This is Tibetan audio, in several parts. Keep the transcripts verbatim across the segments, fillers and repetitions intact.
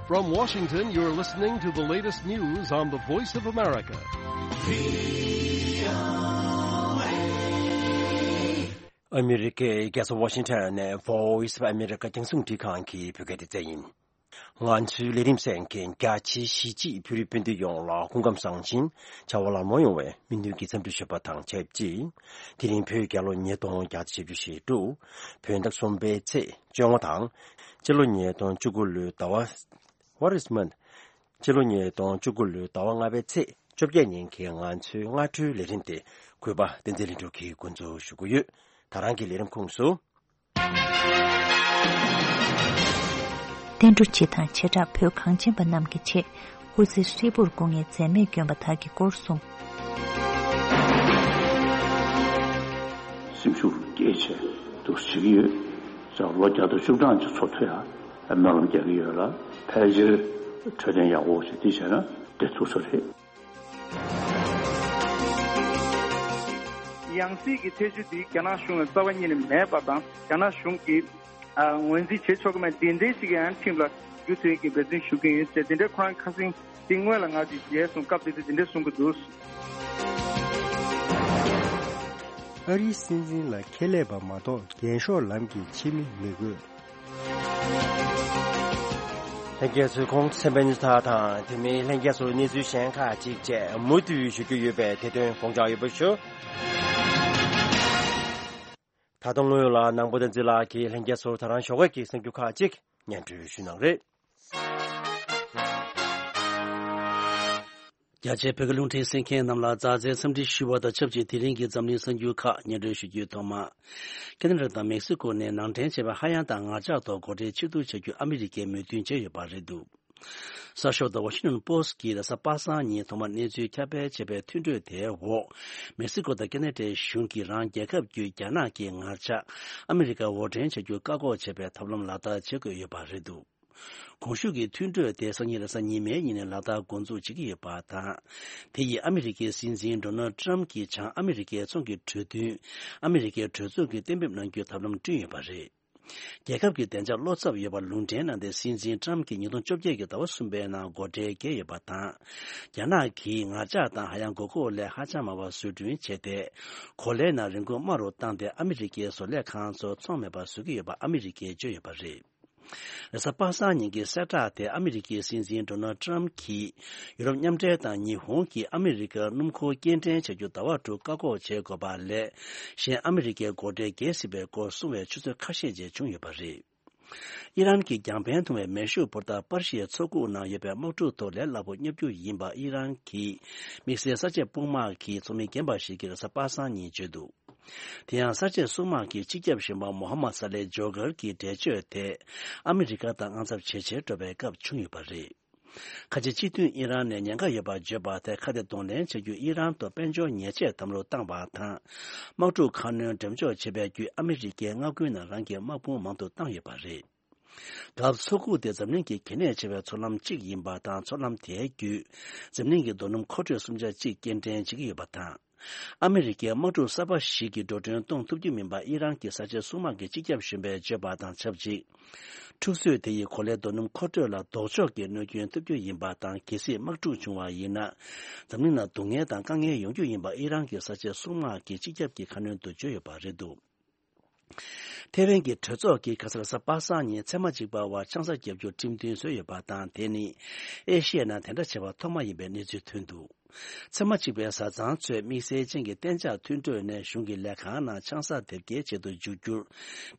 From Washington, you're listening to the latest news on the Voice of America. ཨ་མི་རི་ཀའི་རྒྱལ་ས་ཝ་ཤིང་ཊོན་ནས་Voice of America་རྒྱང་སྲིང་འཕྲིན་ཁང་གི་བོད་སྐད་སྡེ་ཚན་ཡིན། ང་ཚོའི་ལས་རིམ་གསན་མཁན་རྒྱ་ཆེའི་གཞིས་བྱེས་བོད་རིགས་སྤུན་ཟླ་ཡོངས་ལ་སྐུ་ཁམས་བཟང་ཞིང་བྱ་བ་ལམ་ལྷོང་ཡོང་བའི་སྨོན་འདུན་གྱི་འཚམས་འདྲི་ཞུ་བ་དང་ཆབས་ཅིག་དེ་རིང་བོད་རྒྱལ་ལོ་ཉིས་སྟོང་བརྒྱ་དང་བཞི་བཅུ་ཞེ་དྲུག་བོད་ཟླ་གསུམ་པའི་ཚེས་བཅོ་ལྔ་དང་། སྤྱི་ལོ་ཉིས་སྟོང་བཅུ་དགུ་ལོའི་ཟླ་བ། What is month? སྤྱི་ལོ་ཉིས་སྟོང་བཅུ་དགུ་ལོའི་ཟླ་བ་ལྔ་པའི་ཚེས་བཅོ་བརྒྱད་ཉིན་གྱི་ང་ཚོའི་སྔ་དྲོའི་ལས་རིམ་དེ་གུས་པ་བསྟན་འཛིན་ལྷུན་གྲུབ་ཀྱིས་འགོ་འཛུགས་ཞུ་གི་ཡོད། ད་རང་གི་ལས་རིམ་ཁོངས་སུ། བསྟན་འགྲོ་སྤྱི་དང་བྱེ་བྲག་བོད་གངས་ཅན་པ་རྣམས་ཀྱི་ཆེད་སྐུ་ཚེ་ཧྲིལ་པོར་སྐུ་ངལ་འཛེམས་མེད་བསྐྱོན་པ་དག་གི་སྐོར་གསུངས། སེམས་ཤུགས་སྐྱེད་ཆེད་དུ་བྱེད་ཀྱི་ཡོད། ལོ་བརྒྱ་དང་བཅུ་གྲངས་ཀྱི་འཚོ་ཐུབ་ཡ་སྨོན་ལམ་རྒྱག་གི་ཡོད་ལ། ཕལ་ཆེར་འཕྲོད་བསྟེན་ཡག་པོ་ཞིག་འདི་བྱས་ན་བདེ་ཐུབ་ས་རེད། ཡང་སྲིད་ཀྱི་ཐེ་བྱུས་འདི་རྒྱ་ནག་གཞུང་ལ་རྩ་བ་ཉིད་ནས་མེད་པ་དང་། རྒྱ་ནག་གཞུང་གིས་ཨ་ངོས་འཛིན་བྱེད་ཆོག་གི་མེད། འདི་འདྲའི་ཞིག་ཡང་ཁྲིམས་ལ་འགྱུར་ཐུབ་ཀྱི་འབད་བརྩོན་ཞུ་གི་ཡོད་ཅེས་འདི་འདྲའི་ཁོ་རང་ཁ་སང་འདི་སྔོན་ལ་ང་ཚོས་མཇལ་སོང་། སྐབས་དེ་དུས་འདི་འདྲ་གསུང་གི་འདུག། ཨ་རིའི་སྲིད་འཛིན་ལ་ཁེ་ལས་པ་མ་གཏོགས་རྒྱན་ཤོག་ལམ་གྱི་ཕྱི་མི་མི་དགོས། ལྷན་རྒྱས་ཚོས་ཁོང་གསན་པའི་ཉིན་ཐ་དང་དེ་མིན་ལྷན་རྒྱས་ཚོར་གནས་ཚུལ་གཞན་ཁག་ཅིག་བཅས་མུ་མཐུད་ཞུ་རྒྱུ་ཡོད་པས་དེ་དོན་དགོངས་འཇགས་ཡོད་པ་ཞུ། ད་དུང་སྔོན་ལ་ནང་པ་བསྟན་འཛིན་ལགས་ཀྱིས་ལྷན་རྒྱས་ཚོར་ད་རང་ཞོགས་ཀས་ཀྱི་གསར་འགྱུར་ཁག་ཅིག་སྙན་སྒྲོན་ཞུས་གནང་རེད། རྒྱ་ཆེའི་བོད་ཀྱི་རླུང་འཕྲིན་གསན་མཁན་རྣམས་ལ་མཛའ་བརྩེའི་འཚམས་འདྲི་ཞུ་བ་དང་ཆབས་ཅིག་དེ་རིང་གི་འཛམ་གླིང་གསར་འགྱུར་ཁག་སྙན་སྒྲོན་ཞུ་རྒྱུའི་ཐོག་མ། ཁེ་ན་ཌ་དང་མེག་སི་ཀོ་ནས་ནང་འདྲེན་བྱས་པའི་ཧ་ཡང་དང་ངར་ལྕགས་ཐོག་སྒོ་ཁྲལ་ཕྱིར་བསྡུ་བྱ་རྒྱུ་ཨ་མི་རི་ཀས་མོས་མཐུན་བྱས་ཡོད་པ་རེད་འདུག། གསར་ཤོག་ཟླ་བ་ཤིང་ནོན་པོ་སི་ཊི་གིས་རེས་གཟའ་པ་སངས་ཉིན་ཐོག་མར་གནས་ཚུལ་ཁྱབ་སྤེལ་བྱས་པའི་མཐུན་གྲོས་དེའི་འོག། མེག་སི་ཀོ་དང་ཁེ་ན་ཌའི་གཞུང་གིས་རང་རྒྱལ་ཁབ་བརྒྱུད་རྒྱ་ནག་གི་ངར་ལྕགས་ཨ་མི་རི་ཀར་འོར་འདྲེན་བྱ་རྒྱུ་བཀག་འགོག་བྱེད་པའི་ཐབས་ལམ་ལག་བསྟར་བྱེད་དགོས་ཡོད་པ་རེད་འདུག། གོང་ཞུས་ཀྱི་མཐུན་གྲོས་དེ་སང་ཉིན་རེས་གཟའ་ཉི་མའི་ཉིན་ནས་ལག་བསྟར་འགོ་འཛུགས་བྱེད་ཀྱི་ཡོད་པ་དང་། དེ་ཡིས་ཨ་མི་རི་ཀའི་སྲིད་འཛིན་ཌོ་ནལ་ཌི་ཊརམ་ཕི་གྱིས་བྱང་ཨ་མི་རི་ཀའི་ཚོང་གི་གྲོས་མཐུན་ཨ་མི་རི་ཀའི་གྲོས་ཚོགས་ཀྱིས་གཏན་འབེབས་གནང་རྒྱུའི་ཐབས་ལམ་བསྐྲུན་ཡོད་པ་རེད། རྒྱལ་ཁབ་ཀྱི་བདེ་འཇགས་བློ་འཚབ་ཡོད་པར་ལུང་འདྲེན་གནང་སྟེ། སྲིད་འཛིན་ཊརམ་ཕི་གྱིས་ཉིས་སྟོང་བཅོ་བརྒྱད་ཀྱི་ཟླ་བ་གསུམ་པའི་ནང་སྒོ་ཁྲལ་བཀལ་ཡོད་པ་དང་། རྒྱ་ནག་གིས་ངར་ལྕགས་དང་ཧ་ཡང་དགོས་མཁོ་ལས་ཧ་ཅང་མང་བ་བཟོ་སྐྲུན་བྱས་ཏེ། གོ་ལའི་ནང་རིན་གོང་དམའ་རུ་བཏང་སྟེ་ཨ་མི་རི་ཀའི་བཟོ་ལས་ཁང་ཚོ་ཚོང་མེད་པར་བཟོ་གི་ཡོད་པ་ཨ་མི་རི་ཀས་བརྗོད་ཡོད་པ་རེད། རེས་གཟའ་པ་སངས་ཉིན་གྱི་གསལ་བསྒྲགས་དེ་ཨ་མི་རི་ཀའི་སྲིད་འཛིན་ཌོ་ནལ་ཌི་ཊརམ་ཕི་གྱིས་ཡུ་རོབ་མཉམ་འབྲེལ་དང་ཉི་ཧོང་གིས་ཨ་མི་རི་ཀར་སྣུམ་འཁོར་སྐྱེལ་འདྲེན་བྱ་རྒྱུ་ཟླ་བ་དྲུག་བཀག་འགོག་བྱེད་དགོས་པ་ལས་གཞན་ཨ་མི་རི་ཀའི་སྒོ་ཁྲལ་བརྒལ་སྲིད་པའི་སྐོར་གསུང་བའི་ཆུ་ཚོད་ཁ་ཤས་རྗེས་བྱུང་ཡོད་པ་རེད། ཨི་རན་གྱི་རྒྱང་འཕེན་ཐུང་བའི་མེ་ཤུགས་འཕུར་མདའ་པར་ཤིའི་མཚོ་ཁུག་ནང་ཡོད་པའི་དམག་འཁྲུག་ཐོག་ལས་སླ་པོ་སྙོབ་རྒྱུ་ཡིན་པ་ཨི་རན་གྱི་དམིགས་བསལ་གསར་བརྗེ་དཔུང་དམག་གི་ཚོགས་མི་རྒན་པ་ཞིག་གིས་རེས་གཟའ་པ་སངས་ཉིན་བརྗོད་འདུག། དེ་ཡང་གསར་བརྗེ་སྲུང་དམག་གི་སྤྱི་ཁྱབ་གཞོན་པ་མོ་ཧམ་མད་ས་ལེ་ཇོ་གར་གྱི་འགྲེལ་བརྗོད་དེ་ཨ་མི་རི་ཀ་དང་དབང་ཚབ་ཇེ་ཆེར་འགྲོ་བའི་སྐབས་བྱུང་ཡོད་པ་རེད། ཁ་ཆེ་སྤྱི་མཐུན་ཨི་རན་ནས་ཉེན་ཁ་ཡོད་པར་བརྗོད་པ་དེ་ཁ་གཏད་གདོང་ལེན་བྱ་རྒྱུ་ཨི་རན་ཐོག་དཔལ་འབྱོར་ཉེས་ཆད་དམ་ལུགས་བཏང་བ་དང་། དམག་འཁྲུག་ཁ་སྣོན་འགྲེམས་འཇོག་བྱེད་པའི་བརྒྱུད་ཨ་མི་རི་ཀའི་མངའ་ཁུལ་ནང་རང་གི་དམག་དཔུང་མང་དུ་བཏང་ཡོད་པ་རེད། སྐབས་མཚོ་ཁུག་དེ་འཛམ་གླིང་གི་གལ་གནད་ཆེ་བའི་མཚོ་ལམ་གཅིག་ཡིན་པ་དང་། མཚོ་ལམ་དེའི་བརྒྱུད་འཛམ་གླིང་གི་རྡོ་སྣུམ་མཁོ་སྤྲོད་སུམ་ཆ་གཅིག་སྐྱེལ་འདྲེན་བྱེད་ཀྱི་ཡོད་པ་དང་། ཨ་མི་རི་ཀས་དམག་འཁྲུག་གསར་པ་ཞིག་གི་འགྲོ་གྲོན་གཏོང་ཐུབ་རྒྱུ་མིན་པ་ཨི་རན་གྱི་གསར་བརྗེ་སྲུང་དམག་གི་སྤྱི་ཁྱབ་གཞོན་པས་བརྗོད་པ་དང་ཆབས་ཅིག། འཁྲུག་རྩོད་དེ་ཡིས་གོ་ལའི་རྡོ་སྣུམ་མཁོ་སྤྲོད་ལ་ལྡོག་ཕྱོགས་ཀྱི་གནོད་སྐྱོན་ཐེབས་རྒྱུ་ཡིན་པ་དང་། གལ་སྲིད་དམག་འཁྲུག་བྱུང་བ་ཡིན་ན། འཛམ་གླིང་ནང་སྡུག་བསྔལ་དང་དཀའ་ངལ་ཡོང་རྒྱུ་ཡིན་པ་ཨི་རན་གྱི་གསར་བརྗེ་སྲུང་དམག་གི་སྤྱི་ཁྱབ་ཀྱི་ཁ་སྣོན་དུ་བརྗོད་ཡོད་པ་རེད་འདུག། ཐེ་ཝན་གྱི་གྲོས་ཚོགས་ཀྱིས་ཁ་སང་རེས་གཟའ་པ་སངས་ཉིན་ཚད་མ་གཅིག་པ་བར་ཆང་ས་བརྒྱབ་རྒྱུར་ཁྲིམས་མཐུན་བཟོས་ཡོད་པ་དང་། དེ་ནི་ཨེ་ཤི་ཡའི་ནང་དེ་འདྲ་བྱས་པ་ཐོག་མ་ཡིན་པའི་གནས་ཚུལ་ཐོན་འདུག། ཚད་མ་གཅིག་པའི་བཟའ་ཚང་ཚོས་དམིགས་བསལ་ཅན་གྱི་གཏན་འཇགས་མཐུན་གྲོས་ནས་གཞུང་གི་ལས་ཁང་ནང་ཆང་ས་དེབ་སྐྱེལ་བྱེད་དུ་འཇུག་རྒྱུར།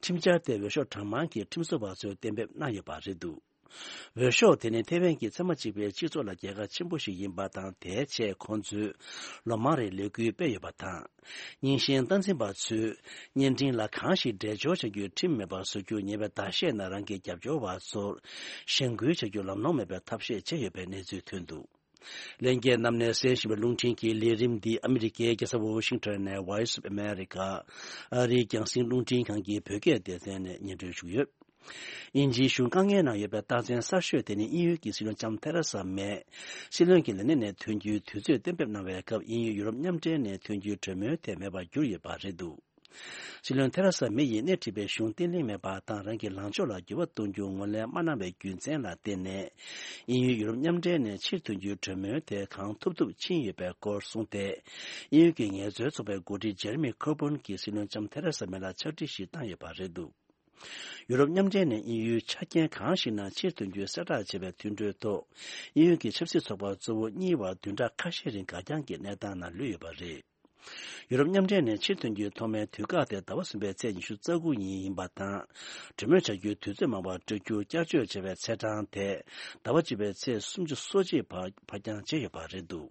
ཁྲིམས་འཆར་དེ་འོས་ཤོག་གྲངས་མང་གི་ཁྲིམས་བཟོ་བ་ཚོས་གཏན་འབེབས་གནང་ཡོད་པ་རེད་འདུག། འོས་ཤོག་དེ་ནི་ཐེ་ཝན་གྱི་ཚད་མ་གཅིག་པའི་སྤྱི་ཚོགས་ལ་རྒྱལ་ཁ་ཆེན་པོ་ཞིག་ཡིན་པ་དང་། དེའི་ཆེད་ཁོང་ཚོས་ལོ་མང་རིང་ལས་འགུལ་སྤེལ་ཡོད་པ་དང་། རྙིང་ཞེན་སྟངས་འཛིན་པ་ཚོས་བརྙན་འཕྲིན་ལ་གང་ཞིག་འགྲེལ་སྦྱོར་བྱ་རྒྱུའི་ཁྲིམས་མེད་པར་བཟོ་རྒྱུ་ཉེ་བའི་ཟླ་ཤས་ནང་རང་གི་རྒྱབ་སྐྱོར་བ་ཚོར་གཞེན་སྐུལ་བྱ་རྒྱུ་ལམ་ལྷོང་མེད་པའི་ཐབས་ཤེས་བྱས་ཡོད་པའི་གནས་ཚུལ་ཐོན་འདུག། ལྷན་རྒྱས་རྣམས་ནས་གསན་བཞིན་པའི་རླུང་འཕྲིན་གྱི་ལས་རིམ་འདི་ཨ་མི་རི་ཀའི་རྒྱལ་ས་ཝོ་ཤིང་ཊོན་ནས་Voice of America ཨ་རིའི་རྒྱང་སྲིང་རླུང་འཕྲིན་ཁང་གི་བོད་སྐད་སྡེ་ཚན་ནས་སྙན་སྒྲོན་ཞུ་གི་ཡོད། དབྱིན་ཇིའི་གཞུང་དཀའ་ངལ་ནང་ཡོད་པའི་རྟགས་མཚན་གསར་ཤོས་དེ་ནི་དབྱིན་ཡུལ་གྱི་སྲིད་བློན་ལྕམ་ཐེ་རེ་ས་མེ་སྲིད་བློན་གྱི་ལས་གནས་ནས་ཐོན་རྒྱུའི་དུས་ཚོད་གཏན་འབེབས་གནང་བའི་སྐབས། དབྱིན་ཡུལ་ཡུ་རོབ་མཉམ་འབྲེལ་ནས་ཐོན་རྒྱུའི་གྲོས་མོལ་ཐད་མེད་པར་གྱུར་ཡོད་པ་རེད་འདུག། སྲིད་བློན་ཐེ་རེ་ས་མེ་ཡིས་སྣེ་ཁྲིད་པའི་གཞུང་བརྟན་ལྷིང་མེད་པ་དང་། རང་གི་ལངས་ཕྱོགས་ལ་འགྱུར་བ་གཏོང་རྒྱུ་ངོས་ལེན་མ་གནང་བའི་རྒྱུ་མཚན་ལ་བརྟེན་ནས། དབྱིན་ཡུལ་ཡུ་རོབ་མཉམ་འབྲེལ་ནས་ཕྱིར་ཐོན་རྒྱུའི་གྲོས་མོལ་དེ་གང་ཐུབ་ཐུབ་ཕྱིན་ཡོད་པའི་སྐོར་གསུངས་ཏེ། དབྱིན་ཡུལ་གྱི་ངལ་རྩོལ་ཚོགས་པའི་འགོ་ཁྲིད་ཇེ་རེ་མི་ཁོ་བུན་གྱིས་སྲིད་བློན་ལྕམ་ཐེ་རེ་ས་མེ་ལ་ཕྱག་བྲིས་ཤིག་བཏང་ཡོད་པ་རེད་འདུག་ཡུ་རོབ་མཉམ་འབྲེལ་ནས་དབྱིན་ཡུལ་ཆ་རྐྱེན་གང་ཞིག་ནང་ཕྱིར་ཐོན་རྒྱུའི་གསལ་བསྒྲགས་བྱས་པའི་མཐུན་གྲོས་ཐོག་དབྱིན་ཡུལ་གྱི་ཆབ་སྲིད་ཚོགས་པ་གཙོ་བོ་གཉིས་བར་བདུན་ཕྲག་ཁ་ཤས་རིང་འགའ་རྐྱང་གི་གནས་སྟངས་ནང་ལུས་ཡོད་པ་རེད། ཡུ་རོབ་མཉམ་འབྲེལ་ནས་ཕྱིར་ཐོན་རྒྱུའི་ཐོག་མའི་དུས་བཀག་དེ་ཟླ་བ་གསུམ་པའི་ཚེས་ཉི་ཤུ་རྩ་དགུ་ཉིན་ཡིན་པ་དང་། གྲོས་མོལ་བྱ་རྒྱུའི་དུས་ཚོད་མང་བ་སྤྲོད་རྒྱུ་བསྐྱར་བཅོས་བྱས་པའི་ཚེས་གྲངས་དེ་ཟླ་བ་བཅུ་པའི་ཚེས་སུམ་ཅུ་སོ་གཅིག་བར་ཕར་འགྱངས་བྱས་ཡོད་པ་རེད་འདུག་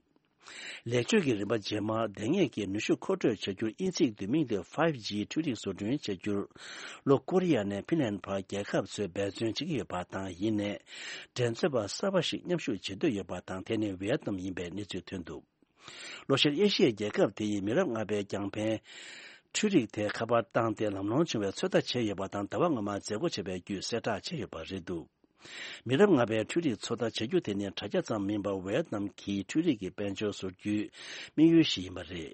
ལེགས་བཅོས་ཀྱི་རིམ་པ་རྗེས་མར་བདེ་ངེས་ཀྱི་ནུས་ཤུགས་མཁོ་སྤྲོད་བྱ་རྒྱུར་དབྱེ་ཚིག་བསྡུས་མིང་དེ་ཕའིབ་ཇི་འཕྲུལ་རིག་བཟོ་སྐྲུན་བྱ་རྒྱུར། ལྷོ་ཀོ་རི་ཡ་ནས་ཕིན་ལན་བར་རྒྱལ་ཁབ་ཚོས་འབད་བརྩོན་བྱེད་ཀྱི་ཡོད་པ་དང་། ཡིན་ནའི། འགྲན་རྩོད་པ་གསར་པ་ཞིག་མཉམ་ཞུགས་བྱེད་འདོད་ཡོད་པ་དང་། དེ་ནི་ཝེ་ཏི་ནམ་ཡིན་པའི་གནས་ཚུལ་ཐོན་འདུག་ལྷོ་ཤར་ཨེ་ཤི་ཡའི་རྒྱལ་ཁབ་དེ་ཡིས་མི་རབས་ལྔ་པའི་རྒྱང་འཕེན་འཕྲུལ་རིག་དེ་ཁ་པར་བཏང་སྟེ་ལམ་ལྷོང་བྱུང་བའི་ཚོད་ལྟ་བྱས་ཡོད་པ་དང་། ཟླ་བ་སྔོན་མ་མཛད་སྒོ་བྱས་པའི་བརྒྱུད་གསལ་བསྒྲགས་བྱས་ཡོད་པ་རེད་འདུག་མི་རབས་ལྔ་པའི་འཕྲུལ་རིག་ཚོད་ལྟ་བྱ་རྒྱུ་དེ་ནི་དྲ་རྒྱ་ཙམ་མིན་པར་ཝེ་ཏི་ནམ་གྱི་འཕྲུལ་རིག་གི་དཔལ་འབྱོར་བཟོ་རྒྱུའི་དམིགས་ཡུལ་ཞིག་ཡིན་པ་རེད།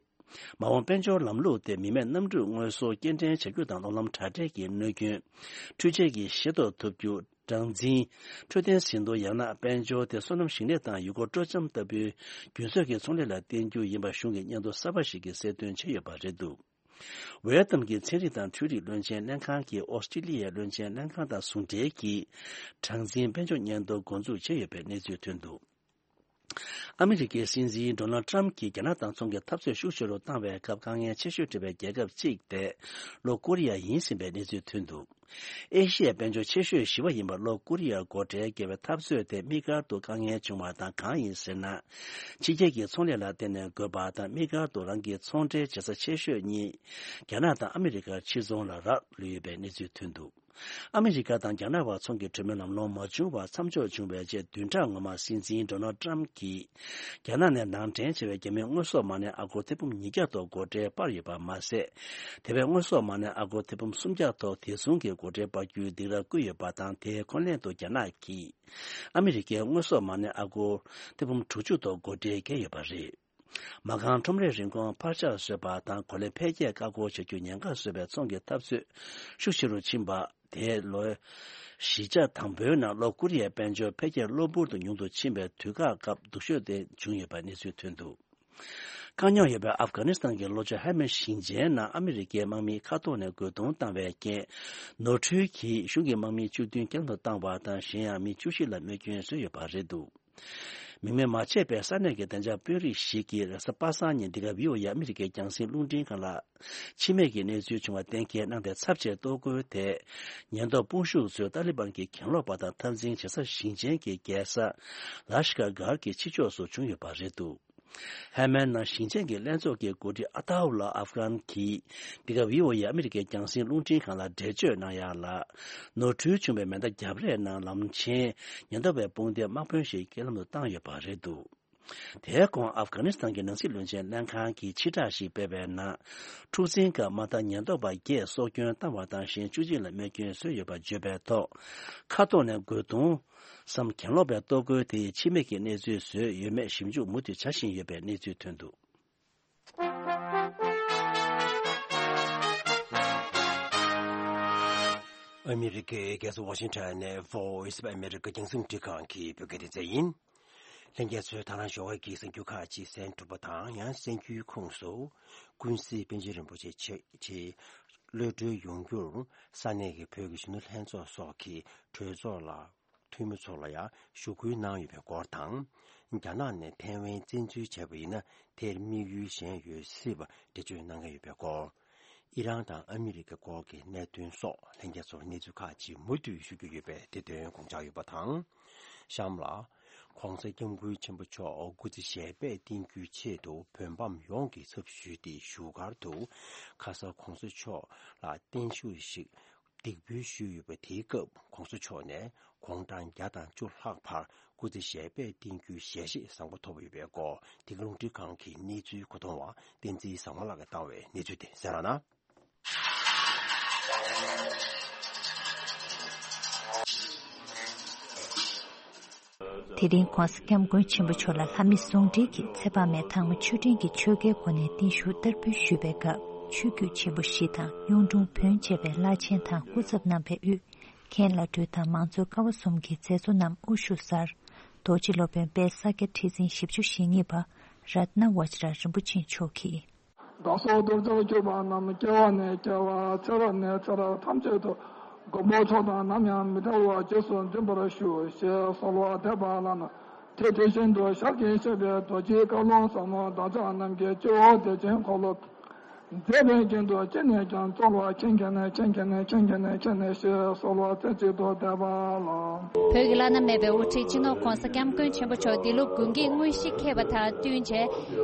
མ་འོངས་དཔལ་འབྱོར་ལམ་ལུགས་དེ་མི་མེད་གནམ་གྲུ་དངོས་སུ་སྐྱེལ་འདྲེན་བྱ་རྒྱུ་དང་། གློག་ལམ་དྲ་སྦྲེལ་གྱི་གནོད་སྐྱོན། འཕྲུལ་ཆས་ཀྱི་ཤེས་རྟོགས་ཐུབ་རྒྱུ། གྲངས་འཛིན། འཕྲོད་བསྟེན་ཟིན་ཐོ། ཡང་ན་དཔལ་འབྱོར་དེ་སོ་ནམ་ཞིང་ལས་དང་ཡུལ་སྐོར་སྤྲོ་འཆམ་ལྟ་བུའི་རྒྱུན་སྲོལ་གྱི་ཚོང་ལས་ལ་བརྟེན་རྒྱུ་ཡིན་པ་གཞུང་གི་སྙན་ཐོ་གསར་པ་ཞིག་གིས་གསལ་སྟོན་བྱས་ཡོད་པ་རེད་འདུག་ཝེ་ཏི་ནམ་གྱི་ཚན་རིག་དང་འཕྲུལ་རིག་བློན་ཆེན་ལྷན་ཁང་གིས་ཨོ་སི་ཀྲི་ལི་ཡའི་བློན་ཆེན་ལྷན་ཁང་དང་ཟུང་འབྲེལ་གྱིས་གྲངས་འཛིན་དཔལ་འབྱོར་སྙན་ཐོ་འགོ་འཛུགས་བྱས་ཡོད་པའི་གནས་ཚུལ་ཐོན་འདུག་ཨ་མི་རི་ཀའི་སྲིད་འཛིན་ཌོ་ནལ་ཏྲམ་གྱིས་རྒྱ་ནག་དང་ཚོང་གི་འཐབ་རྩོད་ཤུགས་ཆེ་རུ་བཏང་བའི་སྐབས་དཀའ་ངལ་ཆེ་ཤོས་འཕྲད་པའི་རྒྱལ་ཁབ་གཅིག་དེ་ལྷོ་ཀོ་རི་ཡ་ཡིན་ཟིན་པའི་གནས་ཚུལ་ཐོན་འདུག་ཨེ་ཤི་ཡའི་དཔལ་འབྱོར་ཆེ་ཤོས་བཞི་པ་ཡིན་པ་ལྷོ་ཀོ་རི་ཡར་སྒོ་ཁྲལ་བཀལ་བའི་འཐབ་རྩོད་དེ་དམིགས་བཀར་དུ་དཀའ་ངལ་བྱུང་བ་དང་། གང་ཡིན་ཟེར་ན། ཕྱི་རྒྱལ་གྱི་ཚོང་ལས་ལ་བརྟེན་ནས་དགོས་པ་དང་། དམིགས་བཀར་དུ་རང་གི་ཚོང་འབྲེལ་བྱེད་ས་ཆེ་ཤོས་གཉིས་རྒྱ་ནག་དང་ཨ་མི་རི་ཀར་ཕྱིར་ཚོང་ལ་རག་ལུས་ཡོད་པའི་གནས་ཚུལ་ཐོན་འདུག་ཨ་མི་རི་ཀ་དང་རྒྱ་ནག་བར་ཚོང་གི་གྲོས་མོལ་ལམ་ལྷོང་མ་བྱུང་བར་མཚམས་འཇོག་བྱུང་བའི་རྗེས། བདུན་ཕྲག་སྔོན་མ་སྲིད་འཛིན་ཌོ་ནལ་ཏྲམ་གྱིས་རྒྱ་ནག་ནས་ནང་འདྲེན་བྱས་པའི་རྒྱ་མིའི་དངོས་ཟོག་མ་གནས་ཨ་སྒོར་ཐེར་འབུམ་ཉིས་བརྒྱ་ཐོག་སྒོ་ཁྲལ་སྤར་ཡོད་པ་མ་ཟད། དེ་བས་དངོས་ཟོག་མ་གནས་ཨ་སྒོར་ཐེར་འབུམ་སུམ་བརྒྱ་ཐོག་དེ་མཚུངས་ཀྱི་སྒོ་ཁྲལ་སྤར་རྒྱུའི་སྡིགས་ར་བསྐུལ་ཡོད་པ་དང་། དེའི་འཁོན་ལན་དུ་རྒྱ་ནག་གིས་ཨ་མི་རི་ཀའི་དངོས་ཟོག་མ་གནས་ཨ་སྒོར་ཐེར་འབུམ་དྲུག་ཅུ་ཐོག་སྒོ་ཁྲལ་བཀལ་ཡོད་པ་རེད། མ་རྐང་ཁྲོམ་རའི་རིན་གོང་འཕར་ཆག་བཟོས་པ་དང་། གོ་ལའི་འཕེལ་རྒྱས་བཀག་འགོག་བྱ་རྒྱུ་ཉེན་ཁ་བཟོས་པའི་ཚོང་གི་འཐབ་རྩོད་ཤུགས་ཆེ་རུ་ཕྱིན་པ། དེས་ལོའི་བཞི་ཆ་དང་པོའི་ནང་ལྷོ་ཀོ་རི་ཡའི་དཔལ་འབྱོར་འཕེལ་རྒྱས་གློ་བུར་དུ་ཉུང་དུ་ཕྱིན་པའི་དུས་བཀག་སྐབས་སྡུག་ཤོས་དེ་བྱུང་ཡོད་པ་གནས་ཚུལ་ཐོན་འདུག་དཀའ་རྙོག་ཡོད་པའི་ཨབ་གྷ་ནི་སི་ཐན་གྱི་ལྷོ་ཕྱོགས་ཧེ་མན་ཞིང་ཆེན་ནང་ཨ་མི་རི་ཀའི་དམག་མིས་མཁའ་ཐོག་ནས་རྒོལ་རྡུང་བཏང་བའི་རྐྱེན། ནོར་འཁྲུལ་གྱིས་གཞུང་གི་དམག་མི་བཅུ་བདུན་རྐྱེན་ལམ་དུ་བཏང་བ་དང་། གཞན་ཡང་མི་བཅུ་བཞི་ལ་རྨས་སྐྱོན་བཟོས་ཡོད་པ་རེད་འདུག་མིང་མེད་མ་བྱས་པའི་ས་གནས་ཀྱི་བདེ་འཇགས་དཔོན་རིགས་ཤིག་གིས་རེས་གཟའ་པ་སངས་ཉིན་འདི་ག་བྷི་ཨོ་ཨེ་ཨ་མི་རི་ཀའི་རྒྱང་སྲིང་རླུང་འཕྲིན་ཁང་ལ། འཆི་རྨས་ཀྱི་གནས་ཚུལ་བྱུང་བ་གཏན་འཁེལ་གནང་སྟེ། ཚབས་ཆེའི་གཏོར་རྒོལ་དེ་ཉེན་རྟོག་དཔུང་ཤུགས་ཚོས་ཏཱ་ལི་བན་གྱི་གྱེན་ལོག་པ་དང་འཐབ་འཛིང་བྱེད་ས་ཞིང་ཆེན་གྱི་རྒྱལ་ས་ལ་ཤི་ཀ་གྷར་གྱི་ཕྱི་ཕྱོགས་སུ་བྱུང་ཡོད་པ་རེད་འདུག་ཧེ་མན་ནང་ཞིང་ཆེན་གྱི་ལྷན་ཚོགས་ཀྱི་འགོ་ཁྲིད་ཨ་ཏཱ་ཨུ་ལ་ཨབ་གྷན་གྱིས་འདི་ག་བྷི་ཨོ་ཨེ་ཨ་མི་རི་ཀའི་རྒྱང་སྲིང་རླུང་འཕྲིན་ཁང་ལ་འགྲེལ་བརྗོད་གནང་ཡག་ལ། ནོར་འཁྲུལ་བྱུང་བའི་མེ་མདའ་བརྒྱབ་རེས་ནང་ལམ་ཆེན་ཉེན་རྟོག་པའི་དཔུང་སྡེས་དམག་དཔོན་ཞིག་རྐྱེན་ལམ་དུ་བཏང་ཡོད་པ་རེད་འདུག་དེའི་གོང་ཨབ་གྷ་ནི་སི་ཐན་གྱི་ནང་སྲིད་བློན་ཆེན་ལྷན་ཁང་གིས་ཕྱིར་བསྒྲགས་ཤིག་སྤེལ་བའི་ནང་། འཁྲུག་འཛིང་སྐབས་དམག་དར་ཉེན་རྟོག་པ་བརྒྱད་སྲོག་སྐྱོན་བཏང་བ་དང་། གཞན་བཅུ་གཅིག་ལ་རྨས་སྐྱོན་བཟོས་ཡོད་པ་བརྗོད་པའི་ཐོག་མཁའ་ཐོག་ནས་རྒོལ་རྡུང་སམ་གྱེན་ལོག་པའི་གཏོར་རྒོལ་དེ་ཡིས་འཆི་རྨས་ཀྱི་གནས་ཚུལ་བཟོས་ཡོད་མེད་ཞིབ་འཇུག་མུ་མཐུད་བྱ་བཞིན་ཡོད་པའི་གནས་ཚུལ་ཐོན་འདུག་ཨ་མི་རི་ཀའི་རྒྱལ་ས་ཝ་ཤིང་ཊོན་ནས་Voice of America རྒྱང་སྲིང་འཕྲིན་ཁང་གི་བོད་སྐད་སྡེ་ཚན་ཡིན། ལྷན་རྒྱས་ཚོས་ད་རང་ཞོགས་ཀྱི་གསར་འགྱུར་ཁག་ཅིག་གསན་གྲུབ་པ་དང་། ཡང་གསར་འགྱུར་ཁོངས་སུ་ཀུན་གཟིགས་པཎ་ཆེན་རིན་པོ་ཆེ་ཆེད་ཆེད་གློད་གྲོལ་ཡོང་རྒྱུར་ས་གནས་ཀྱི་བོད་ཀྱི་གཞོན་ནུ་ལྷན་ཚོགས་སོགས་ཀྱི་གྲོས་ཚོགས་ལ་འཐུས་མི་ཚོ་ལ་ཡང་ཞུ་སྐུལ་གནང་ཡོད་པའི་སྐོར་དང་། རྒྱ་ནག་ནས་ཐའེ་ཝན་བཙན་འཛུལ་བྱས་པ་ཡིན་ན། དེར་དམིགས་ཡུལ་གཞན་ཡོད་སྲིད་པ་འགྲེལ་བརྗོད་གནང་གི་ཡོད་པའི་སྐོར། ཨི་རན་དང་ཨ་མི་རི་ཀའི་སྐོར་གྱི་གནད་དོན་སོགས་ལྷན་རྒྱས་ཚོར་གནས་ཚུལ་ཁག་ཅིག་མུ་མཐུད་ཞུ་རྒྱུ་ཡོད་པས། དེ་དོན་དགོངས་འཇགས་ཡོད་པ་དང་། གཤམ་ལ། ༸གོང་ས་༸སྐྱབས་མགོན་ཆེན་པོ་མཆོག་སྐུ་ཚེ་ཞལ་པད་བརྟན་རྒྱུའི་ཆེད་དུ་བོད་འབངས་ཡོངས་ཀྱི་ཚབ་ཞུས་ཏེ་བཞུགས་སྒར་དུ་ཁ་ས་༸གོང་ས་མཆོག་ལ་བརྟན་བཞུགས་ཤིག་འདེགས་འབུལ་ཞུས་ཡོད་པ། དེའི་སྐབས་༸གོང་ས་མཆོག་ནས་དགུང་གྲངས་བརྒྱ་དང་བཅུ་ལྷག་བར་སྐུ་ཚེ་ཞལ་པད་བརྟན་རྒྱུའི་ཞལ་བཞེས་བཟང་པོ་ཐོབ་ཡོད་པའི་སྐོར། འདི་ག་རླུང་འཕྲིན་ཁང་གི་གནས་ཚུལ་མཁོ་གཏོང་བ་བསྟན་འཛིན་བཟང་མོ་ལགས་ཀྱིས་བཏང་བའི་གནས་ཚུལ་དེ་གསན་རོགས་གནང་། དེ་རིང་༸གོང་ས་༸སྐྱབས་མགོན་ཆེན་པོ་མཆོག་ལ་ལྷ་མི་ཟུང་འབྲེལ་གྱིས་ཚེ་དཔག་མེད་ཐང་མོ་ཆོས་སྒྲོན་གྱི་ཆོས་སྐལ་སྒོ་ནས་བརྟན་བཞུགས་བསྟར་འབུལ་ཞུས་པའི་སྐབས། ཆོས་བརྒྱུད་ཆེན་པོ་བཞི་དང་གཡུང་དྲུང་བོན་བཅས་པའི་བླ་ཆེན་དང་སྐུ་ཚབ་རྣམ་པས་དབུས། མཁན་བླ་སྤྲུལ་དང་མང་གཙོའི་ཀ་བ་གསུམ་གྱི་མཛད་གཙོ་རྣམས་དབུ་བཞུགས་སར། རྡོ་རྗེ་སློབ་དཔོན་དཔལ་ས་སྐྱ་ཁྲི་འཛིན་བཞི་བཅུ་ཞེ་གཉིས་པ་རཏྣ་བཛྲ་རིན་པོ་ཆེ་མཆོག་གིས། བདག་སོགས་གདུལ་བྱར་གྱུར་པ་རྣམས། སྐྱེ་བ་ནས་སྐྱེ་བ། ཚེ་རབས་ནས་ཚེ་རབས་ཐམས་ཅད་དུ། མགོན་པོ་མཆོག་དང་ནམ་ཡང་མི་འབྲལ་བར། རྗེས་སུ་འཛིན་པར་ཞུ། ཞེས་གསོལ་བ་འདེབས་པ་ལ། དེ་དེ་བཞིན་དུ་ཞལ་གྱིས་བཞེས་པའི་རྡོ་རྗེའི་བཀའ་ལུང་ཟབ་མོ་བདག་ཅག་རྣམས་ཀྱི་སྤྱི་བོར་བདེ་ཆེན་འཁོར་ལོ་མཛད་པའི་རྒྱན་དུ་ཅི་ནས་ཀྱང་སྩོལ་བར་མཁྱེན་མཁྱེན་ནས་མཁྱེན་མཁྱེན་ནས་མཁྱེན་མཁྱེན་ནས་མཁྱེན་ནས་ཞེས་གསོལ་བ་རྩེ་གཅིག་ཏུ་འདེབས་པ་ལགས། བོད་ཀྱི་བླ་ན་མེད་པའི་དབུ་ཁྲིད་སྤྱི་ནོར་༸གོང་ས་༸སྐྱབས་མགོན་ཆེན་པོ་མཆོག་འདི་ལོ་དགུན་གྱི་དངོས་གཞི་འཁེལ་བ་དང་བསྟུན་བྱས་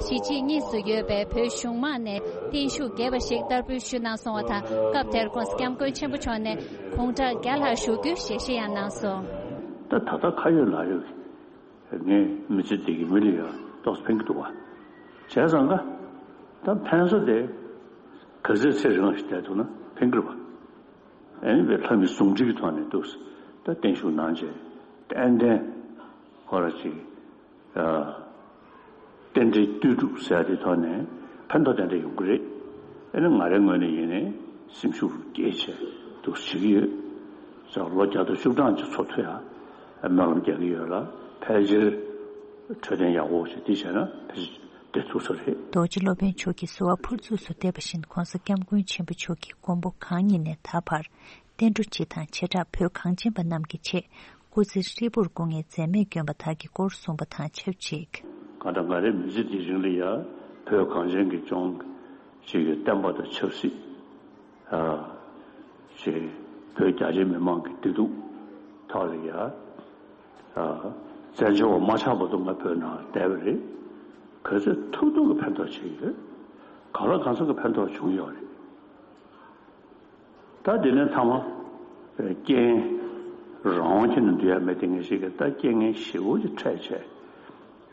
གཞིས་བྱེས་གཉིས་སུ་ཡོད་པའི་བོད་གཞུང་མང་ནས་བརྟན་བཞུགས་རྒྱས་པ་ཞིག་བསྟར་འབུལ་ཞུས་གནང་སོང་བ་དང་། སྐབས་དེར་༸གོང་ས་༸སྐྱབས་མགོན་ཆེན་པོ་མཆོག་ནས་དགུང་གྲངས་བརྒྱ་ལྷག་བཞུགས་རྒྱུའི་ཞལ་བཞེས་ཡང་གནང་སོང་། ད་ད་ལྟ་ཁ་ཡོད་ལག་ཡོད་ཀྱི། ངས་མི་ཚེ་འདི་གི་མི་ལ་ཡང་ཏོག་ཙམ་ཕན་གྱི་འདུག་བ། བྱས་ཙང་ཀ། ད་ཕན་ས་དེ་ག་ཚོད་ཚེ་རིང་བ་ཞིག་བསྡད་འདུག་ན་ཕན་གྱི་རེད་བ། ཨ་ནི་བའི་ལྷ་མི་ཟུང་འབྲེལ་གྱི་ཐོག་ནས་འདུག་ད་བརྟན་བཞུགས་གནང་བྱས་ཏན་ཏན་ཧོ་ར་ཅིག་ཨ། རྟེན་འབྲེལ་ལྟོས་གྲུབ་ཟེར་ཡ་དེ་ཐོག་ནས་ཕན་ཐོགས་ཏན་ཏན་ཡོང་གི་རེད། ཨ་ནི་ང་རའི་ངོས་ནས་ཡིན་ནའི་སེམས་ཤུགས་སྐྱེད་བྱས་འདུག་བྱེད་ཀྱི་ཡོད། ཙང་ལོ་བརྒྱ་དང་བཅུ་གྲངས་ཀྱི་འཚོ་ཐུབ་ཡ་སྨོན་ལམ་རྒྱག་གི་ཡོད་ལ། ཕལ་ཆེར་འཕྲོད་བསྟེན་ཡག་པོ་ཞིག་འདི་བྱས་ན་ཕལ་ཆེར་བསྡད་ཐུབ་ས་རེད། རྡོ་རྗེ་སློབ་དཔོན་མཆོག་གིས་གསོལ་བ་ཕུར་ཚུགས་སུ་འདེབས་པ་བཞིན་༸གོང་ས་༸སྐྱབས་མགོན་ཆེན་པོ་མཆོག་གིས་མགོན་པོ་གང་ཉིད་ནས་ད་བར་བསྟན་འགྲོ་སྤྱི་དང་བྱེ་བྲག་བོད་གངས་ཅན་པ་རྣམས་ཀྱི་ཆེད་སྐུ་ཚེ་ཧྲིལ་པོར་སྐུ་ངལ་འཛེམས་མེད་བསྐྱོན་པ་དག་གི་སྐོར་གསུངས་པ་དང་ཆབས་ཅིག་གང་ལྟར་ང་རའི་མི་ཚེ་འདིའི་རིང་ལ་ཡང་བོད་གངས་ཅན་གྱི་ལྗོངས་ཀྱི་བསྟན་པ་དང་ཆབ་སྲིད། ཨ། ཅེས་བོད་རྒྱ་ཆེའི་མི་མང་གི་བདེ་སྡུག་ཐོག་ལ་ཡ། ཨ། བཙན་བྱོལ་བ་མ་ཆགས་བར་དུ་ང་བོད་ནང་བསྡད་པ་རེད། ག་ཚོད་ཐུབ་ཐུབ་ཀྱི་ཕན་ཐོགས་བྱེད་ཀྱི་ཡོད། གང་ལ་གང་འཚམ་གྱི་ཕན་ཐོགས་བྱུང་ཡོད་རེད། ད་དེ་ནས་མཐའ་མ། རྐྱེན། རང་དབང་ཁྱེར་ནས་འདུག་ཡ་མེད་དེ་ངེས་ཤེས་ཀྱི་ད་རྐྱེན་ངན་ཞེ་པོ་ཅིག་འཕྲད་བྱས།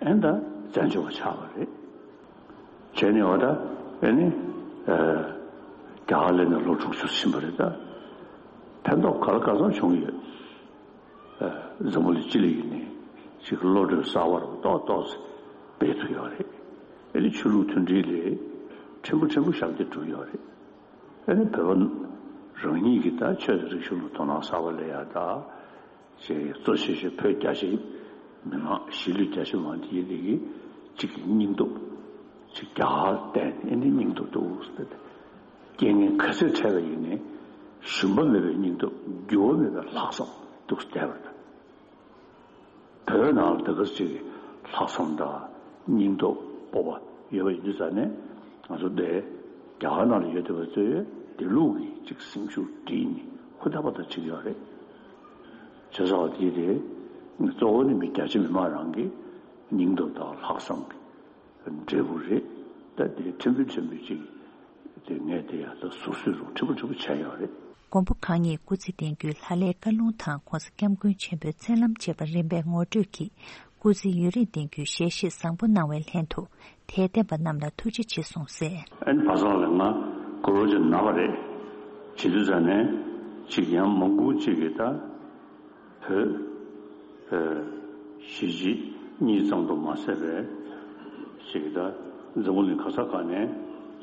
ཨེ་ད་བཙན་བྱོལ་བ་ཆགས་པ་རེད། བྱས་ནས་འོ་ད་ཨེ་ནི། རྒྱ་གར་སླེབས་ནས་ལོ་དྲུག་ཅུ་ཕྱིན་པ་རེད་ད། ཕན་ཐོགས་ག་ལ་ག་ཚོད་བྱུང་ཡོད། འཛམ་བུ་གླིང་སྤྱི་ལ་ཡིན་ནའི་ཅིག་བློ་གྲོས་གསར་བ་རུ་ཏོག་ཏོག་ཙམ་སྤེལ་ཐུབ་ཡོད་རེད། ཨེ་ནི་ཆོས་ལུགས་མཐུན་སྒྲིལ་ལས་ཕྲན་བུ་ཕྲན་བུ་ཞབས་འདེགས་གྲུབ་ཡོད་རེད། ཨེ་ནི་བོད་པ་རང་ཉིད་ཀྱི་ད་ཆོས་དང་རིག་གཞུང་ལ་དོ་སྣང་གསར་བ་སླེབས་ཡ་ད། ཅེས་གཙོ་ཆེ་ཤོས་བོད་རྒྱ་ཆེའི་མི་མང་གཞིས་ལུས་རྒྱ་ཆེ་མང་དེ་ཡིན་དེ་གི་གཅིག་གི་སྙིང་སྟོབས་ཅིག་རྒྱ་གར་བསྟན་ཨེ་ནི་སྙིང་སྟོབས་འདུག་ཟེར་ཏེ། རྐྱེན་ངན་ག་ཚོད་འཕྲད་པ་ཡིན་ནའི་ཞུམ་པ་མེད་པའི་སྙིང་སྟོབས་འགྱུར་བ་མེད་པའི་ལྷག་བསམ་འདུག་བསྡད་པ་དང་། བོད་ནང་ལ་དེ་ག་ཅིག་ལྷག་བསམ་དང་སྙིང་སྟོབས་སྤོབས་པ་ཡོད་པ་ཡིན་དུས་ཙང་ནས་ང་ཚོ་འདི་རྒྱ་གར་ནང་ལ་ཡོད་བསྡད་པ་ཚོས་དེ་ལུགས་ཀྱི་ཅིག་སེམས་ཤུགས་སྒྲིལ་ནས་ཧུར་ཐག་པ་ཐག་བྱེད་ཀྱི་ཡོད་རེད། བྱས་ཙང་དེ་དེ་གཙོ་བོ་ནི་མི་རྒྱ་ཆེ་མི་མང་རང་གི་སྙིང་སྟོབས་དང་ལྷག་བསམ་གྱི་འབྲས་བུ་རེད། ད་དེ་ཕྲན་བུ་ཕྲན་བུ་ཅིག་དེ་ངས་དེ་ཡང་ད་ཟུར་གསོས་རུ་ཁྲི་པོ་ཁྲི་པོ་བྱས་ཡོད་རེད། མགོན་པོ་གང་ཉིད་སྐུ་ཚེ་བརྟན་རྒྱུའི་ལྷ་ལྷའི་བཀའ་ལུང་དང་༸གོང་ས་༸སྐྱབས་མགོན་ཆེན་པོའི་མཚན་ལམ་བཅས་པ་རིམ་པས་ངོ་སྤྲོད་ཀྱིས་སྐུ་ཚེ་ཡུན་རིང་བརྟན་རྒྱུའི་ཞལ་བཞེས་བཟང་པོ་གནང་བའི་ལྷན་དུ་དད་ལྡན་པ་རྣམས་ལ་ཐུགས་རྗེ་ཆེ་གསུངས་གསལ། ཨན་བ་སང་ལ་ང་གོ་རོ་ཅིག་ན་བ་རེད། བྱེད་དུས་ཙང་ནས་ཅིག་ཡང་མང་པོ་ཅིག་གིས་ད། བོད། ཨ། གཞིས་བྱེས་གཉིས་ཙམ་དུ་མ་ཟད་པའི་ཞིག་ད་འཛམ་བུ་གླིང་ག་ས་ག་ནས་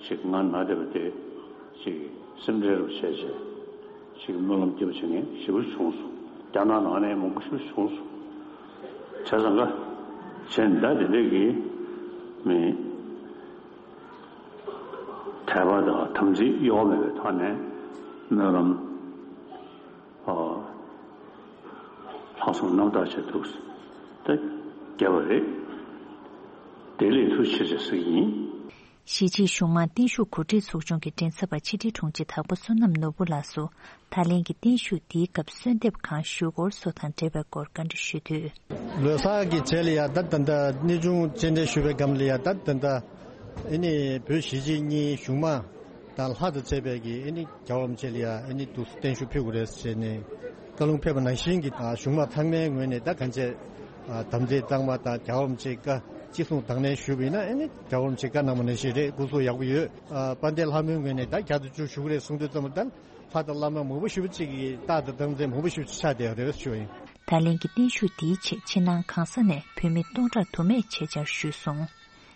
ཞིག་ང་ན་བསྡད་པ་དེ་ཞིག་སེམས་ཁྲལ་རུ་བྱས་བྱས་ཞིག་སྨོན་ལམ་སྐྱེ་བ་བྱེད་མཁན་ཞེ་པོ་བྱུང་སོང་། རྒྱ་ནག་ནང་ནས་མང་པོ་ཞེ་པོ་བྱུང་སོང་། བྱས་ཙང་ཀ་བྱས་ད་དེ་འདྲས་ཀྱི་མི་དད་པ་དང་དམ་ཚིག་གཡོ་བ་མེད་པའི་ཐོག་ནས་སྨོན་ལམ། ཨ། ལྷག་བསམ་རྣམ་དག་བྱེད་ཐུབ་ད་རྒྱབ་པ་རེད། དེ་ལས་ཐུགས་ཆེ་ཆེ་ཟིག་ཡིན། གཞིས་བྱེས་གཞུང་མང་བརྟན་བཞུགས་གོ་སྒྲིག་ཚོགས་ཆུང་གི་མགྲིན་ཚབ་པ་ཕྱི་དྲིལ་དྲུང་ཆེ་དྭགས་པོ་བསོད་ནམས་ནོར་བུ་ལགས་སུ་ད་ལན་གྱི་བརྟན་བཞུགས་འདིའི་སྐབས་གསོལ་འདེབས་གང་ཞུ་སྐོར་སོགས་དང་འབྲེལ་བའི་སྐོར་བཀའ་འདྲི་ཞུས་དུས། ལོ་གསར་གྱི་རྗེས་ལ་ཡ་ད་ད་ད་གནས་ཆུང་སྤྱན་འདྲེན་ཞུ་བའི་སྒང་ལ་ཡ་ད་ད་ད་ཨེ་ནི་བོད་གཞིས་བྱེས་གཉིས་གཞུང་མང་དང་ལྷ་དང་བཅས་པའི་གི་ཨེ་ནི་རྒྱལ་བ་རིན་པོ་ཆེ་ལ་ཡ་ཨེ་ནི་འདུག་བརྟན་བཞུགས་ཕུལ་དགོས་རེད་ཟེར་ནས་བཀའ་ལུང་ཕེབས་པ་ནང་བཞིན་གྱི་གཞུང་མང་ཚང་མའི་ངོས་ནས་ད་གང་བྱས་དམ་ཚིག་གཙང་མ་དང་རྒྱལ་བ་རིན་པོ་ཆེའི་བཀའ་ཅི་གསུང་དང་ལེན་ཞུས་པ་ཡིན་ན་ཨེ་ནི་རྒྱལ་བ་རིན་པོ་ཆེའི་བཀའ་གནང་བ་ནང་བཞིན་རེད། སྐུ་གཟུགས་ཡག་པོ་ཡོད། དཔལ་ལྡན་ལྷ་མོའི་ངོས་ནས་ད་བརྒྱ་དང་བཅུ་ཞུ་གི་རེད་གསུང་དུས་ཙམ་པ་ད་ལྷ་དང་བླ་མ་མང་པོ་ཞེ་པོ་ཅིག་གི་རྟགས་དང་རྟགས་མཚན་མང་པོ་ཞེ་པོ་ཅིག་ཆགས་བསྡད་ཡོད་རེད་ཞུ་བ་ཡིན། ད་ལན་གྱི་བརྟན་བཞུགས་འདིའི་ཆེད་ཕྱི་ནང་གང་ས་ནས་བོད་མི་སྟོང་ཕྲག་དུ་མས་ཆེད་བཅར་ཞུས་སོང་།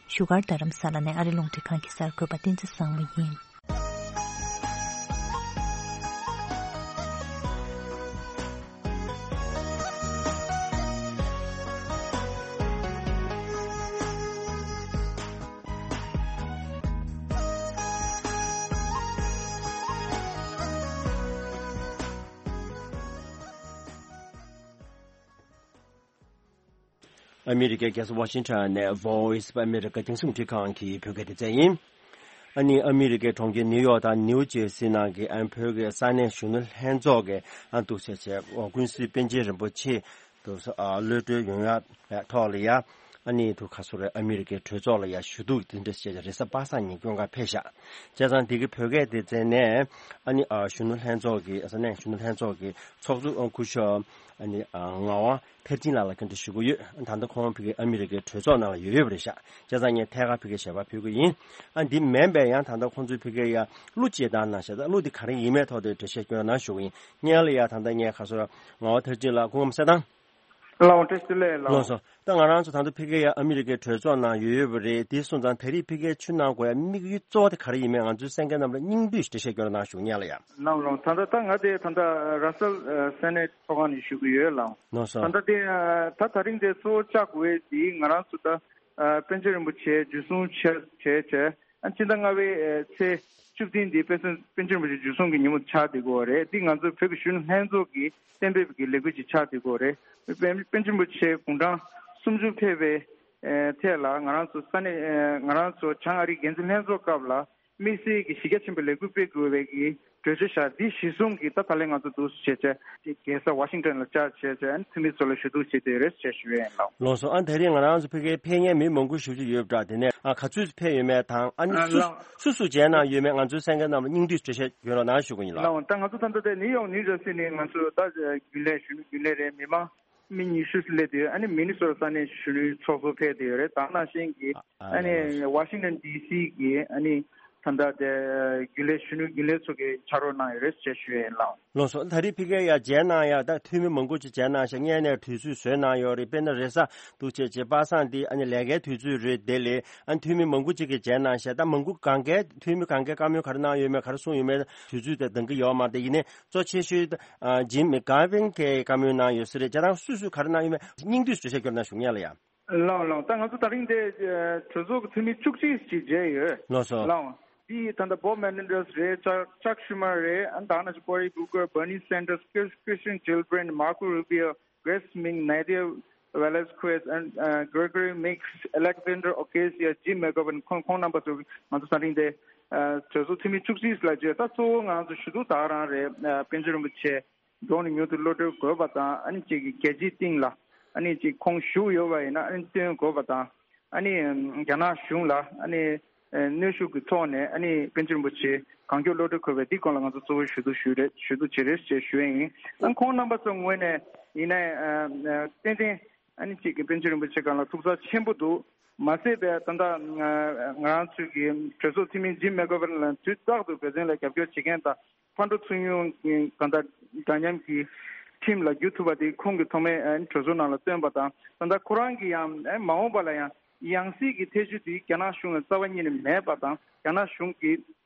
བཞུགས་སྒར་རྡ་རམ་ས་ལ་ནས་ཨ་རི་རླུང་འཕྲིན་ཁང་གི་གསར་འགོད་པ་བསྟན་འཛིན་བཟང་མོ་ཡིན། ཨ་མི་རི་ཀའི་རྒྱལ་ས་ཝ་ཤིང་ཊོན་ནས་Voice of America་རྒྱང་སྲིང་རླུང་འཕྲིན་ཁང་གི་བོད་སྐད་སྡེ་ཚན་ཡིན། ཨ་ནི་ཨ་མི་རི་ཀའི་གྲོང་ཁྱེར་ནིའུ་ཡོག་དང་ནིའུ་ཇེར་སི་ནང་གི་ཨ་ནི་བོད་ཀྱི་ས་གནས་གཞོན་ནུ་ལྷན་ཚོགས་ཀྱི་ཨ་འདུག་བྱས་བྱས་ཀུན་གཟིགས་པཎ་ཆེན་རིན་པོ་ཆེ་དུ་གློད་གྲོལ་ཡོང་ཡ་ཐོག་ལ་ཡ། ཨ་ནི་དུ་ཁ་སོ་རེ་ཨ་མི་རི་ཀའི་གྲོས་ཚོགས་ལ་ཡ་ཞུ་གཏུག་དེ་འདྲ་བྱས་བྱས་རེས་གཟའ་པ་སངས་ཉིན་སྐྱོད་གར་ཕེབས་ཤག་བྱས་ཙང་དེ་གི་བོད་སྐད་སྡེ་ཚན་ནས་ཨ་ནི་གཞོན་ནུ་ལྷན་ཚོགས་ཀྱི་ས་གནས་གཞོན་ནུ་ལྷན་ཚོགས་ཀྱི་ཚོགས་གཙོ་སྐུ་ཞབས་ཨ་ནི་ངག་དབང་མཐར་ཕྱིན་ལགས་ལ་བཀའ་འདྲི་ཞུ་གི་ཡོད། ད་ལྟ་ཁོང་ཕ་གི་ཨ་མི་རི་ཀའི་གྲོས་ཚོགས་ནང་ལ་ཡོད་ཡོད་པ་རེད་ཤག་བྱས་ཙང་ངས་ཐད་ཀར་ཕ་གི་ཞལ་པར་ཕུལ་གི་ཡིན། ཨ་འདི་མིན་པའི་ཡང་ད་ལྟ་ཁོང་ཚོའི་ཕ་གི་ཡ་གླུ་ཅིག་བཏང་གནང་ཤག་ད་གླུ་འདི་ག་རེ་ཡིན་མིན་ཐོག་དེ་འགྲེལ་བཤད་སྐྱོན་གནང་ཞུ་གི་ཡིན། སྔོན་ལ་ཡ་ད་ལྟ་ངས་ཁ་སོ་ངག་དབང་མཐར་ཕྱིན་ལགས་སྐུ་ཁམས་བཟང་། ལགས་འོང་། བཀྲ་ཤིས་བདེ་ལེགས་ལགས། ལགས་སོ། ད་ང་རང་ཚོ་ད་ལྟ་ཕ་གི་ཡ་ཨ་མི་རི་ཀའི་གྲོས་ཚོགས་ནང་ཡོད་ཡོད་པ་རེད། དེ་སོང་ཙང་ད་རེས་ཕ་གིར་ཕྱིར་ལོག་དགོས་ཡ་དམིགས་ཡུལ་གཙོ་བོ་དེ་ག་རེ་ཡིན་མིན་ང་ཚོའི་གསན་མཁན་རྣམས་ལ་སྙིང་བསྡུས་ཤིག་འགྲེལ་བཤད་སྐྱོན་རོགས་གནང་ཞུ་གི་ཡིན་ལགས་ཡ། ལགས་ལགས། ད་ལྟ་ད་ང་དེ་ད་ལྟ་ར་སལ་ཨ་སེ་ནེ་ཊི་ཚོགས་ཁང་ནས་ཞུ་གི་ཡོད་ལགས། ལགས་སོ། ད་ལྟ་དེ་ཨ་ད་ད་རིང་དེ་གཙོ་བོ་བཅར་དགོས་ཡས་དེ་ང་རང་ཚོ་ད་ཨ་པཎ་ཆེན་རིན་པོ་ཆེ་འཇུ་བཟུང་བྱས་བྱས་བྱས་ཨ་ཕྱི་ཟླ་ལྔ་པའི་ཨ་ཚེས་བཅུ་བདུན་དེ་པཎ་ཆེན་པཎ་ཆེན་རིན་པོ་ཆེ་འཇུ་བཟུང་གི་ཉིན་མོ་ཆགས་བསྡད་ཀྱི་ཡོད་རེད། དེ་ང་ཚོ་བོད་ཀྱི་གཞོན་ནུ་ལྷན་ཚོགས་ཀྱི་གཏན་འབེབས་ཀྱི་ལས་འགུལ་ཅིག་ཆགས་བསྡད་ཀྱི་ཡོད་རེད། པཎ་པཎ་ཆེན་རིན་པོ་ཆེ་དགུང་གྲངས་སུམ་ཅུ་ཕེབས་པའི་ཨ་ཐད་ལ་ང་རང་ཚོ་ས་གནས་ཨ་ང་རང་ཚོ་བྱང་ཨ་རིའི་འགན་འཛིན་ལྷན་ཚོགས་སྐབས་ལ་དམིགས་བསལ་གྱི་གཞི་རྒྱ་ཆེན་པོའི་ལས་འགུལ་སྤེལ་དགོས་པའི་གི་གྲོས་ཆོད་བཞག་འདི་གཞི་བཟུང་གིས་ད་ད་ལན་ང་ཚོ་འདུག་སེ་བྱས་བྱས་རྒྱལ་ས་ཝ་ཤིང་ཊོན་ལ་བཅར་བྱས་བྱས་ཨ་ནི་འཐུས་མི་ཚོ་ལ་ཞུ་གཏུག་བྱེད་བསྡད་ཡོད་རེད་ཅེས་ཞུ་ཡས་ཡིན་ལགས། ལགས་སོ། ཨ་ད་རེས་ང་རང་ཚོ་ཕ་གིར་ཕེབས་མཁན་མི་མང་པོ་ཞེ་པོ་ཅིག་ཡོད་པ་འདྲ། དེ་ནས་ཨ་ག་ཚོད་ཕེབས་ཡོད་མེད་དང་ཨ་ནི་ཨ་སུ་ལགས། སུ་སུ་མཇལ་གནང་ཡོད་མེད་ང་ཚོའི་གསན་མཁན་རྣམས་ལ་སྙིང་བསྡུས་འགྲེལ་བཤད་ཡོད་རོགས་གནང་ཞུ་གི་ཡིན་ལགས། ལགས་འོང་། ད་ང་ཚོ་ད་ལྟ་དེ་ནིའུ་ཡོག་ནིའུ་ཇར་སི་ནས་ང་ཚོ་ད་རྒྱུན་ལས་གཞོན་ནུ་རྒྱུན་ལས་རེད། མི་མང་མི་ཉི་ཤུ་སླེབས་ཡོད། ཨ་ནི་མི་ནི་སོ་ཊ་ས་གནས་གཞོན་ནུའི་ཚོགས་གཙོ་ཕེབས་བསྡད་ཡོད་རེད། ད་ནང་བཞིན་གྱི་ཨ་ཨ་ནི་ལགས་ལགས། ཝ་ཤིང་ཊོན་ཌི་སི་གི་ཨ་ནི་ད་ལྟ་དེ་རྒྱུན་ལས་གཞོན་ནུ་རྒྱུན་ལས་ཚོ་གིས་ཕྱག་རོགས་གནང་ཡོད་རེད་ཅེས་ཞུ་ཡས་ཡིན་ལགས། ལགས་སོ། ད་རེས་ཕ་གིར་ཡ་མཇལ་གནང་ཡ་ད་འཐུས་མི་མང་པོ་ཅིག་མཇལ་གནང་ཤག་སྔོན་ནས་དུས་ཚོད་བཟོས་གནང་ཡོད་རེད། དཔེར་ན་རེས་གཟའ་འདུག་བྱས་བྱས་པ་སངས་འདི་ཨ་ནི་ལས་ཀའི་དུས་ཚོད་རེད། དེ་ལས་ཨ་ནི་འཐུས་མི་མང་པོ་ཅིག་གིས་མཇལ་གནང་ཤག་ད་མང་པོ་གང་གའི་འཐུས་མི་གང་གའི་བཀའ་མོལ་ག་རེ་གནང་ཡོད་མེད་ག་རེ་གསུངས་ཡོད་མེད་དུས་ཚོད་དེ་འདང་གི་ཡོད་མ་རེད། ཡིན་ནའི་གཙོ་ཆེ་ཤོས་ཨ་ཇིམ་མེག་གྷ་ཝིན་གྱིས་བཀའ་མོལ་གནང་ཡོད་ས་རེད། བྱས་ཙང་སུ་སུས་ག་རེ་གནང་ཡོད་མེད་སྙིང་བསྡུས་སུ་འགྲེལ་བཤད་སྐྱོན་རོགས་གནང་ཞུ་གི་ཡིན་ལགས་ཡ། ལགས་ལགས། ད་ང་ཚོ་ད་རིང་དེ་ཨ་གྲོས་ཚོགས་ཀྱི་འཐུས་མི་བཅུ་གཅིག་ཅིག་མཇལ་ཡོད། ལགས་སོ། ལགས། དེ་ད་ལྟ་བོབ་མེ་ནེན་ཌར་སི་རེད། ཅག་ཅག་ཤུ་མར་རེད། ཨ་ནི་ད་ནང་བཞིན་ཀོ་རི་གུ་ཀར། བར་ནི་སན་ཌར་སི། ཀིར་ཀིར་སི་ཊན་ཇིལ་བྷི་རེན། མར་ཀོ་རུ་བྷི་ཡོ། གྷྲེས་སི་མིང་། ནེ་ཌི་ཡ་ཝེ་ལེ་སི་ཀུ་ཨེ་སི། ཨ་ནི་གྷི་རེ་གྷོ་རི་མེག་སི། ཨ་ལེག་ཛན་ཌར་ཨོ་ཀེ་སི་ཡ། ཇིམ་མེག་གྷ་ཝིན། ཁོང་ཁོང་རྣམ་པ་ཚོ་ང་ཚོ་ད་རིང་དེ་ཨ་གྲོས་ཚོགས་འཐུས་མི་བཅུ་གཅིག་ལ་བརྗོད། ད་གཙོ་བོ་ང་ཚོ་ཞུ་གཏུག་ད་ག་རང་རེད། ཨ་པཎ་ཆེན་རིན་པོ་ཆེ་མགྱོགས་ནས་མྱུར་དུ་གློད་གྲོལ་དགོས་པ་དང་། ཨ་ནི་གཅིག་གི་རྒྱལ་སྤྱིའི་སྟེང་ལ་ཨ་ནི་གཅིག་ཁོང་བཞུགས་ཡོད་པ་ཡིན་ན་ཨ་ནི་བཏོན་དགོས་པ་དང་། ཨ་ནི་རྒྱ་ནག་གཞུང་ལ་ཨ་ནི་གནོན་ཤུགས་ཀྱི་ཐོག་ནས་ཨ་ནི་པཎ་ཆེན་རིན་པོ་ཆེ་གང་མགྱོགས་གློད་གྲོལ་དགོས་པའི་འདི་སྐོར་ལ་ང་ཚོ་གཙོ་བོ་ཞུ་གཏུག་ཞུ་རེད། ཞུ་གཏུག་བྱེད་རེད་ཅེས་ཞུ་ཡས་ཡིན། ཨ་ཁོང་རྣམ་པ་ཚོ་ངོས་ནས་ཡིན་ནའི་ཏན་ཏན་ཨ་ནི་གཅིག་གི་པཎ་ཆེན་རིན་པོ་ཆེ་སྒང་ལ་ཐུགས་འཚབ་ཆེན་པོ་འདུག་མ་ཟད་པའི་ད་ལྟ་ང་རང་ཚོའི་གི་གྲོས་ཚོགས་འཐུས་མི་ཇིམ་མེག་གྷ་ཝིན་ལ་དུས་རྟག་ཏུ་འབད་བརྩོན་ལ་རྒྱབ་སྐྱོར་བྱེད་མཁན་དང་། ཕར་འགྲོ་ཚུར་ཉུང་གི་གང་ལྟར་འདྲ་མཉམ་གྱི་ཁྲིམས་ལ་བསྒྱུར་ཐུབ་པ་དེ་ཁོང་གིས་ཐོག་མའི་ཨ་ནི་གྲོས་ཚོགས་ནང་ལ་བཏོན་པ་དང་། ད་ལྟ་ཁོ་རང་གིས་ཡང་ཨ་ནི་མ་འོངས་པ་ལ་ཡང་ཡང་སྲིད་ཀྱི་ཐེ་བྱུས་དེ་རྒྱ་ནག་གཞུང་ལ་རྩ་བ་ཉིད་ནས་མེད་པ་དང་། རྒྱ་ནག་གཞུང་གིས་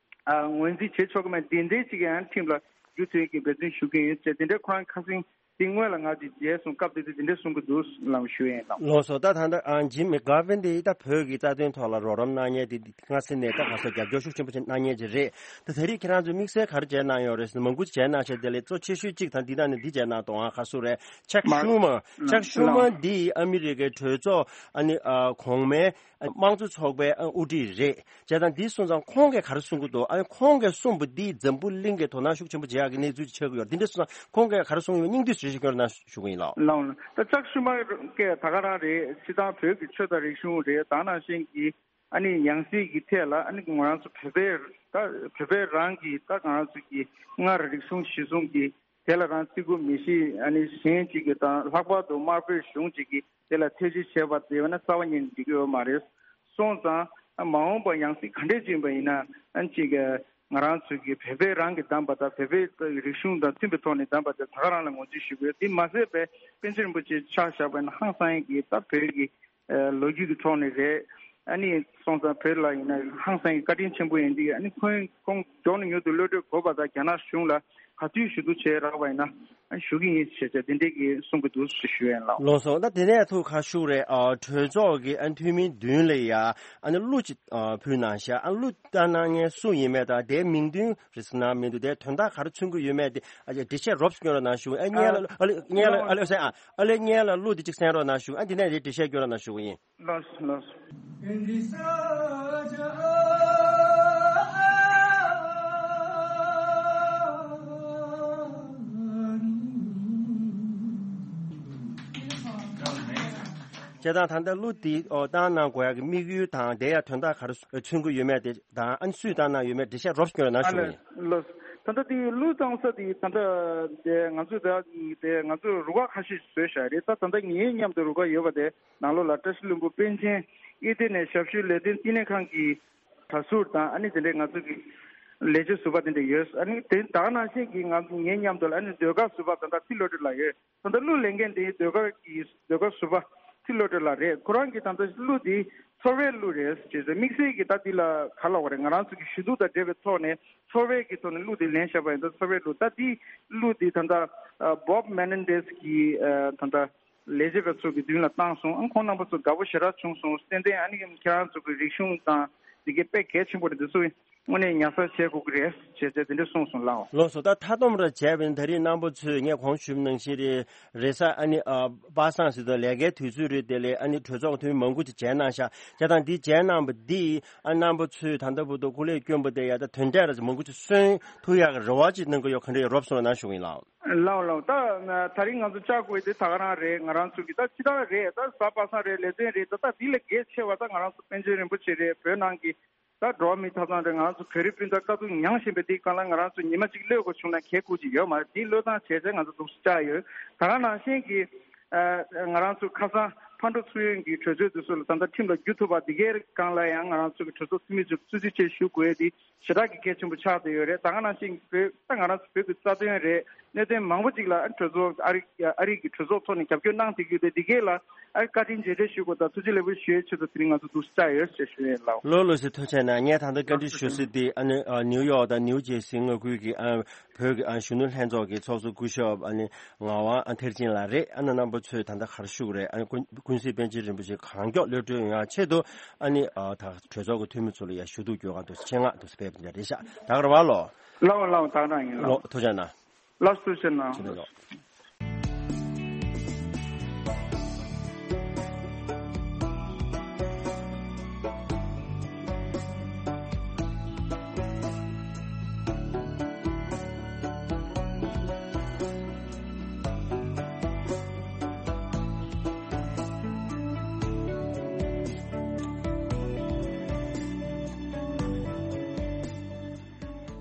ཨ་ངོས་འཛིན་བྱེད་ཆོག་གི་མེད། འདི་འདྲའི་ཅིག་ཡང་ཁྲིམས་ལ་བསྒྱུར་ཐུབ་ཀྱི་འབད་བརྩོན་ཞུ་གི་ཡོད་ཅེས་འདི་འདྲའི་ཁོ་རང་ཁ་སང་དེ་སྔོན་ལ་ང་ཚོས་མཇལ་སོང་། སྐབས་དེ་དུས་དེ་འདྲ་གསུང་གི་འདུག་ལབ་ཞུ་ཡས་ཡིན་ལགས། ལགས་སོ། ད་ད་ལྟ་ཨ་ཇིམ་མེག་གྷ་ཝིན་དེ་ད་བོད་ཀྱི་རྩ་དོན་ཐོག་ལ་རོགས་རམ་གནང་མཁན་དེ་སྔ་ས་ནས་ད་ག་ས་རྒྱབ་སྐྱོར་ཤུགས་ཆེན་པོ་ཞིག་གནང་མཁན་ཅིག་རེད། ད་དེ་རིང་ཁྱེད་རང་ཚོས་དམིགས་བསལ་ག་རེ་མཇལ་གནང་ཡོད་རེད་ཟེར་ན། མང་པོ་ཅིག་མཇལ་གནང་བྱས། དེ་ལས་གཙོ་ཆེ་ཤོས་གཅིག་དང་འདི་དང་ནི་འདི་མཇལ་གནང་དང་། ཁ་སུ་རེད། ཅག་མར་ཤུ་མར། ཅག་ཤུ་མར་འདི་ཨ་མི་རི་ཀའི་གྲོས་ཚོགས་ཨ་ནི་ཨ་གོང་མའི་དམངས་གཙོ་ཚོགས་པའི་ཨ་དབུ་ཁྲིད་རེད། བྱས་ཙང་འདི་སོང་ཙང་ཁོང་གིས་ག་རེ་གསུང་གི་འདུག་ཨ་ནི་ཁོང་གིས་གསུངས་པ་འདི་འཛམ་བུ་གླིང་གིས་དོ་སྣང་ཤུགས་ཆེན་པོ་བྱེད་ཡག་གི་གནས་ཚུལ་ཅིག་ཆགས་ཀྱི་ཡོད་རེད། འདི་འདྲ་སོང་ཙང་ཁོང་གིས་ག་རེ་གསུངས་ཡོད་མེད་སྙིང་བསྡུས་ཞུ་ཞུ་སྐྱོར་གནང་ཞུ་གི་ཡིན་ལགས། ལགས་ལགས། ད་ཅག་ཤུ་མར་གྱིས་ད་ག་རང་རེད། སྤྱིར་བཏང་བོད་ཀྱི་ཆོས་དང་རིག་གཞུང་རེད། ད་ནང་བཞིན་གྱི་ཨ་ནི་ཡང་སྲིད་ཀྱི་ཐད་ལ་ཨ་ནི་ང་རང་ཚོ་བོད་པའི་ད་བོད་པའི་རང་གི་ད་ང་རང་ཚོ་གི་སྔར་རིག་གཞུང་གཞིར་བཟུང་གི་དེ་ལ་རང་བརྩི་བཀུར་མི་བྱེད། ཨ་ནི་གཞན་གཅིག་གི་དང་ལྷག་པར་དུ་དམར་པོའི་གཞུང་གཅིག་གིས་དེ་ལ་ཐེ་བྱུས་བྱས་པ་དེ་བས་ན་རྩ་བ་ཉིད་ནས་འགྲིག་གི་ཡོད་མ་རེད། སོང་ཙང་མ་འོངས་པ་ཡང་སྲིད་ག་འདྲས་ཅིག་ཡིན་པ་ཡིན་ན་ཨ་ནི་གཅིག་གི་ང་རང་ཚོ་གི་བོད་པའི་རང་གི་བདམས་པ་དང་བོད་པའི་རིག་གཞུང་དང་མཐུན་པའི་ཐོག་ནས་བདམས་པ་དེ་ད་ག་རང་ལ་ངོས་འཛིན་ཞུ་དགོས། དེ་མ་ཟད་པའི་པཎ་ཆེན་རིན་པོ་ཆེ་ཆ་བཞག་པ་ཡིན་ན་ཧང་སང་ཡིན་གྱི་ད་བོད་ཀྱི་ཨ་ལོ་རྒྱུས་ཀྱི་ཐོག་ནས་རེད། ཨ་ནི་སོང་ཙང་བོད་ལ་ཡིན་ན་ཧང་སང་གི་བཀའ་དྲིན་ཆེན་པོ་ཡིན་དུས། ཨ་ནི་ཁོང་ཁོང་མགྱོགས་ནས་མྱུར་དུ་གློད་གྲོལ་དགོས་པ་དང་། རྒྱ་ནག་གཞུང་ལ་ ག་དུས་ཞུ་གཏུག་བྱས་རག་པ་ཡིན་ན་ཨ་ཞུ་གི་ཡིན་ཞེས་བྱས་དེ་འདྲས་ཀྱི་གསུང་གི་འདུག་ཞུ་ཡ་ཡིན་ལགས། ལགས་སོ། ད་དེ་ནས་ཐུགས་ཁ་ཤུགས་རེད། ཨ་གྲོས་ཚོགས་ཀྱི་ཨ་འཐུས་མི་མདུན་ལ་ཡ་ཨ་ནི་གླུ་ཅིག་ཨ་ཕུལ་གནང་ཤག་ཨ་གླུ་བཏང་གནང་མཁན་སུ་ཡིན་མེད་དང་དེའི་མིང་འདོན་རེ་ཟུང་གནང་མི་འདུག་དེའི་དོན་དག་ག་རེ་མཚོན་གྱི་ཡོད་མེད་དེ་ཨ་འགྲེལ་བཤད་རོབ་ཙམ་སྐྱོན་རོགས་གནང་ཞུ། ཨ་སྙན་ལ་ཨ་ལེ་སྙན་ལ་ཨ་ལེ་ཨ་ལེ་སྙན་ལ་གླུ་དེ་ཅིག་གསན་རོགས་གནང་ཞུ། ཨ་འདི་ནས་དེ་འགྲེལ་བཤད་སྐྱོན་རོགས་གནང་ཞུ་གི་ཡིན། ལགས་སོ་ལགས་སོ། བྱས་ཙང་ད་ལྟ་གླུ་འདི་ཨོ་བཏང་གནང་དགོས་ཡག་གི་དམིགས་ཡུལ་དང་དེ་ཡང་དོན་དག་ག་རེ་མཚོན་གྱི་ཡོད་མེད་དེ་དང་ཨ་ནི་སུས་བཏང་གནང་ཡོད་མེད་འགྲེལ་བཤད་རོབ་ཙམ་སྐྱོན་རོགས་གནང་ཞུ་གི་ཡིན། ལགས་སོ། ད་ལྟ་འདི་གླུ་བཏང་ས་འདི་ད་ལྟ་དེ་ང་ཚོས་ད་དེ་ང་ཚོས་རུ་ཁག་ཁ་ཤས་ཤིག་བཟོས་བཞག་རེད། ད་ད་ལྟ་ངའི་མཉམ་དུ་རུ་ཁག་ཡོད་པ་དེ། ནང་ལོགས་ལ་བཀྲ་ཤིས་ལྷུན་པོ་པཎ་ཆེན་གཡུལ་སྡེ་ནས་ཞབས་ཞུའི་ལས་དོན་བསྟི་གནས་ཁང་གི་གྲྭ་ཟུར་དང་ཨ་ནི་དེ་འདྲའི་ང་ཚོ་གི་ལས་བྱེད་ཟུར་པ་དེ་འདྲ་ཡོད། ཨ་ནི་དེ་ད་ག་ནང་བཞིན་གྱི་ང་ངའི་མཉམ་དུ་ལ་ཨ་ནི་ཟློས་གར་ཟུར་པ་ད་ལྟ་ཚེ་བློ་གྲོས་ལགས་ཡོད། ད་ལྟ་གླུ་ལེན་མཁན་དེ་ཟློས་གར་གྱི་ཟློས་གར་ཟུར་པ་ཚེ་བློ་གྲོས་ལགས་རེད། ཁོ་རང་གིས་ད་ལྟ་གླུ་དེ་ཚོར་བའི་གླུ་རེད་ཅེས་ཟེར། དམིགས་བསལ་གྱི་ད་འདི་ལ་ག་ལབ་དགོས་རེད། ང་རང་ཚོ་གི་ཞུ་གཏུག་དང་འབྲེལ་བའི་ཐོག་ནས་ཚོར་བའི་གི་ཐོག་ནས་གླུ་དེ་ལེན་བཞག་པ་ཡིན་ད་ཚོར་བའི་གླུ་ད་འདི་གླུ་དེ་ད་ལྟ་Bob Menendez གི་ད་ལྟ་ལས་བྱེད་པ་ཚོ་གི་མདུན་ལ་བཏང་སོང་། ཨ་ཁོང་རྣམ་པ་ཚོ་དགའ་པོ་ཞེ་དྲག་བྱུང་སོང་། ཏན་ཏན་ཨ་ནི་ཁྱེད་རང་ཚོ་གི་རིག་གཞུང་དང་དེ་གའི་དཔེ་གལ་ཆེན་པོ་རེད། འདི་ཚོ་དངོས་གནས་ཉར་ཚགས་བྱེད་དགོས་ཀྱི་རེད་ཅེས་བྱས་དེ་འདྲ་གསུངས་སོང་ལགས། ལགས་སོ། ད་མཐའ་སྡོམ་ར་བྱས་པ་ཡིན་ད་རེས་རྣམ་པ་ཚོས་ངས་གོང་ཞུས་པ་ནང་བཞིན་རེད་རེས་གཟའ་ཨ་ནི་ཨ་པ་སངས་ཟེར་དུས་ལས་ཀའི་དུས་ཚོད་རེད། དེ་ལས་ཨ་ནི་གྲོས་ཚོགས་ཀྱི་འཐུས་མི་མང་པོ་ཅིག་མཇལ་གནང་ཤག་བྱས་ཙང་འདི་མཇལ་གནང་བ་འདིས་ཨ་རྣམ་པ་ཚོས་ད་ལྟ་བར་དུ་སྐུ་ལས་བསྐྱོན་པ་དེ་ཡ་ད་དོན་འབྲས་ར་མང་པོ་ཅིག་སོན་ཐུབ་ཡག་གི་རེ་བ་ཅིག་གནང་གི་ཡོད། ག་འདྲ་ཡོད་རོབ་ཙམ་རོགས་གནང་ཞུ་གི་ཡིན་ལགས། ལགས་ལགས། ད་ད་རིང་ང་ཚོ་བཅར་དགོས་དེ་ད་ག་རང་རེད། ང་རང་ཚོ་གི་ད་ཅི་ད་རེད། ད་གཟའ་པ་སངས་རེད། ལས་དོན་རེད། ད་ད་འདི་ལས་གལ་ཆེ་བ་ད་ང་རང་ཚོ་པཎ་ཆེན་རིན་པོ་ཆེ་རེད། བོད་ནང་གི་ད་འགྲོ་བ་མིའི་ཐོབ་ཐང་རེད། ང་རང་ཚོ་བོད་རིགས་སྤུན་ཟླ་དཀའ་སྡུག་མྱངས་བཞིན་པའི་འདི་སྒང་ལ་ང་རང་ཚོ་ཉི་མ་གཅིག་གློད་དགོས་བྱུང་ན་གལ་ཁུར་གྱི་ཡོད་མ་རེད། འདི་བློས་བཏང་བྱས་བྱས་ང་ཚོ་འདུག་སེ་བཅར་ཡོད། ད་ག་ནང་བཞིན་གྱི་ཨ་ང་རང་ཚོ་ཁ་སང་ཕར་འགྲོ་ཚུར་ཡོང་གི་གྲོས་ཚོགས་འདི་ཚོ་ལ་ད་ལྟ་ཁྲིམས་ལ་བསྒྱུར་ཐུབ་པ་འདི་གའི་སྒང་ལ་ཡང་ང་རང་ཚོ་གི་གྲོས་ཚོགས་འཐུས་མི་ཚོ་གཙོ་ཆེ་ཆེ་ཞུ་དགོས་དེ་ཞེ་དྲག་གི་གལ་ཆེན་པོ་ཆགས་བསྡད་ཡོད་རེད། ད་ག་ནང་བཞིན་བོད་ད་ང་རང་ཚོ་བོད་ཀྱི་རྩ་དོན་རེད། གནད་དོན་མང་པོ་ཅིག་ལ་གྲོས་ཚོགས་ཨ་རི་ཨ་རི་གི་གྲོས་ཚོགས་ཐོག་ནས་རྒྱབ་སྐྱོར་གནང་བསྡད་ཀྱི་ཡོད་དེ་འདི་གས་ལ་ཨ་རི་བཀའ་དྲིན་རྗེས་དྲན་ཞུ་དགོས་དང་ཐུགས་རྗེ་ལེགས་འབུལ་ཞུ་ཡའི་ཆེད་དུ་དེ་རིང་ང་ཚོ་འདུག་སེ་བཅར་ཡོད་ཅེས་ཞུ་ཡས་ལགས། ལགས་ལགས་སེ་ཐུགས་རྗེ་གནང་། ངས་ད་ལྟ་བཀའ་འདྲི་ཞུ་སྲིད་དེ་ཨ་ནི་ཨ་ནིའུ་ཡོག་དང་ནིའུ་ཇེར་སི་མངའ་ཁུལ་གྱི་ཨ་བོད་ཀྱི་ཨ་གཞོན་ནུ་ལྷན་ཚོགས་ཀྱི་ཚོགས་གཙོ་སྐུ་ཞབས་ཨ་ནི་ངག་དབང་ཨ་མཐར་ཕྱིན་ལགས་རེད། ཨ་ནི་རྣམ་པ་ཚོས་ད་ལྟ་ག་རེ་ཞུ་གི་རེད། ཨ་ནི་ཀུན་ཀུན་གཟིགས་པཎ་ཆེན་རིན་པོ་ཆེ་གང་མགྱོགས་གློད་གྲོལ་ཡོང་ཡ་ཆེད་དུ་ཨ་ནི་ཨ་ད་གྲོས་ཚོགས་ཀྱི་འཐུས་མི་ཚོ་ལ་ཡ་ཞུ་གཏུག་སྐྱོན་གང་འདུག་ཆེད་མངགས་འདུག་སེ་ཕེབས་པ་འདི་འདྲ་རེད་ཤག་ད་ག་རེ་བ་ལོ། ལགས་ལགས་ད་ག་རང་ཡིན་ལགས། ལགས་ཐུགས་རྗེ་གནང་། ལགས་སོ་ཐུགས་རྗེ་གནང་། ཐུགས་རྗེ་གནང་།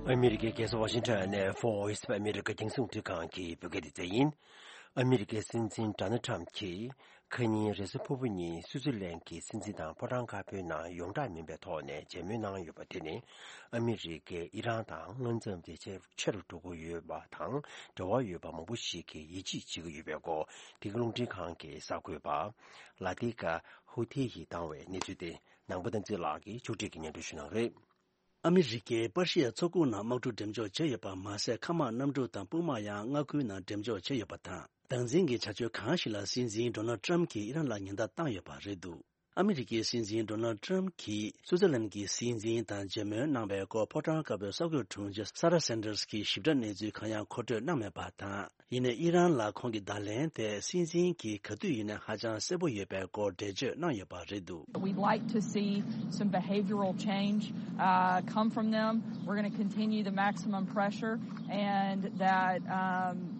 ཨ་མི་རི་ཀའི་རྒྱལ་ས་ཝ་ཤིང་ཊོན་ནས་Voice of America རྒྱང་སྲིང་རླུང་འཕྲིན་ཁང་གི་བོད་སྐད་སྡེ་ཚན་ཡིན། ཨ་མི་རི་ཀའི་སྲིད་འཛིན་ཌོ་ནལ་ཊམ་གྱིས་ཁ་ཉིན་རེས་གཟའ་ཕུར་བུ་ཉིན་སུའུ་ཙེར་ལན་གྱི་སྲིད་འཛིན་དང་ཕོ་བྲང་དཀར་པོའི་ནང་ཡོངས་གྲགས་མིན་པའི་ཐོག་ནས་མཇལ་མོལ་གནང་ཡོད་པ་དེ་ནི་ཨ་མི་རི་ཀས་ཨི་རན་དང་མངའ་མཚམས་དེ་ཆེ་ཆེ་རུ་འགྲོ་གི་ཡོད་པ་དང་འབྲེལ་བ་ཡོད་པ་མང་པོ་ཞིག་གིས་ཡིད་ཆེས་བྱེད་ཀྱི་ཡོད་པའི་སྐོར་འདི་ག་རླུང་འཕྲིན་ཁང་གི་གསར་འགོད་པ་ལ་ཏི་ཀ་ཧུ་ཐེ་ཡིས་བཏང་བའི་གནས་ཚུལ་དེ་ནང་པ་བསྟན་འཛིན་ལགས་ཀྱིས་ཕྱོགས་སྒྲིག་གིས་སྙན་སྒྲོན་ཞུ་གནང་རེད། ཨ་མི་རི་ཀས་པར་ཤི་ཡ་མཚོ་ཁུག་ནང་དམག་འཁྲུག་འགྲེམས་འཇོག་བྱས་ཡོད་པ་མ་ཟད། མཁའ་དམག་གནམ་གྲུ་དང་དཔུང་དམག་ཡང་མངའ་ཁུལ་ནང་འགྲེམས་འཇོག་བྱས་ཡོད་པ་དང་། སྡང་འཛིན་གྱི་བྱ་སྤྱོད་གང་ཞིག་ལ་སྲིད་འཛིན་ཌོ་ནལ་ཊམ་གྱིས་ཨི་རན་ལ་ཉེན་བརྡ་བཏང་ཡོད་པ་རེད་འདུག་ཨ་མི་རི་ཀའི་སྲིད་འཛིན་ཌོ་ནལ་ཊམ་གྱིས་སུའུ་ཙེར་ལན་གྱི་སྲིད་འཛིན་དང་མཇལ་མོལ་གནང་བའི་སྐོར་ཕོ་བྲང་དཀར་པོའི་གསར་འགོད་དྲུང་ཆེ་ས་ར་སན་ཏར་གྱིས་ཞིབ་ཕྲ་གནས་ཚུལ་གང་ཡང་མཁོ་སྤྲོད་གནང་མེད་པ་དང་། ཡིན་ནའི་ཨི་རན་ལ་ཁོང་གི་བརྡ་ལན་དེ་སྲིད་འཛིན་གྱིས་ག་དུས་ཡིན་ནའི་ཧ་ཅང་གསལ་པོ་ཡོད་པའི་སྐོར་འགྲེལ་བརྗོད་གནང་ཡོད་པ་རེད་འདུག We'd like to see some behavioral change uh, come from them. We're going to continue the maximum pressure and that um,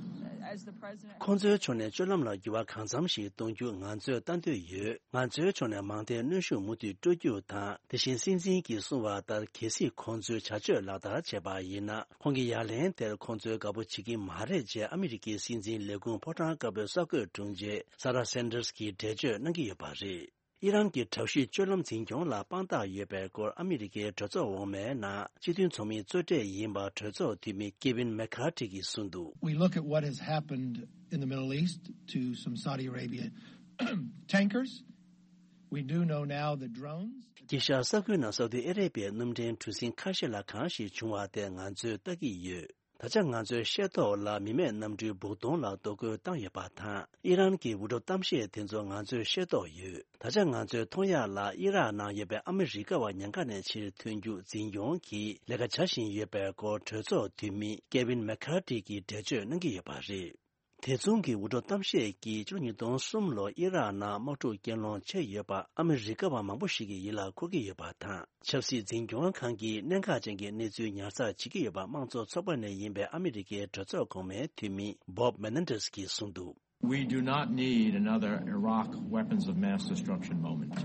as the president ཁོང་ཚོའི་ཕྱོགས་ནས་སྤྱོད་ལམ་ལ་འགྱུར་བ་གང་འཚམ་ཞིག་གཏོང་རྒྱུ་ང་ཚོས་ལྟ་འདོད་ཡོད། ང་ཚོའི་ཕྱོགས་ནས་མང་མཐའི་གནོན་ཤུགས་མུ་མཐུད་སྤྲོད་རྒྱུ་དང་། དེ་བཞིན་སྲིད་འཛིན་གྱིས་གསུངས་པ་ལྟར་གལ་སྲིད་ཁོང་ཚོས་བྱ་སྤྱོད་ལག་བསྟར་བྱས་པ་ཡིན་ན། ཁོང་གི་ཡ་ལན་དེར་ཁོང་ཚོས་དགའ་པོ་བྱེད་ཀྱི་མ་རེད་ཅེས་ཨ་མི་རི་ཀའི་སྲིད་འཛིན་ལས་ཁུངས་ཕོ་བྲང་དཀར་པོའི་གསར་འགོད་དྲུང་ཆེ་ས་ར་སན་ཏར་གྱིས་འགྲེལ་བརྗོད་གནང་གི་ཡོད་པ་རེད། ཨི་རན་གྱི་དྲག་ཤུགས་སྤྱོད་ལམ་འཛིན་སྐྱོང་ལ་དཔང་རྟགས་ཡོད་པའི་སྐོར་ཨ་མི་རི་ཀའི་གྲོས་ཚོགས་འོག་མའི་ནང་སྤྱི་མཐུན་ཚོགས་མིའི་གཙོ་གྲས་ཡིན་པ་གྲོས་ཚོགས་འཐུས་མི་ཀེ་ཝིན་མེ་ཁ་ཏི་གིས་གསུངས་འདུག We look at what has happened in the Middle East to some Saudi Arabia tankers. We do know now the drones. དཀྱིལ་ཤར་ས་ཁུལ་ནང་སའུ་ཏི་ཨ་རེ་བྷི་ཡའི་སྣུམ་འདྲེན་གྲུ་གཟིངས་ཁ་ཤས་ལ་གང་ཞིག་བྱུང་བ་དེ་ང་ཚོས་ལྟ་གི་ཡོད། ད་ཆ་ང་ཚོའི་ཤེས་རྟོགས་ལ་མི་མེད་གནམ་གྲུའི་སྦུག་དོང་ལ་གཏོར་རྒོལ་བཏང་ཡོད་པ་དང་། ཨི་རན་གྱི་འུར་སྒྲོག་གཏམ་བཤད་དེ་ཚོ་ང་ཚོས་ཤེས་རྟོགས་ཡོད། ད་ཆ་ང་ཚོས་མཐོང་ཡག་ལ་ཨི་རག་ནང་ཡོད་པའི་ཨ་མི་རི་ཀ་བ་ཉེན་ཁ་ནས་ཕྱིར་ཐོན་རྒྱུ་འཛིན་སྐྱོང་གི་ལས་ཀ་བྱ་བཞིན་ཡོད་པའི་སྐོར་གྲོས་ཚོགས་འཐུས་མི་ཀེ་ཝིན་མེ་ཁར་ཏི་གིས་འགྲེལ་བརྗོད་གནང་གི་ཡོད་པ་རེད། དེ་མཚུངས་ཀྱི་འུར་སྒྲོག་གཏམ་བཤད་ཀྱིས་ཕྱི་ལོ་ཉིས་སྟོང་གསུམ་ལོར་ཨི་རག་ནང་དམག་འཁྲུག་རྐྱེན་སློང་བྱས་ཡོད་པ་ཨ་མི་རི་ཀ་བ་མང་པོ་ཞིག་གི་ཡིད་ལ་འཁོར་གྱི་ཡོད་པ་དང་། ཆབ་སྲིད་འཛིན་སྐྱོང་ཁང་གིས་གནད་འགག་ཅན་གྱི་གནས་ཚུལ་ཉར་ཚགས་བྱེད་ཀྱི་ཡོད་པ་དམངས་གཙོ་ཚོགས་པ་ནས་ཡིན་པའི་ཨ་མི་རི་ཀའི་གྲོས་ཚོགས་གོང་མའི་འཐུས་མི་Bob Menendez གྱིས་གསུངས་འདུག། We do not need another Iraq weapons of mass destruction moment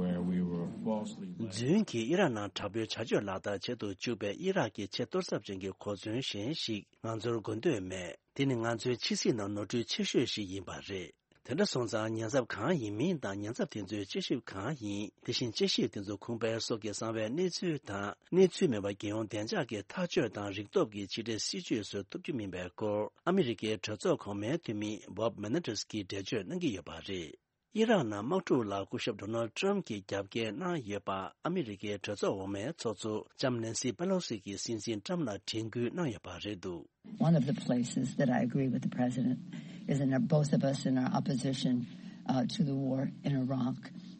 where we were falsely led. རྫུན་གྱིས་ཨི་རག་ནང་དྲག་པོའི་བྱ་སྤྱོད་ལག་བསྟར་བྱེད་དུ་བཅུག་པའི་ཨི་རག་གི་ཆེས་གཏོར་ཚབས་ཅན་གྱི་གོ་མཚོན་གཞན་ཞིག་ང་ཚོར་དགོས་འདོད་མེད། དེ་ནི་ང་ཚོའི་ཕྱི་སྲིད་ནང་ནོར་འཁྲུལ་ཆེ་ཤོས་ཤིག་ཡིན་པ་རེད། དེ་འདྲ་སོང་ཙང་ཉེན་ཚབས་གང་ཡིན་མིན་དང་ཉེན་ཚབས་དེ་ཚོའི་དཔྱད་ཞིབ་གང་ཡིན། དེ་བཞིན་དཔྱད་ཞིབ་དེ་ཚོ་ཁུངས་སྤེལ་སོགས་ཀྱི་གསང་བའི་གནས་ཚུལ་དང་གནས་ཚུལ་མིན་པ་རྒྱལ་ཡོངས་བདེ་འཇགས་ཀྱི་ཐག་གཅོད་དང་རིག་སྟོབས་ཀྱི་ཕྱི་འབྲེལ་སྲིད་ཇུས་བཟོ་ཐུབ་རྒྱུ་མིན་པའི་སྐོར་ཨ་མི་རི་ཀའི་གྲོས་ཚོགས་གོང་མའི་འཐུས་མི་Bob Menendez གྱིས་འགྲེལ་བརྗོད་གནང་གི་ཡོད་པ་རེད། ཨི་རག་ནང་དམག་འཁྲུག་ལ་སྐུ་ཞབས་Donald Trump གྱིས་རྒྱབ་འགལ་གནང་ཡོད་པ་ཨ་མི་རི་ཀའི་གྲོས་ཚོགས་འོག་མའི་ཚོགས་གཙོ་ལྕམ་Nancy Pelosi གྱིས་སྲིད་འཛིན་Trump ལ་དྲན་སྐུལ་གནང་ཡོད་པ་རེད་འདུག། One of the places that I agree with the president is in our, both of us in our opposition uh, to the war in Iraq,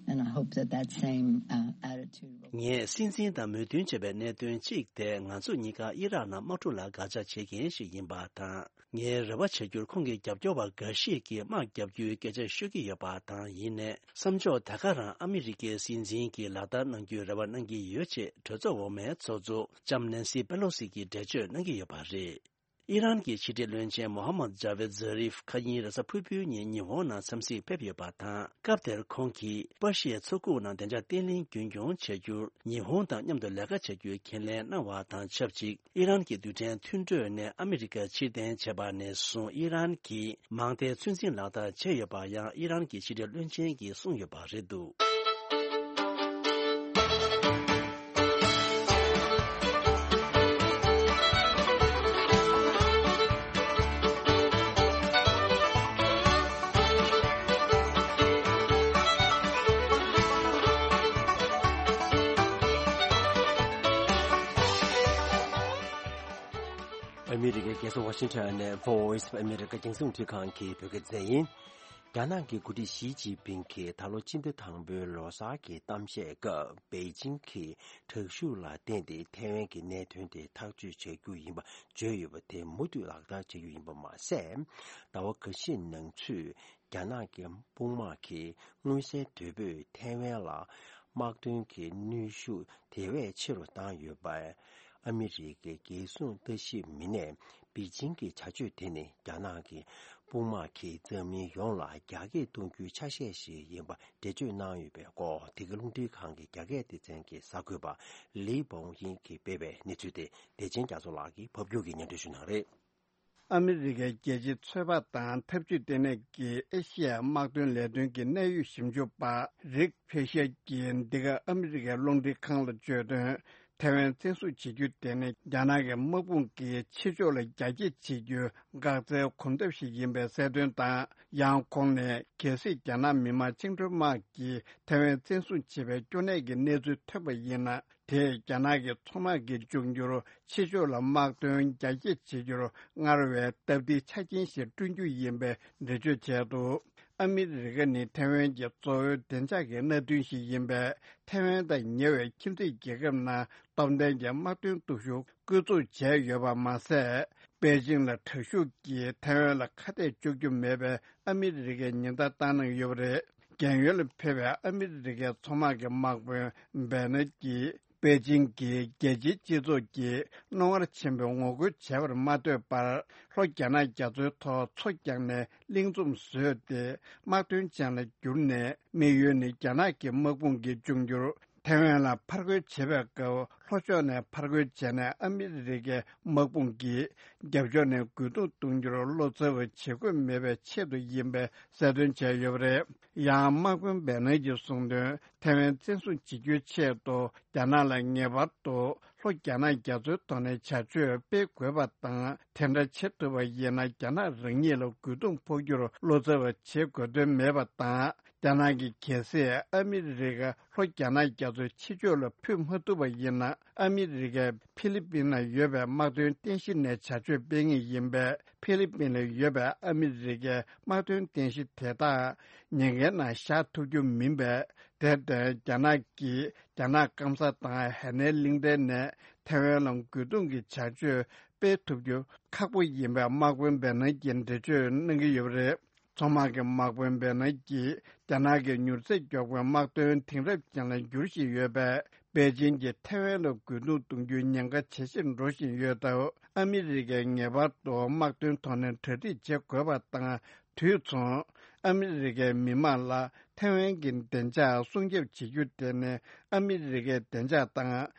and I hope that that same uh, attitude will. ངས་སྲིད་འཛིན་དང་མོས་མཐུན་བྱས་པའི་གནད་དོན་གཅིག་དེ་ང་ཚོ་གཉིས་ཀ་ཨི་རག་ནང་དམག་འཁྲུག་ལ་དགག་བྱ་བྱེད་མཁན་ཞིག་ཡིན་པ་དང་། ངའི་རེ་བ་བྱ་རྒྱུར་ཁོང་གི་རྒྱབ་སྐྱོར་བ་འགའ་ཞིག་གིས་དམག་རྒྱག་རྒྱུའི་སྐད་ཆ་ཤོད་ཀྱི་ཡོད་པ་དང་། ཡིན་ནའི་བསམ་ཕྱོགས་ད་ག་རང་ཨ་མི་རི་ཀའི་སྲིད་འཛིན་གྱིས་ལག་བསྟར་གནང་རྒྱུའི་རེ་བ་གནང་གི་ཡོད་ཅེས་གྲོས་ཚོགས་འོག་མའི་ཚོགས་གཙོ་ལྕམ་Nancy Pelosi གྱིས་འགྲེལ་བརྗོད་གནང་གི་ཡོད་པ་རེད། ཨི་རན་གྱི་ཕྱི་འབྲེལ་བློན་ཆེན་Mohammad Javad Zarif ཁ་ཉིན་རེས་གཟའ་ཕུར་བུའི་ཉིན་ཉི་ཧོང་ནང་འཚམས་གཟིགས་ཕེབས་ཡོད་པ་དང་། སྐབས་དེར་ཁོང་གིས་པར་ཤིའི་མཚོ་ཁུག་ནང་བདེ་འཇགས་བརྟན་ལྷིང་རྒྱུན་འཁྱོངས་བྱ་རྒྱུར་ཉི་ཧོང་དང་མཉམ་དུ་ལས་ཀ་བྱ་རྒྱུའི་ཁས་ལེན་གནང་བ་དང་ཆབས་ཅིག་ཨི་རན་གྱི་རྡུལ་ཕྲན་མཐུན་གྲོས་ནས་ཨ་མི་རི་ཀ་ཕྱིར་འཐེན་བྱས་པ་ནས་བཟུང་ཨི་རན་གྱིས་མང་མཐའི་ཚོད་འཛིན་ལག་བསྟར་བྱས་ཡོད་པ་ཡང་ཨི་རན་གྱི་ཕྱི་འབྲེལ་བློན་ཆེན་གྱིས་གསུངས་ཡོད་པ་རེད་འདུག། ཨ་མི་རི་ཀའི་རྒྱལ་ས་ཝ་ཤིང་ཊོན་ནས་Voice of America རྒྱང་སྲིང་རླུང་འཕྲིན་ཁང་གི་བོད་སྐད་སྡེ་ཚན་ཡིན། རྒྱ་ནག་གི་འགོ་ཁྲིད་ཞི་ཅིན་ཕིང་གིས་ད་ལོ་ཕྱི་ཟླ་དང་པོའི་ལོ་གསར་གྱི་གཏམ་བཤད་སྐབས་པེ་ཅིང་གིས་དྲག་ཤུགས་ལ་བརྟེན་ཏེ་ཐའེ་ཝན་གྱི་གནད་དོན་དེ་ཐག་གཅོད་བྱ་རྒྱུ་ཡིན་པ་བརྗོད་ཡོད་པ་དེ་མུ་མཐུད་ལག་བསྟར་བྱ་རྒྱུ་ཡིན་པ་མ་ཟད། ཟླ་བ་འགའ་ཤས་ནང་ཚུད། རྒྱ་ནག་གི་དཔུང་དམག་གིས་མངོན་གསལ་དོད་པོས་ཐའེ་ཝན་ལ་དམག་དོན་གྱི་གནོན་ཤུགས་དེ་བས་ཆེ་རུ་བཏང་ཡོད་པས། ཨ་མི་རི་ཀའི་རྒྱལ་སྲུང་ལྟ་ཞིབ་མི་སྣས་པེ་ཅིང་གི་བྱ་སྤྱོད་དེ་ནི་རྒྱ་ནག་གི་དཔུང་དམག་གིས་འཛམ་གླིང་ཡོངས་ལ་རྒྱ་སྐྱེད་གཏོང་རྒྱུའི་ཆ་ཤས་ཤིག་ཡིན་པ་འགྲེལ་བརྗོད་གནང་ཡོད་པའི་སྐོར། འདི་ག་རླུང་འཕྲིན་ཁང་གི་རྒྱ་སྐད་སྡེ་ཚན་གྱི་གསར་འགོད་པ་ལི་བོང་དབྱིང་གིས་སྤེལ་བའི་གནས་ཚུལ་དེ་བདེ་ཆེན་རྒྱ་མཚོ་ལགས་ཀྱིས་ཕབ་སྒྱུར་གྱིས་སྙན་སྒྲོན་ཞུ་གནང་རེད། ཨ་མི་རི་ཀའི་རྒྱལ་སྤྱིའི་ཚོད་དཔག་དང་འཐབ་ཇུས་ལྟེ་གནས་ཀྱི་ཨེ་ཤི་ཡའི་དམག་དོན་ལས་དོན་གྱི་གནད་ཡོད་ཞིབ་འཇུག་པ་རིག་ཕེ་ཤར་གྱིས་འདི་ག་ཨ་མི་རི་ཀའི་རླུང་འཕྲིན་ཁང་ལ་བརྗོད་དོན། ཐའེ་ཝན་བཙན་བཟུང་བྱེད་རྒྱུ་དེ་ནི་རྒྱ་ནག་གི་དམག་དཔུང་གིས་ཕྱི་ཕྱོགས་ལ་རྒྱ་སྐྱེད་བྱེད་རྒྱུའི་འགག་རྩའི་གོམ་སྟབས་ཤིག་ཡིན་པའི་གསལ་སྟོན་དང་། ཡང་ཁོང་ནས་གལ་སྲིད་རྒྱ་ནག་མི་དམངས་བཅིངས་འགྲོལ་དམག་གིས་ཐའེ་ཝན་བཙན་བཟུང་བྱེད་པའི་སྐྱོ་གནས་ཀྱི་གནས་ཚུལ་ཐོན་པ་ཡིན་ན། དེས་རྒྱ་ནག་གི་མཚོ་དམག་གི་འབྱུང་འགྱུར་ཕྱི་ཕྱོགས་ལ་དམག་དོན་རྒྱ་སྐྱེད་བྱེད་རྒྱུར་སྔར་བས་སྟབས་བདེའི་ཆ་རྐྱེན་ཞིག་བསྐྲུན་རྒྱུ་ཡིན་པའི་འགྲེལ་བརྗོད་བྱས་འདུག། ཨ་མི་རི་ཀ་ནི་ཐའེ་ཝན་གྱི་གཙོ་བོའི་བདེ་འཇགས་ཀྱི་མནའ་མཐུན་ཞིག་ཡིན་པས། ཐའེ་ཝན་དང་ཉེ་བའི་ཁྱིམ་མཚེས་རྒྱལ་ཁབ་ནང་སྟོབས་ལྡན་གྱི་དམག་དོན་སྟོབས་ཤུགས་བཀོལ་སྤྱོད་བྱས་ཡོད་པ་མ་ཟད། པེ་ཅིང་ལ་དྲག་ཤུགས་ཀྱིས་ཐའེ་ཝན་ལ་ཁ་གཏད་གཅོག་རྒྱུ་མེད་པའི་ཨ་མི་རི་ཀའི་ཉེན་བརྡ་བཏང་གནང་ཡོད་པ་རེད། རྒན་ཡོལ་ལ་ཕེབས་པའི་ཨ་མི་རི་ཀའི་མཚོ་དམག་གི་དམག་དཔོན་བེ་ནེ་ཀྱིས། པེ་ཅིང་གིས་རྒྱལ་སྤྱིའི་སྤྱི་ཚོགས་ཀྱིས་རྣོ་ངར་ཆེན་པོས་ངོ་རྒོལ་བྱས་པར་མ་ལྟོས་པར། ལྷོ་རྒྱ་ནག་རྒྱ་མཚོའི་ཐོག་མཚོ་བརྒྱབ་ནས་གླིང་ཚོམ་བཟོས་ཏེ། དམག་དོན་ཅན་ལ་བསྒྱུར་ནས། དམིགས་ཡུལ་ནི་རྒྱ་ནག་གི་དམག་དཔུང་གི་འབྱུང་འགྱུར། ཐའེ་ཝན་ལ་ཕར་རྒོལ་བྱེད་པའི་སྐབས། ལྷོ་ཕྱོགས་ནས་ཕར་རྒོལ་བྱས་ནས། ཨ་མི་རི་ཀའི་དམག་དཔུང་གིས། རྒྱབ་ཕྱོགས་ནས་རྒོལ་རྡུང་གཏོང་རྒྱུར་བློ་འཚབ་པ་བྱེད་དགོས་མེད་པའི་ཆེད་དུ་ཡིན་པའི་གསལ་སྟོན་བྱས་ཡོད་པ་རེད། ཡང་། དམག་དཔོན་བེ་ནེ་ཀྱིས་གསུངས་དོན། ཐའེ་ཝན་བཙན་བཟུང་བྱེད་རྒྱུའི་ཆེད་དུ། རྒྱ་ནག་ལ་ངེས་པར་དུ། ལྷོ་རྒྱ་ནག་རྒྱ་མཚོའི་ཐོག་ནས་བྱ་སྤྱོད་སྤེལ་དགོས་པ་དང་། དེ་འདྲ་བྱེད་ཐུབ་པ་ཡིན་ན། རྒྱ་ནག་རང་ཉིད་ལ་རྒོལ་རྡུང་ཕོག་རྒྱུར་བློ་འཚབ་པ་བྱེད་དགོས་དོན་མེད་པ་དང་། རྒྱ་ནག་གིས་གལ་སྲིད་ཨ་མི་རི་ཀ་ལྷོ་རྒྱ་ནག་རྒྱ་མཚོའི་ཕྱི་ཕྱོགས་ལ་འཕུར་མ་ཐུབ་པ་ཡིན་ན། ཨ་མི་རི་ཀས་ཕི་ལི་པིན་ན་ཡོད་པའི་དམག་དོན་རྟེན་གཞི་ནས་བྱ་སྤྱོད་སྤེལ་ངེས་ཡིན་པས། ཕི་ལི་པིན་ལ་ཡོད་པའི་ཨ་མི་རི་ཀའི་དམག་དོན་རྟེན་གཞི་དེ་དག་ཉེན་ཁའི་ནང་བཞག་ཐུབ་རྒྱུ་མིན་པས། དེར་བརྟེན། རྒྱ་ནག་གིས་རྒྱ་ནག་སྐམ་ས་དང་ཧེ་ནན་གླིང་ཕྲན་ནས་ཐེ་ཝན་ལ་རྒོལ་རྡུང་གི་བྱ་སྤྱོད་སྤེལ་ཐུབ་རྒྱུ་ཁག་པོ་ཡིན་པའི་དམག་དཔོན་བེ་ནན་གྱིས་འགྲེལ་བརྗོད་གནང་གི་ཡོད་པ་རེད། མཚོ་དམག་གི་དམག་དཔོན་བེ་ནན་གྱིས། རྒྱ་ནག་གིས་མྱུར་ཚད་མགྱོགས་པའི་དམག་དོན་དེང་རབས་ཅན་ལ་འགྱུར་བཞིན་ཡོད་པས། པེ་ཅིན་གྱིས་ཐེ་ཝན་ལ་རྒོལ་རྡུང་གཏོང་རྒྱུའི་ཉེན་ཁ་ཇེ་ཆེར་འགྲོ་བཞིན་ཡོད་སྟབས། ཨ་མི་རི་ཀས་ངེས་པར་དུ་དམག་དོན་ཐོག་ནས་གྲ་སྒྲིག་བྱེད་དགོས་པ་དང་། དུས་མཚུངས། ཨ་མི་རི་ཀའི་མི་དམངས་ལ་ཐེ་ཝན་གྱི་བདེ་འཇགས་སྲུང་སྐྱོབ་བྱེད་རྒྱུ་དེ་ནི། ཨ་མི་རི་ཀའི་བདེ་འཇགས་དང་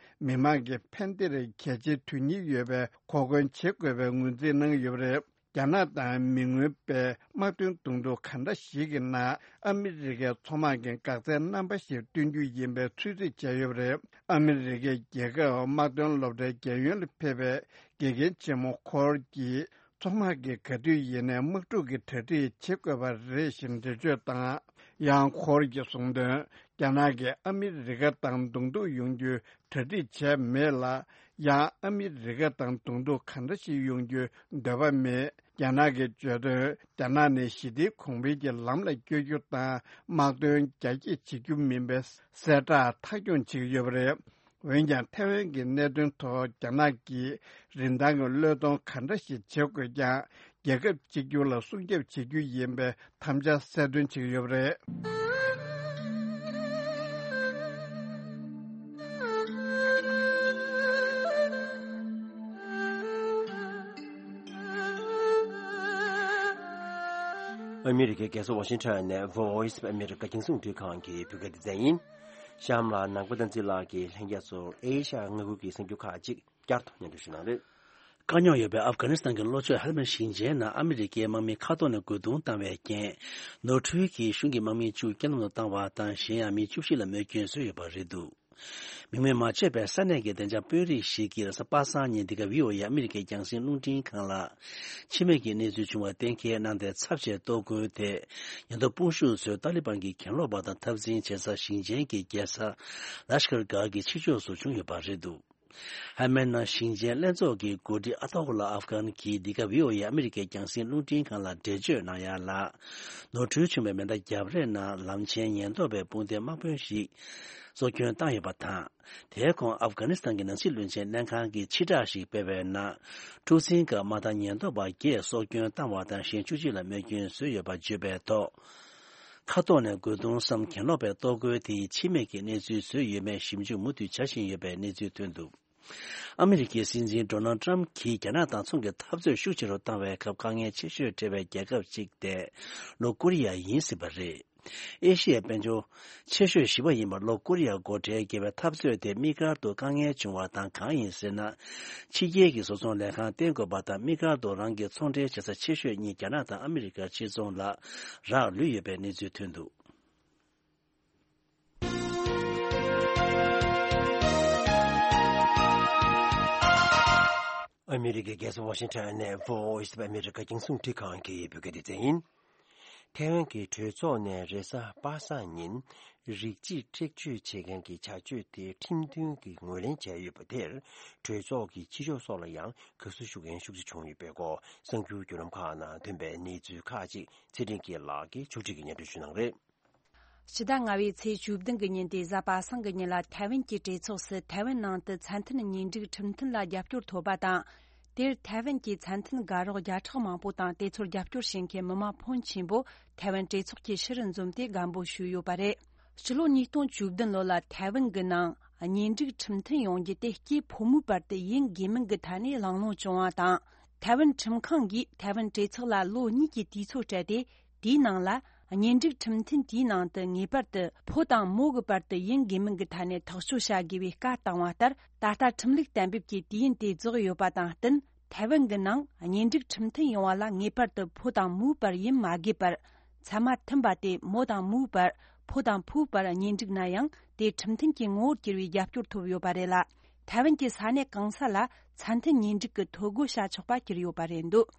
མི་དམངས་ཀྱི་ཕན་བདེར་གལ་ཆེའི་དོན་སྙིང་ཡོད་པའི་གོ་སྐོན་བྱེད་དགོས་པའི་ངོས་འཛིན་གནང་ཡོད་པ་རེད། རྒྱ་ནག་དང་མི་མངོན་པའི་དམག་དོན་གདོང་ཐུག་ག་འདྲ་ཞིག་གི་ནང་ཨ་མི་རི་ཀའི་མཚོ་དམག་གིས་འགག་རྩའི་རྣམ་པ་ཞིག་སྟོན་རྒྱུ་ཡིན་པའི་ཚོད་རྩིས་བྱས་ཡོད་པ་རེད། ཨ་མི་རི་ཀའི་རྒྱལ་ཁབ་དམག་དོན་སློབ་གྲྭའི་རྒྱལ་ཡོངས་ལ་ཕེབས་པའི་དགེ་རྒན་ཆེན་མོ་ཁོར་གྱིས། མཚོ་དམག་གིས་ག་དུས་ཡིན་ནའི་དམག་འཁྲུག་གི་གྲ་སྒྲིག་བྱེད་དགོས་པ་རེད་ཞེས་འགྲེལ་བརྗོད་དང་། ཡང་ཁོར་གྱིས་གསུངས་དོན། རྒྱ་ནག་གིས་ཨ་མི་རི་ཀ་དང་གདོང་ཐུག་ཡོང་རྒྱུའི་གྲ་སྒྲིག་བྱས་མེད་ལ། ཡང་ཨ་མི་རི་ཀ་དང་གདོང་ཐུག་ག་འདྲ་ཞིག་ཡོང་རྒྱུའི་འདོད་པ་མེད། རྒྱ་ནག་གིས་བརྗོད་དོན། རྒྱ་ནག་ནི་ཞི་བདེའི་གོང་འཕེལ་གྱི་ལམ་ལ་བསྐྱོད་རྒྱུ་དང་། དམག་དོན་རྒྱ་སྐྱེད་བྱེད་རྒྱུ་མིན་པའི་གསལ་བསྒྲགས་མཐའ་འཁྱོངས་བྱེད་ཀྱི་ཡོད་པ་རེད། འོན་ཀྱང་། ཐེ་ཝན་གྱི་གནད་དོན་ཐོག་རྒྱ་ནག་གིས་རིན་ཐང་གི་བློས་གཏོང་ག་འདྲ་ཞིག་བྱེད་དགོས་ཀྱང་། རྒྱལ་ཁབ་གཅིག་གྱུར་ལ་སྲུང་སྐྱོབ་བྱེད་རྒྱུ་ཡིན་པའི་དམ་བཅའ་གསལ་སྟོན་བྱེད་ཀྱི་ཡོད་པ་རེད། ཨ་མི་རི་ཀའི་རྒྱལ་ས་ཝ་ཤིང་ཊོན་ནས་Voice of America རྒྱང་སྲིང་རླུང་འཕྲིན་ཁང་གི་བོད་སྐད་སྡེ་ཚན་ཡིན། གཤམ་ལ་ནང་པ་བསྟན་འཛིན་ལགས་ཀྱིས་ལྷན་རྒྱས་ཚོར་ཨེ་ཤ་ཡ་མངའ་ཁུལ་གྱི་གསར་འགྱུར་ཁག་ཅིག་བསྐྱར་དུ་སྙན་སྒྲོན་ཞུ་གནང་རེད། དཀའ་རྙོག་ཡོད་པའི་ཨབ་གྷ་ནི་སི་ཐན་གྱི་ལྷོ་ཕྱོགས་ཧེལ་མན་ཞིང་ཆེན་ནང་ཨ་མི་རི་ཀའི་དམག་མི་མཁའ་ཐོག་ནས་རྒོལ་རྡུང་བཏང་བའི་རྐྱེན། ནོར་འཁྲུལ་གྱིས་གཞུང་གི་དམག་མི་བཅུ་རྐྱེན་ལམ་དུ་བཏང་བ་དང་། གཞན་ཡང་མི་བཅུ་བཞི་ལ་རྨས་སྐྱོན་བཟོས་ཡོད་པ་རེད་འདུག་མིང་མེད་མ་བརྗོད་པའི་ས་གནས་ཀྱི་བདེ་འཇགས་དཔོན་རིགས་ཤིག་གིས་རེས་གཟའ་པ་སངས་ཉིན་འདི་ག་བྷི་ཨོ་ཨེ་ཨ་མི་རི་ཀའི་རྒྱང་སྲིང་རླུང་འཕྲིན་ཁང་ལ། འཆི་རྨས་ཀྱི་གནས་ཚུལ་བྱུང་བ་གཏན་འཁེལ་གནང་སྟེ། ཚབས་ཆེའི་གཏོར་རྒོལ་དེ་ཉེན་རྟོག་དཔུང་ཤུགས་ཚོས་ཏཱ་ལི་བན་གྱི་གྱེན་ལོག་པ་དང་འཐབ་འཛིང་བྱེད་ས་ཞིང་ཆེན་གྱི་རྒྱལ་ས་ལ་ཤ་ཀར་གྷ་གི་ཕྱི་ཕྱོགས་སུ་བྱུང་ཡོད་པ་རེད་འདུག་ཧ་མན་ནང་ཞིང་ཆེན་ལྷན་ཚོགས་ཀྱི་འགོ་ཁྲིད་ཨ་ཏོ་ཧུ་ལ་ཨབ་གྷན་གྱིས་འདི་ག་བྷི་ཨོ་ཨེ་ཨ་མི་རི་ཀའི་རྒྱང་སྲིང་རླུང་འཕྲིན་ཁང་ལ་འགྲེལ་བརྗོད་གནང་ཡ་ལ། ནོར་འཁྲུལ་བྱུང་བའི་མེ་མདའ་རྒྱབ་རེས་ནང་ལམ་ཆེན་ཉེན་རྟོག་པའི་དཔུང་སྡེ་དམག་དཔོན་ཞིག་སྲོག་སྐྱོན་བཏང་ཡོད་པ་དང་། དེའི་གོང་ཨབ་གྷ་ནི་སི་ཐན་གྱི་ནང་སྲིད་བློན་ཆེན་ལྷན་ཁང་གིས་ཕྱིར་བསྒྲགས་ཤིག་སྤེལ་བའི་ནང་། འཁྲུག་འཛིང་སྐབས་དམག་དང་ཉེན་རྟོག་པ་བརྒྱད་སྲོག་སྐྱོན་བཏང་བ་དང་། གཞན་བཅུ་གཅིག་ལ་རྨས་སྐྱོན་བཟོས་ཡོད་པ་བརྗོད་པའི་ཐོག་མཁའ་ཐོག་ནས་རྒོལ་རྡུང་སམ་གྱེན་ལོག་པའི་གཏོར་རྒོལ་དེ་ཡིས་འཆི་རྨས་ཀྱི་གནས་ཚུལ་བཟོས་ཡོད་མེད་ཞིབ་འཇུག་མུ་མཐུད་བྱ་བཞིན་ཡོད་པའི་གནས་ཚུལ་ཐོན་འདུག་ཨ་མི་རི་ཀའི་སྲིད་འཛིན་ཌོ་ནལ་ཏྲམ་གྱིས་རྒྱ་ནག་དང་ཚོང་གི་འཐབ་རྩོད་ཤུགས་ཆེ་རུ་བཏང་བའི་སྐབས། དཀའ་ངལ་ཆེ་ཤོས་འཕྲད་པའི་རྒྱལ་ཁབ་ཅིག་དེ་ལྷོ་ཀོ་རི་ཡ་ཡིན་སྲིད་པ་རེད། ཨེ་ཤི་ཡའི་དཔལ་འབྱོར་ཆེ་ཤོས་བཞི་པ་ཡིན་པ་ལྷོ་ཀོ་རི་ཡ་སྒོ་ཁྲལ་བརྒལ་བའི་འཐབ་རྩོད་དེ་དམིགས་བཀར་དུ་དཀའ་ངལ་བྱུང་བ་དང་། གང་ཡིན་ཟེར་ན། ཕྱི་རྒྱལ་གྱི་བཟོ་ཚོང་ལས་ཁང་བསྟེན་དགོས་པ་དང་། དམིགས་བཀར་དུ་རང་གི་ཚོང་འབྲེལ་བྱེད་ས་ཆེ་ཤོས་གཉིས་རྒྱ་ནག་དང་ཨ་མི་རི་ཀར་ཕྱིར་ཚོང་ལ་རག་ལུས་ཡོད་པའི་གནས་ཚུལ་ཐོན་འདུག་ཨ་མི་རི་ཀའི་རྒྱལ་ས་ཝ་ཤིང་ཊོན་ནས་Voice of America རྒྱང་སྲིང་རླུང་འཕྲིན་ཁང་གི་བོད་སྐད་སྡེ་ཚན་ཡིན། ཐའེ་ཝན་གྱི་གྲོས་ཚོགས་ནས་རེས་གཟའ་པ་སངས་ཉིན་རིགས་གཅིག་འཁྲུག་སྤྱོད་བྱེད་མཁན་གྱི་བྱ་སྤྱོད་དེ་ཁྲིམས་མཐུན་གྱི་ངོས་ལེན་བྱས་ཡོད་པ་དེར། གྲོས་ཚོགས་ཀྱི་ཕྱི་ཕྱོགས་སོགས་ལ་ཡང་དགའ་བསུ་ཞུ་མཁན་ཤུགས་ཆེ་བྱུང་ཡོད་པའི་སྐོར། གསར་འགྱུར་བརྒྱུད་ལམ་ཁག་ནང་ཐོན་པའི་གནས་ཚུལ་ཁག་ཅིག་ཚེ་རིང་སྐྱིད་ལགས་ཀྱིས་ཕྱོགས་སྒྲིག་གིས་སྙན་སྒྲོན་ཞུ་གནང་རེད། ཕྱི་ཟླ་ལྔ་པའི་ཚེས་བཅུ་བདུན་གྱི་ཉིན་ཏེ་གཟའ་པ་སངས་ཀྱི་ཉིན་ལ་ཐའེ་ཝན་གྱི་གྲོས་ཚོགས་སུ་ཐའེ་ཝན་ནང་དུ་ཚད་མཐུན་གཉེན་སྒྲིག་ཁྲིམས་མཐུན་ལ་རྒྱབ་སྐྱོར་ཐོབ་པ་དང་། དེར་ཐའེ་ཝན་གྱི་ཚད་མཐུན་དགའ་རོགས་བརྒྱ་ཕྲག་མང་པོ་དང་། དེ་ཚོར་རྒྱབ་སྐྱོར་བྱེད་མཁན་མི་མང་ཕོན་ཆེན་པོ་ཐའེ་ཝན་གྲོས་ཚོགས་ཀྱི་ཕྱི་རུ་འཛོམས་ཏེ་རྒན་པོ་ཞུས་ཡོད་པ་རེད། ཕྱི་ལོ་ཉིས་སྟོང་བཅུ་བདུན་ལོ་ལ་ཐའེ་ཝན་གྱི་ནང་གཉེན་སྒྲིག་ཁྲིམས་མཐུན་ཡོང་རྒྱུ་དེ་སྐྱེས་ཕོ་མོའི་བར་དུ་ཡིན་དགོས་མིན་གྱི་ཐད་ནས་གླེང་སློང་བྱུང་བ་དང་། ཐའེ་ཝན་ཁྲིམས་ཁང་གིས་ཐའེ་ཝན་གྲོས་ཚོགས་ལ་ལོ་གཉིས་ཀྱི་དུས་ཚོད་སྤྲད་དེ། དེའི་ནང་ལ་གཉེན་སྒྲིག་ཁྲིམས་མཐུན་དེའི་ནང་དུ་ངེས་པར་དུ་ཕོ་དང་མོ་གི་བར་དུ་ཡིན་དགོས་མིན་གྱི་ཐད་ནས་ཐག་གཅོད་བྱ་དགོས་པའི་བཀའ་བཏང་བ་ལྟར། ད་ལྟ་ཁྲིམས་ལུགས་གཏན་འབེབས་ཀྱི་དུས་ཡུན་དེ་རྫོགས་ཡོད་པ་དང་བསྟུན། ཐའེ་ཝན་གྱི་ནང་གཉེན་སྒྲིག་ཁྲིམས་མཐུན་ཡོང་བ་ལ་ངེས་པར་དུ་ཕོ་དང་མོའི་བར་ཡིན་མ་དགོས་པར། ཚད་མ་མཐུན་པ་དེ་མོ་དང་མོའི་བར། ཕོ་དང་ཕོའི་བར་གཉེན་སྒྲིག་ན་ཡང་། དེ་ཁྲིམས་མཐུན་གྱི་ངོ་བོར་གྱུར་བའི་རྒྱབ་སྐྱོར་ཐོབ་ཡོད་པ་རེད་ལ། ཐའེ་ཝན་གྱི་ས་གནས་གང་ས་ལ་ཚད་མཐུན་གཉེན་སྒྲིག་གི་ཐོ་འགོད་བྱ་ཆོག་པ་གྱུར་ཡོད་པ་རེད་འདུག་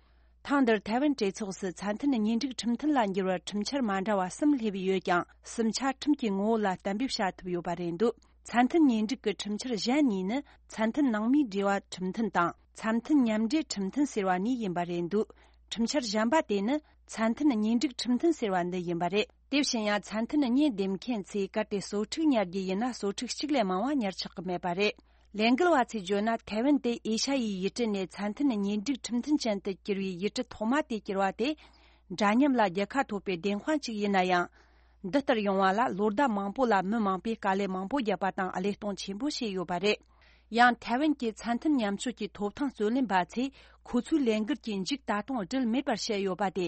ཐེངས་འདིར་ཐའེ་ཝན་གྲོས་ཚོགས་སུ་ཚད་མཐུན་གཉེན་སྒྲིག་ཁྲིམས་མཐུན་ལ་འགྱུར་བར་ཁྲིམས་འཆར་མ་འདྲ་བ་གསུམ་སླེབས་ཡོད་ཀྱང་། གསུམ་ཆ་ཁྲིམས་ཀྱི་ངོ་བོ་ལ་གཏན་འབེབས་བྱ་ཐུབ་ཡོད་པ་རེད་འདུག་ཚད་མཐུན་གཉེན་སྒྲིག་གི་ཁྲིམས་འཆར་གཞན་གཉིས་ནི། ཚད་མཐུན་ནང་མིའི་འབྲེལ་བ་ཁྲིམས་མཐུན་དང་། ཚད་མཐུན་མཉམ་འབྲེལ་ཁྲིམས་མཐུན་ཟེར་བ་གཉིས་ཡིན་པ་རེད་འདུག་ཁྲིམས་འཆར་གཞན་པ་དེ་ནི། ཚད་མཐུན་གཉེན་སྒྲིག་ཁྲིམས་མཐུན་ཟེར་བ་འདི་ཡིན་པ་རེད། དེ་བཞིན་ཡང་། ཚད་མཐུན་གཉེན་འདེམས་མཁན་ཚོས་གལ་ཏེ་གསོ་ཕྲུག་ཉར་རྒྱུ་ཡིན་ན། གསོ་ཕྲུག་གཅིག་ལས་མང་བ་ཉར་ཆོག་གི་མེད་པ་རེད། ལས་འགུལ་བ་ཚོས་བརྗོད་ན། ཐའེ་ཝན་དེ་ཨེ་ཤ་ཡའི་ཡུལ་གྲུ་ནས་ཚད་མཐུན་གཉེན་སྒྲིག་ཁྲིམས་མཐུན་ཅན་དུ་གྱུར་བའི་ཡུལ་གྲུ་ཐོག་མ་དེ་གྱུར་བ་དེ། འདྲ་མཉམ་ལ་རྒྱལ་ཁ་ཐོབ་པའི་བདེན་དཔང་ཅིག་ཡིན་ན་ཡང་། འདི་ལྟར་ཡོང་བ་ལ་ལོ་ཟླ་མང་པོ་ལ་མི་མང་པོས་དཀའ་ལས་མང་པོ་བརྒྱབ་པ་དང་། བློས་གཏོང་ཆེན་པོ་བྱས་ཡོད་པ་རེད། ཡང་། ཐའེ་ཝན་གྱི་ཚད་མཐུན་མཉམ་སྤྱོད་ཀྱི་ཐོབ་ཐང་རྩོད་ལེན་པ་ཚོས་ཁོ་ཚོའི་ལས་འགུལ་གྱི་མཇུག་ད་དུང་སྒྲིལ་མེད་པར་བཤད་ཡོད་པ་དེ།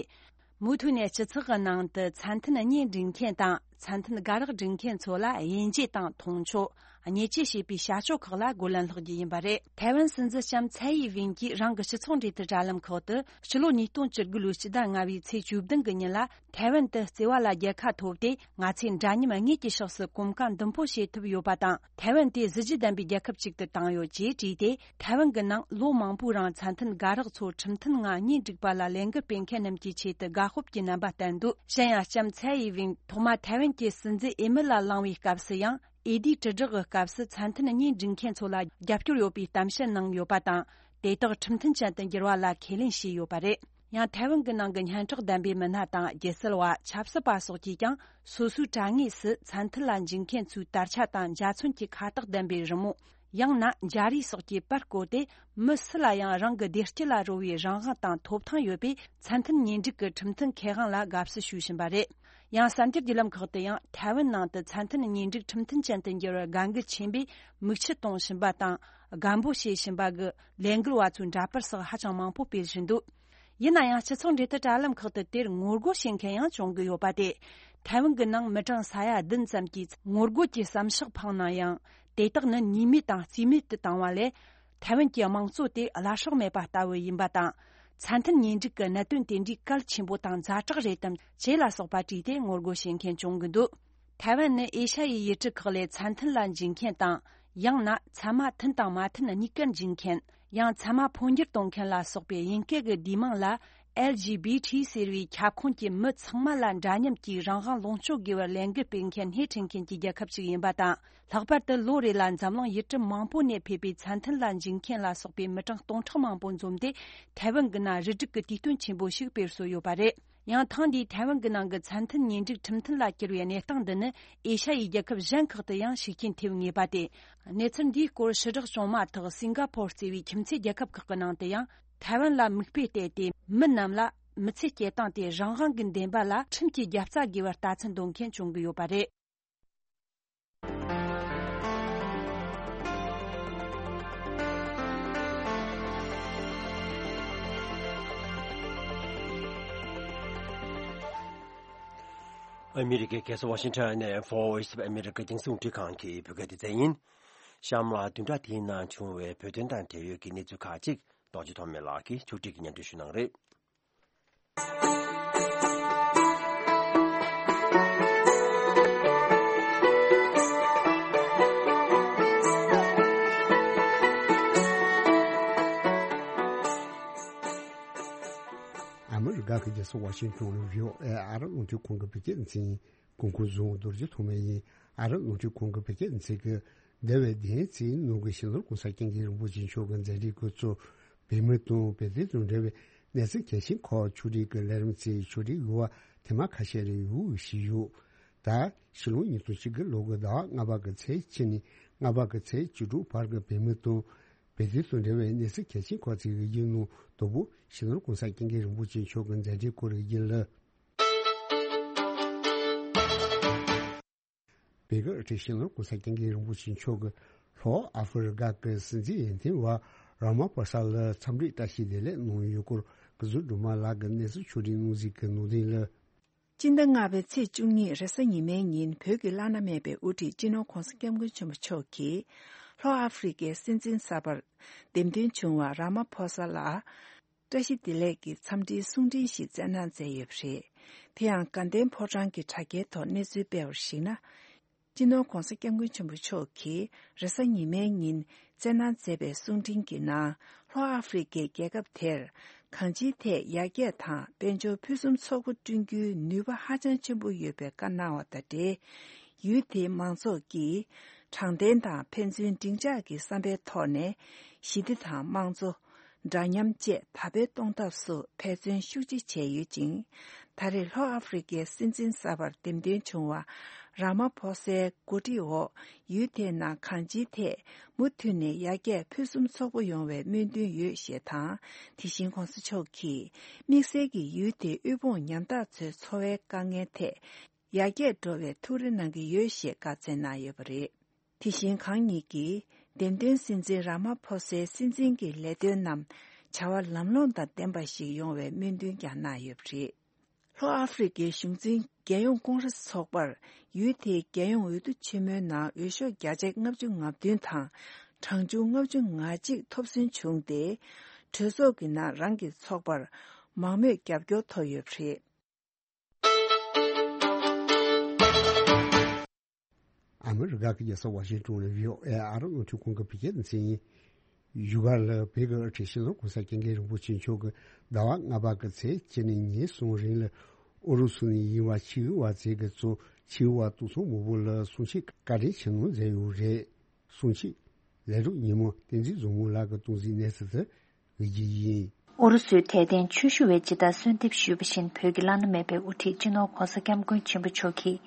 མུ་མཐུད་ནས་སྤྱི་ཚོགས་ཀྱི་ནང་དུ་ཚད་མཐུན་གཉེན་སྒྲིག་མཁན་དང་། ཚད་མཐུན་དགའ་རག་སྒྲིག་མཁན་ཚོ་ལ་དབྱེ་འབྱེད་དང་མཐོང་ཆོས། བརྙས་བཅོས་བྱེད་པའི་བྱ་སྤྱོད་ཁག་ལ་རྒོལ་ལན་སློག་རྒྱུ་ཡིན་པ་རེད། ཐའེ་ཝན་སྲིད་འཛིན་ལྕམ་ཚའེ་ཡི་ཝིན་གྱིས་རང་གི་སྤྱི་ཚོགས་འབྲེལ་མཐུད་དྲ་ལམ་ཁག་ཏུ། ཕྱི་ལོ་ཉིས་སྟོང་བཅུ་དགུ་ལོའི་སྤྱི་ཟླ་ལྔ་པའི་ཚེས་བཅུ་བདུན་གྱི་ཉིན་ལ། ཐའེ་ཝན་དུ་བརྩེ་བ་ལ་རྒྱལ་ཁ་ཐོབ་སྟེ། ང་ཚོས་འདྲ་མཉམ་དངོས་ཀྱི་ཕྱོགས་སུ་གོམ་ཁ་མདུན་སྤོ་བྱེད་ཐུབ་ཡོད་པ་དང་། ཐའེ་ཝན་དེ་གཟི་བརྗིད་ལྡན་པའི་རྒྱལ་ཁབ་ཅིག་ཏུ་བཏང་ཡོད་ཅེས་བྲིས་ཏེ། ཐའེ་ཝན་གྱི་ནང་ལོ་མང་པོའི་རིང་ཚད་མཐུན་དགའ་རག་ཚོ་ཁྲིམས་མཐུན་ངང་གཉེན་སྒྲིག་པ་ལ་ལས་འགུལ་སྤེལ་མཁན་རྣམས་ཀྱི་ཆེད་དུ་དགའ་སྤོབས་ཀྱི་རྣམ་པ་བསྟན་འདུག་གཞན་ཡང་། ལྕམ་ཚའེ་ཡི་ཝིན་ཐོག་མ་ཐའེ་ཝན་གྱི་སྲིད་འཛིན་འོས་མི་ལ་ལངས་པའི་སྐབས་སུ་ཡང་། འོས་བསྡུའི་དྲིལ་བསྒྲགས་ཀྱི་སྐབས་སུ་ཚད་མཐུན་གཉེན་སྒྲིག་མཁན་ཚོ་ལ་རྒྱབ་སྐྱོར་ཡོད་པའི་གཏམ་བཤད་གནང་ཡོད་པ་དང་། དེ་དག་ཁྲིམས་མཐུན་ཅན་དུ་འགྱུར་བ་ལ་ཁས་ལེན་བྱས་ཡོད་པ་རེད། ཡང་། ཐའེ་ཝན་གྱི་ནང་གི་སྙན་གྲགས་ལྡན་པའི་མི་སྣ་དང་། སྒྱུ་རྩལ་བ། ཆབ་སྲིད་པ་སོགས་ཀྱིས་ཀྱང་། སོ་སོའི་དྲ་ངོས་སུ་ཚད་མཐུན་ལ་འཇུག་མཁན་ཚོའི་དར་ཆ་དང་འཇའ་ཚོན་གྱི་ཁ་བཏགས་ལྡན་པའི་རི་མོ། ཡང་ན། འཇའ་རིས་སོགས་ཀྱི་པར་བཀོད་དེ། མི་སུ་ལ་ཡང་རང་གི་བདེ་སྐྱིད་ལ་རོལ་བའི་རང་དབང་དང་ཐོབ་ཐང་ཡོད་པས། ཚད་མཐུན་གཉེན་སྒྲིག་གི་ཁྲིམས་མཐུན་ཁེ་དབང་ལ་དགའ་བསུ་ཞུ་བཞིན་པ་རེད། ཡང་། གསར་འགྱུར་བརྒྱུད་ལམ་ཁག་ཏུ་ཡང་། ཐའེ་ཝན་ནང་དུ་ཚད་མཐུན་གཉེན་སྒྲིག་ཁྲིམས་མཐུན་ཅན་དུ་འགྱུར་བར་དགའ་འགུལ་ཆེན་པོས་མིག་ཆུ་གཏོང་བཞིན་པ་དང་། དགའ་འབོད་བྱེད་བཞིན་པ་གི་ལས་འགུལ་བ་ཚོའི་འདྲ་པར་སོགས་ཧ་ཅང་མང་པོ་སྤེལ་བཞིན་འདུག་ཡིན་ན་ཡང་། སྤྱི་ཚོགས་འབྲེལ་མཐུད་དྲ་ལམ་ཁག་ཏུ་དེར་ངོ་རྒོལ་བྱེད་མཁན་ཡང་བྱུང་གི་ཡོད་པ་སྟེ། ཐའེ་ཝན་གྱི་ནང་མི་གྲངས་ས་ཡ་བདུན་ཙམ་གྱིས་ངོ་རྒོལ་གྱི་བསམ་ཤག་འཕངས་ན་ཡང་། དེ་དག་ནི་ཉེས་མེད་དང་རྩིས་མེད་དུ་བཏང་བ་ལས། ཐའེ་ཝན་གྱི་དམངས་གཙོ་དེ་བླ་སྲོག་མེད་པ་ལྟ་བུ་ཡིན་པ་དང་། ཚད་མཐུན་གཉེན་སྒྲིག་གི་གནད་དོན་དེ་འདྲའི་གལ་ཆེན་པོ་དང་ཛ་དྲག་རེད་དམ་ཅེས་ལ་སོགས་པ་དྲིས་ཏེ་ངོ་རྒོལ་བྱེད་མཁན་བྱུང་གི་འདུག་ཐའེ་ཝན་ནི་ཨེ་ཤ་ཡའི་ཡུལ་གྲུ་ཁག་ལས་ཚད་མཐུན་ལ་འཇུག་མཁན་དང་། ཡང་ན། ཚད་མ་མཐུན་དང་མ་མཐུན་གཉིས་ཀར་འཇུག་མཁན། ཡང་། ཚད་མ་འཕོ་འགྱུར་གཏོང་མཁན་ལ་སོགས་པའི་དབྱིན་སྐད་ཀྱི་བསྡུས་མིང་ལ། ཨེལ་ཇི་བི་ཊི་ཟེར་བའི་ཁྱབ་ཁོངས་ཀྱི་མི་ཚང་མ་ལ་འདྲ་མཉམ་གྱི་རང་དབང་ལོངས་སྤྱོད་དགོས་པར་ལས་འགུལ་སྤེལ་མཁན་སྣེ་ཁྲིད་མཁན་གྱི་རྒྱལ་ཁབ་ཅིག་ཡིན་པ་དང་། ལྷག་པར་དུ་ལོ་རེ་ལ་འཛམ་གླིང་ཡུལ་གྲུ་མང་པོ་ནས་ཕེབས་པའི་ཚད་མཐུན་ལ་འཇུག་མཁན་ལ་སོགས་པའི་མི་གྲངས་སྟོང་ཕྲག་མང་པོ་འཛོམས་ཏེ། ཐའེ་ཝན་གྱི་ནང་རུ་སྒྲིག་གི་དུས་སྟོན་ཆེན་པོ་ཞིག་སྤེལ་སྲོལ་ཡོད་པ་རེད། ཡང་། ཐེངས་འདིའི་ཐའེ་ཝན་གྱི་ནང་གི་ཚད་མཐུན་གཉེན་སྒྲིག་ཁྲིམས་མཐུན་ལ་གྱུར་བའི་གནས་སྟངས་འདི་ནི་ཨེ་ཤ་ཡའི་རྒྱལ་ཁབ་གཞན་ཁག་ཏུ་ཡང་ཤུགས་རྐྱེན་ཐེབས་ངེས་པ་སྟེ། གནས་ཚུལ་འདིའི་སྐོར་ཕྱི་བསྒྲགས་བྱུང་མ་ཐག་སིང་ག་ཕོར་གཙོས་པའི་ཁྱིམ་མཚེས་རྒྱལ་ཁབ་ཁག་གི་ནང་དུ་ཡང་། ཐའེ་ཝན་ལ་མིག་དཔེ་བལྟས་ཏེ། མི་རྣམས་ལ་མི་ཚེ་སྐྱེལ་སྟངས་དེ་རང་དབང་གི་འདུན་པ་ལ་ཁྲིམས་ཀྱི་རྒྱབ་རྩ་དགོས་པར་ལྟ་ཚུལ་འདོན་མཁན་བྱུང་གི་ཡོད་པ་རེད། ཨ་མི་རི་ཀའི་རྒྱལ་ས་ཝ་ཤིང་ཊོན་ནས་Voice of America རྒྱང་སྲིང་རླུང་འཕྲིན་ཁང་གི་བོད་སྐད་སྡེ་ཚན་ཡིན། གཤམ་ལ་བདུན་ཕྲག་འདིའི་ནང་བྱུང་བའི་བོད་དོན་དང་འབྲེལ་ཡོད་ཀྱི་གནས་ཚུལ་ཁག་ཅིག་རྡོ་རྗེ་ཐོགས་མེད་ལགས་ཀྱིས་ཕྱོགས་སྒྲིག་གིས་སྙན་སྒྲོན་ཞུ་གནང་རེད། ཨ་མི་རི་ཀ་གི་རྒྱལ་ས་ཝ་ཤིང་ཊོན་ལ་བྷི་ཨོ་ཨེ་ཨ་རབ་རླུང་འཕྲིན་ཁང་གི་བོད་སྐད་སྡེ་ཚན་གོང་འཁོད་བཟུང་རྡོ་རྗེ་ཐོགས་མེད་ཡིན། ཨ་རབ་རླུང་འཕྲིན་ཁང་གི་བོད་སྐད་སྡེ་ཚན་གྱིས་འདས་པའི་བདུན་ཙམ་ནང་གི་སྤྱི་ནོར་༸གོང་ས་༸སྐྱབས་མགོན་རིན་པོ་ཆེ་མཆོག་གི་མཛད་འཕྲིན་སྐོར་གཙོ་བོད་མི་དང་བོད་དོན་དང་འབྲེལ་བའི་གནས་ཚུལ་གལ་ཆེན་ཁག་ཕྱོགས་སྒྲིག་གི་ལས་རིམ་ཚོའི་ཕྱོགས་སྒྲིག་ཡོད་པ་ཐེངས་མ་ཁ་ཤས་རེ་ཡོད་ཞུས་ཡོད། ད་ཕྱི་ལོ་ཉིས་སྟོང་བཅུ་དགུ་ལོ་གི་ཟླ་བ་ལྔ་པ་གི་ཚེས་གཅིག་ནས་ལྔ་པ་གི་ཚེས་བཅུ་དྲུག་བར་གྱི་བོད་མི་དང་བོད་དོན་དང་འབྲེལ་བའི་གནས་ཚུལ་གལ་ཆེན་ཁག་ཅིག་གི་རྒྱུན་ནང་དང་པོ་སྤྱི་ནོར་༸གོང་ས་༸སྐྱབས་མགོན་རིན་པོ་ཆེ་མཆོག་གི་མཛད་འཕྲིན་སྐོར་གྱི་རྒྱུན་ལ། བོད་ཀྱི་སྤྱི་ནོར་༸གོང་ས་༸སྐྱབས་མགོན་རིན་པོ་ཆེ་མཆོག་གིས་ལྷོ་ཨ་ཧྥེ་རི་ཀ་གི་སྲིད་འཛིན་འོས་འདེམས་པ་ར་མ་ཕོ་ས་ལ་འཚམས་འདྲིའི་བཀྲ་ཤིས་བདེ་ལེགས་གནང་ཡོད་སྐོར་སྐུ་ཟུར་སྒྲོལ་མ་ལགས་ཀྱིས་གནས་ཚུལ་ཕྱོགས་སྒྲིག་གནང་གཟིགས་ཀྱི་ནང་དོན་ལ། སྤྱི་ཟླ་ལྔ་པའི་ཚེས་བཅུ་གཉིས་རེས་གཟའ་ཉི་མའི་ཉིན་བོད་ཀྱི་བླ་ན་མེད་པའི་དབུ་ཁྲིད་སྤྱི་ནོར་༸གོང་ས་༸སྐྱབས་མགོན་ཆེན་པོ་མཆོག་གིས་ལྷོ་ཨ་ཧྥེ་རི་ཀའི་སྲིད་འཛིན་གསར་པར་འདེམས་ཐོན་བྱུང་བ་ར་མ་ཕོ་ས་ལ། བཀྲ་ཤིས་བདེ་ལེགས་ཀྱི་འཚམས་འདྲིའི་གསུང་འཕྲིན་ཞིག་བསྩལ་གནང་མཛད་ཡོད་པ་རེད། དེ་ཡང་དགའ་ལྡན་ཕོ་བྲང་གི་དྲ་རྒྱའི་ཐོག་གནས་ཚུལ་སྤེལ་བར་གཞིགས་ན། སྤྱི་ནོར་༸གོང་ས་༸སྐྱབས་མགོན་ཆེན་པོ་མཆོག་གིས་རེས་གཟའ་ཉི་མའི་ཉིན་བསྩལ་གནང་མཛད་པའི་གསུང་འཕྲིན་གྱི་ནང་། ལྷོ་ཨ་ཧྥེ་རི་ཀའི་རྒྱལ་ཁབ་དེར་ གང་ཅིའི་ཐད་ཡར་རྒྱས་དང་དཔལ་འབྱོར་ཕུན་སུམ་ཚོགས་པོ་བསྐྲུན་རྒྱུའི་ནུས་པ་ཧ་ཅང་ཆེན་པོ་ཡོད་པའི་བཀའ་གནང་བ་དང་འབྲེལ། ཡུལ་དེའི་མང་ཚོགས་ཀྱིས་དྲང་བདེན་དང་ཕན་ཚུན་འབྲིང་ཆགས་ཀྱི་བསམ་པའི་ཐོག་ནས་ཞི་བདེ་དང་དམངས་གཙོ། འདྲ་མཉམ་བཅས་དར་སྤེལ་གཏོང་ཐབས་སུ་འབད་བརྩོན་ཤུགས་ཆེ་བྱས་ཡོད་ཅིང་། ད་རེས་ལྷོ་ཨ་ཧྥེ་རི་ཀའི་སྲིད་འཛིན་གསར་པར་འདེམས་ཐོན་བྱུང་བ་ར་མ་ཕོ་སའི་འགོ་ཁྲིད་འོག་ཡུལ་དེའི་ནང་གང་ཅིའི་ཐད་མུ་མཐུད་ནས་ཡར་རྒྱས་ཕུན་སུམ་ཚོགས་པོ་ཡོང་བའི་སྨོན་འདུན་ཡོད་ཞེས་དང་། དེ་བཞིན་གོང་ས་མཆོག་གིས་དམིགས་བསལ་གྱིས་ཡུལ་དེའི་དབུལ་ཕོངས་ཉམ་ཐག་ཚོའི་འཚོ་བའི་དཀའ་ངལ་ཐད་ཡར་རྒྱས་འགྲོ་བའི་ཐུགས་རེ་གནང་གི་ཡོད་ཞེས་བཀའ་སྩལ་གནང་ཡོད་པ་རེད། དེ་བཞིན་གང་ཉིད་ཀྱིས་འདེམས་ཐོན་སྲིད་འཛིན་ར་མ་ཕོ་སའི་སྲིད་འཛིན་གྱི་ལས་དོན་རྣམས་བྱ་བ་ལམ་ལྷོང་དང་ལྡན་པ་ཞིག་ཡོང་བའི་སྨོན་འདུན་ཀྱང་གནང་ཡོད་པ་རེད། ལྷོ་ཨ་ཧྥེ་རི་ཀའི་གཞུང་འཛིན་རྒྱལ་ཡོངས་ཀོང་རེས་ཚོགས་པར་ཡུལ་དེའི་རྒྱལ་ཡོངས་འོས་བསྡུ་ཆེན་མོའི་ནང་འོས་ཤོག་བརྒྱ་ཆ་ལྔ་བཅུ་ང་བདུན་དང་གྲངས་ཆུང་ལྔ་བཅུ་ང་གཅིག་ཐོབ་སོན་བྱུང་སྟེ། གྲོས་ཚོགས་ཀྱི་ནང་རང་གི་ཚོགས་པར་མང་མོས་རྒྱབ་སྐྱོར་ཐོབ་ཡོད་པ་རེད། ཨ་མི་རི་ཀ་གི་རྒྱལ་ས་ཝ་ཤིང་ཏོན་ནས་བྷི་ཨོ་ཨེ་ཨ་རི་རླུང་འཕྲིན་ཁང་གི་བོད་སྐད་སྡེ་ཚན་ཡིན། བཞུགས་སྒར་ལ་བོད་ཀྱི་དབུ་ཁྲིད་སྤྱི་ནོར་གོང་ས་སྐྱབས་མགོན་རིན་པོ་ཆེ་མཆོག་གིས་ཟླ་བ་ལྔ་པ་གི་ཚེས་གཅིག་ནས་ཉེར་གསུམ་རིང་ལ་ཨུ་རུ་སུ་ནས་ཡིན་པ་ཕྱི་དབུས་དབར་མཛད་ཀྱི་གཙོ་ཕྱི་དབུས་དབར་གཏོང་ཚོགས་མང་པོ་ལ་གསུང་ཆོས་བཀའ་དྲིན་ཆེ་གནང་མཛད་ཡོད་རེད། གསུང་ཆོས་ལས་རོགས་ཉི་མ་བསྟན་འཛིན་བཟང་མོ་ལགས་ཀྱིས་གཏོང་གཟིགས་གནང་ཚུལ་དེ་ཡིན། ཨུ་རུ་སུའི་དད་ལྡན་ཆོས་ཞུ་བས་ཇི་ལྟར་གསོལ་འདེབས་ཞུས་པ་བཞིན་བོད་ཀྱི་བླ་ན་མེད་པའི་དབུ་ཁྲིད་སྤྱི་ནོར་གོང་ས་སྐྱབས་མགོན་ཆེན་པོ་མཆོག་གིས་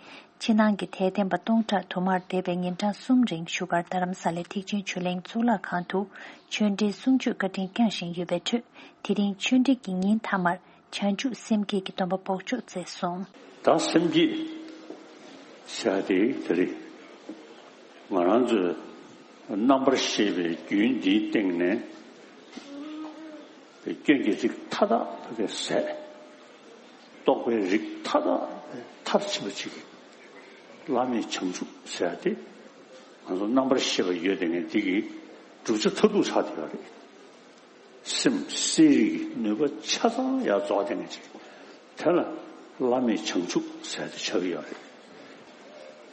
ཕྱི་ནང་གི་དད་ལྡན་པ་སྟོང་ཕྲག་དུ་མར་འདས་པའི་ཉིན་གྲངས་གསུམ་རིང་བཞུགས་སྒར་རྡ་རམ་ས་ལའི་ཐེག་ཆེན་ཆོས་གླིང་གཙུག་ལག་ཁང་དུ་ཆོས་འབྲེལ་གསུང་ཆོས་བཀའ་དྲིན་བསྐྱངས་བཞིན་ཡོད་པའི་ཁྲོད། དེ་རིང་ཆོས་འབྲེལ་གྱི་ཉིན་མཐའ་མར་བྱང་ཆུབ་སེམས་བསྐྱེད་ཀྱི་སྡོམ་པ་འབོགས་ཆོག་མཛད་སོང་། ད་སེམས་བསྐྱེད་ཟེར་ཡ་དེ་དེ་རེད། ང་རང་ཚོས་རྣམ་པར་ཤེས་པའི་རྒྱུན་འདིའི་སྟེང་ནས་སྐྱོན་གྱི་རིགས་མཐའ་དག་ཟད། རྟོག་པའི་རིགས་མཐའ་དག་མཐར་ཕྱིན་པ་ཅིག་བླ་མེད་བྱང་ཆུབ་ཟེར་ཡ་དེ་ང་ཚོ་རྣམ་པར་ཤེས་པ་ཡོད་དེ་ངས་འདི་གི་བསྒྲུབ་བྱ་མཐར་ཐུག་ཆགས་བསྡད་ཡོད་རེད། སེམས་གསལ་རིག་གི་ནུས་པ་ཆ་ཚང་ཡར་རྫོགས་དེ་ངས་ཅིག་དེ་ལ་བླ་མེད་བྱང་ཆུབ་ཟེར་ཡ་དེ་ཆགས་ཀྱི་ཡོད་རེད།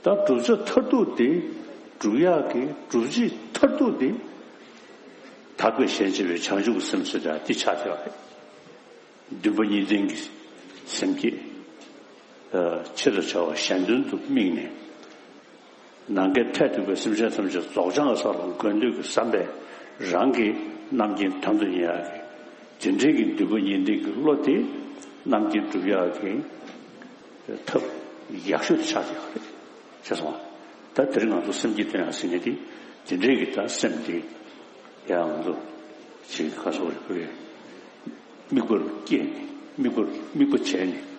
ད་བསྒྲུབ་བྱ་མཐར་ཐུག་དེ་སྒྲུབ་ཡག་གི་སྒྲུབ་བྱེད་མཐར་ཐུག་དེ་དག་པའི་ཞེན་བྱེད་པའི་བྱང་ཆུབ་ཀྱི་སེམས་ཟེར་ཡ་དེ་ཆགས་ཀྱི་ཡོད་རེད། འདུན་པ་གཉིས་ལྡན་གྱི་སེམས་བསྐྱེད། ཨ། ཆེད་དུ་བྱ་བ་གཞན་དོན་དུ་དམིགས་ནས། ནམ་མཁའི་མཐས་གཏུགས་པའི་སེམས་ཅན་ཐམས་ཅད་རྫོགས་བྱང་གི་ས་ལ་འགོད་འདོད་ཀྱི་བསམ་པས་རང་གི་རྣམ་མཁྱེན་དམ་དུ་ཉེ་ཡག་གི་དེ་འདྲའི་གི་འདུན་པ་གཉིས་ལྡན་གྱི་བློ་དེ་རྣམ་མཁྱེན་སྒྲུབ་ཡག་གི་ཐབས་ཡག་ཤོས་དེ་ཆགས་ཀྱི་ཡོད་རེད། ཤེས་སོང་ང་། ད་དེ་རིང་ང་ཚོ་སེམས་བསྐྱེད་སྟོན་ཡག་ཟེར་མཁན་དེ་དེ་འདྲའི་གི་ད་སེམས་དེ་ཡང་ང་ཚོ་ཅིག་ཁ་སོགས་རེ་བོད་དམིགས་པར་བསྐྱེད་ནས་དམིགས་པར་དམིགས་པ་བྱས་ནས་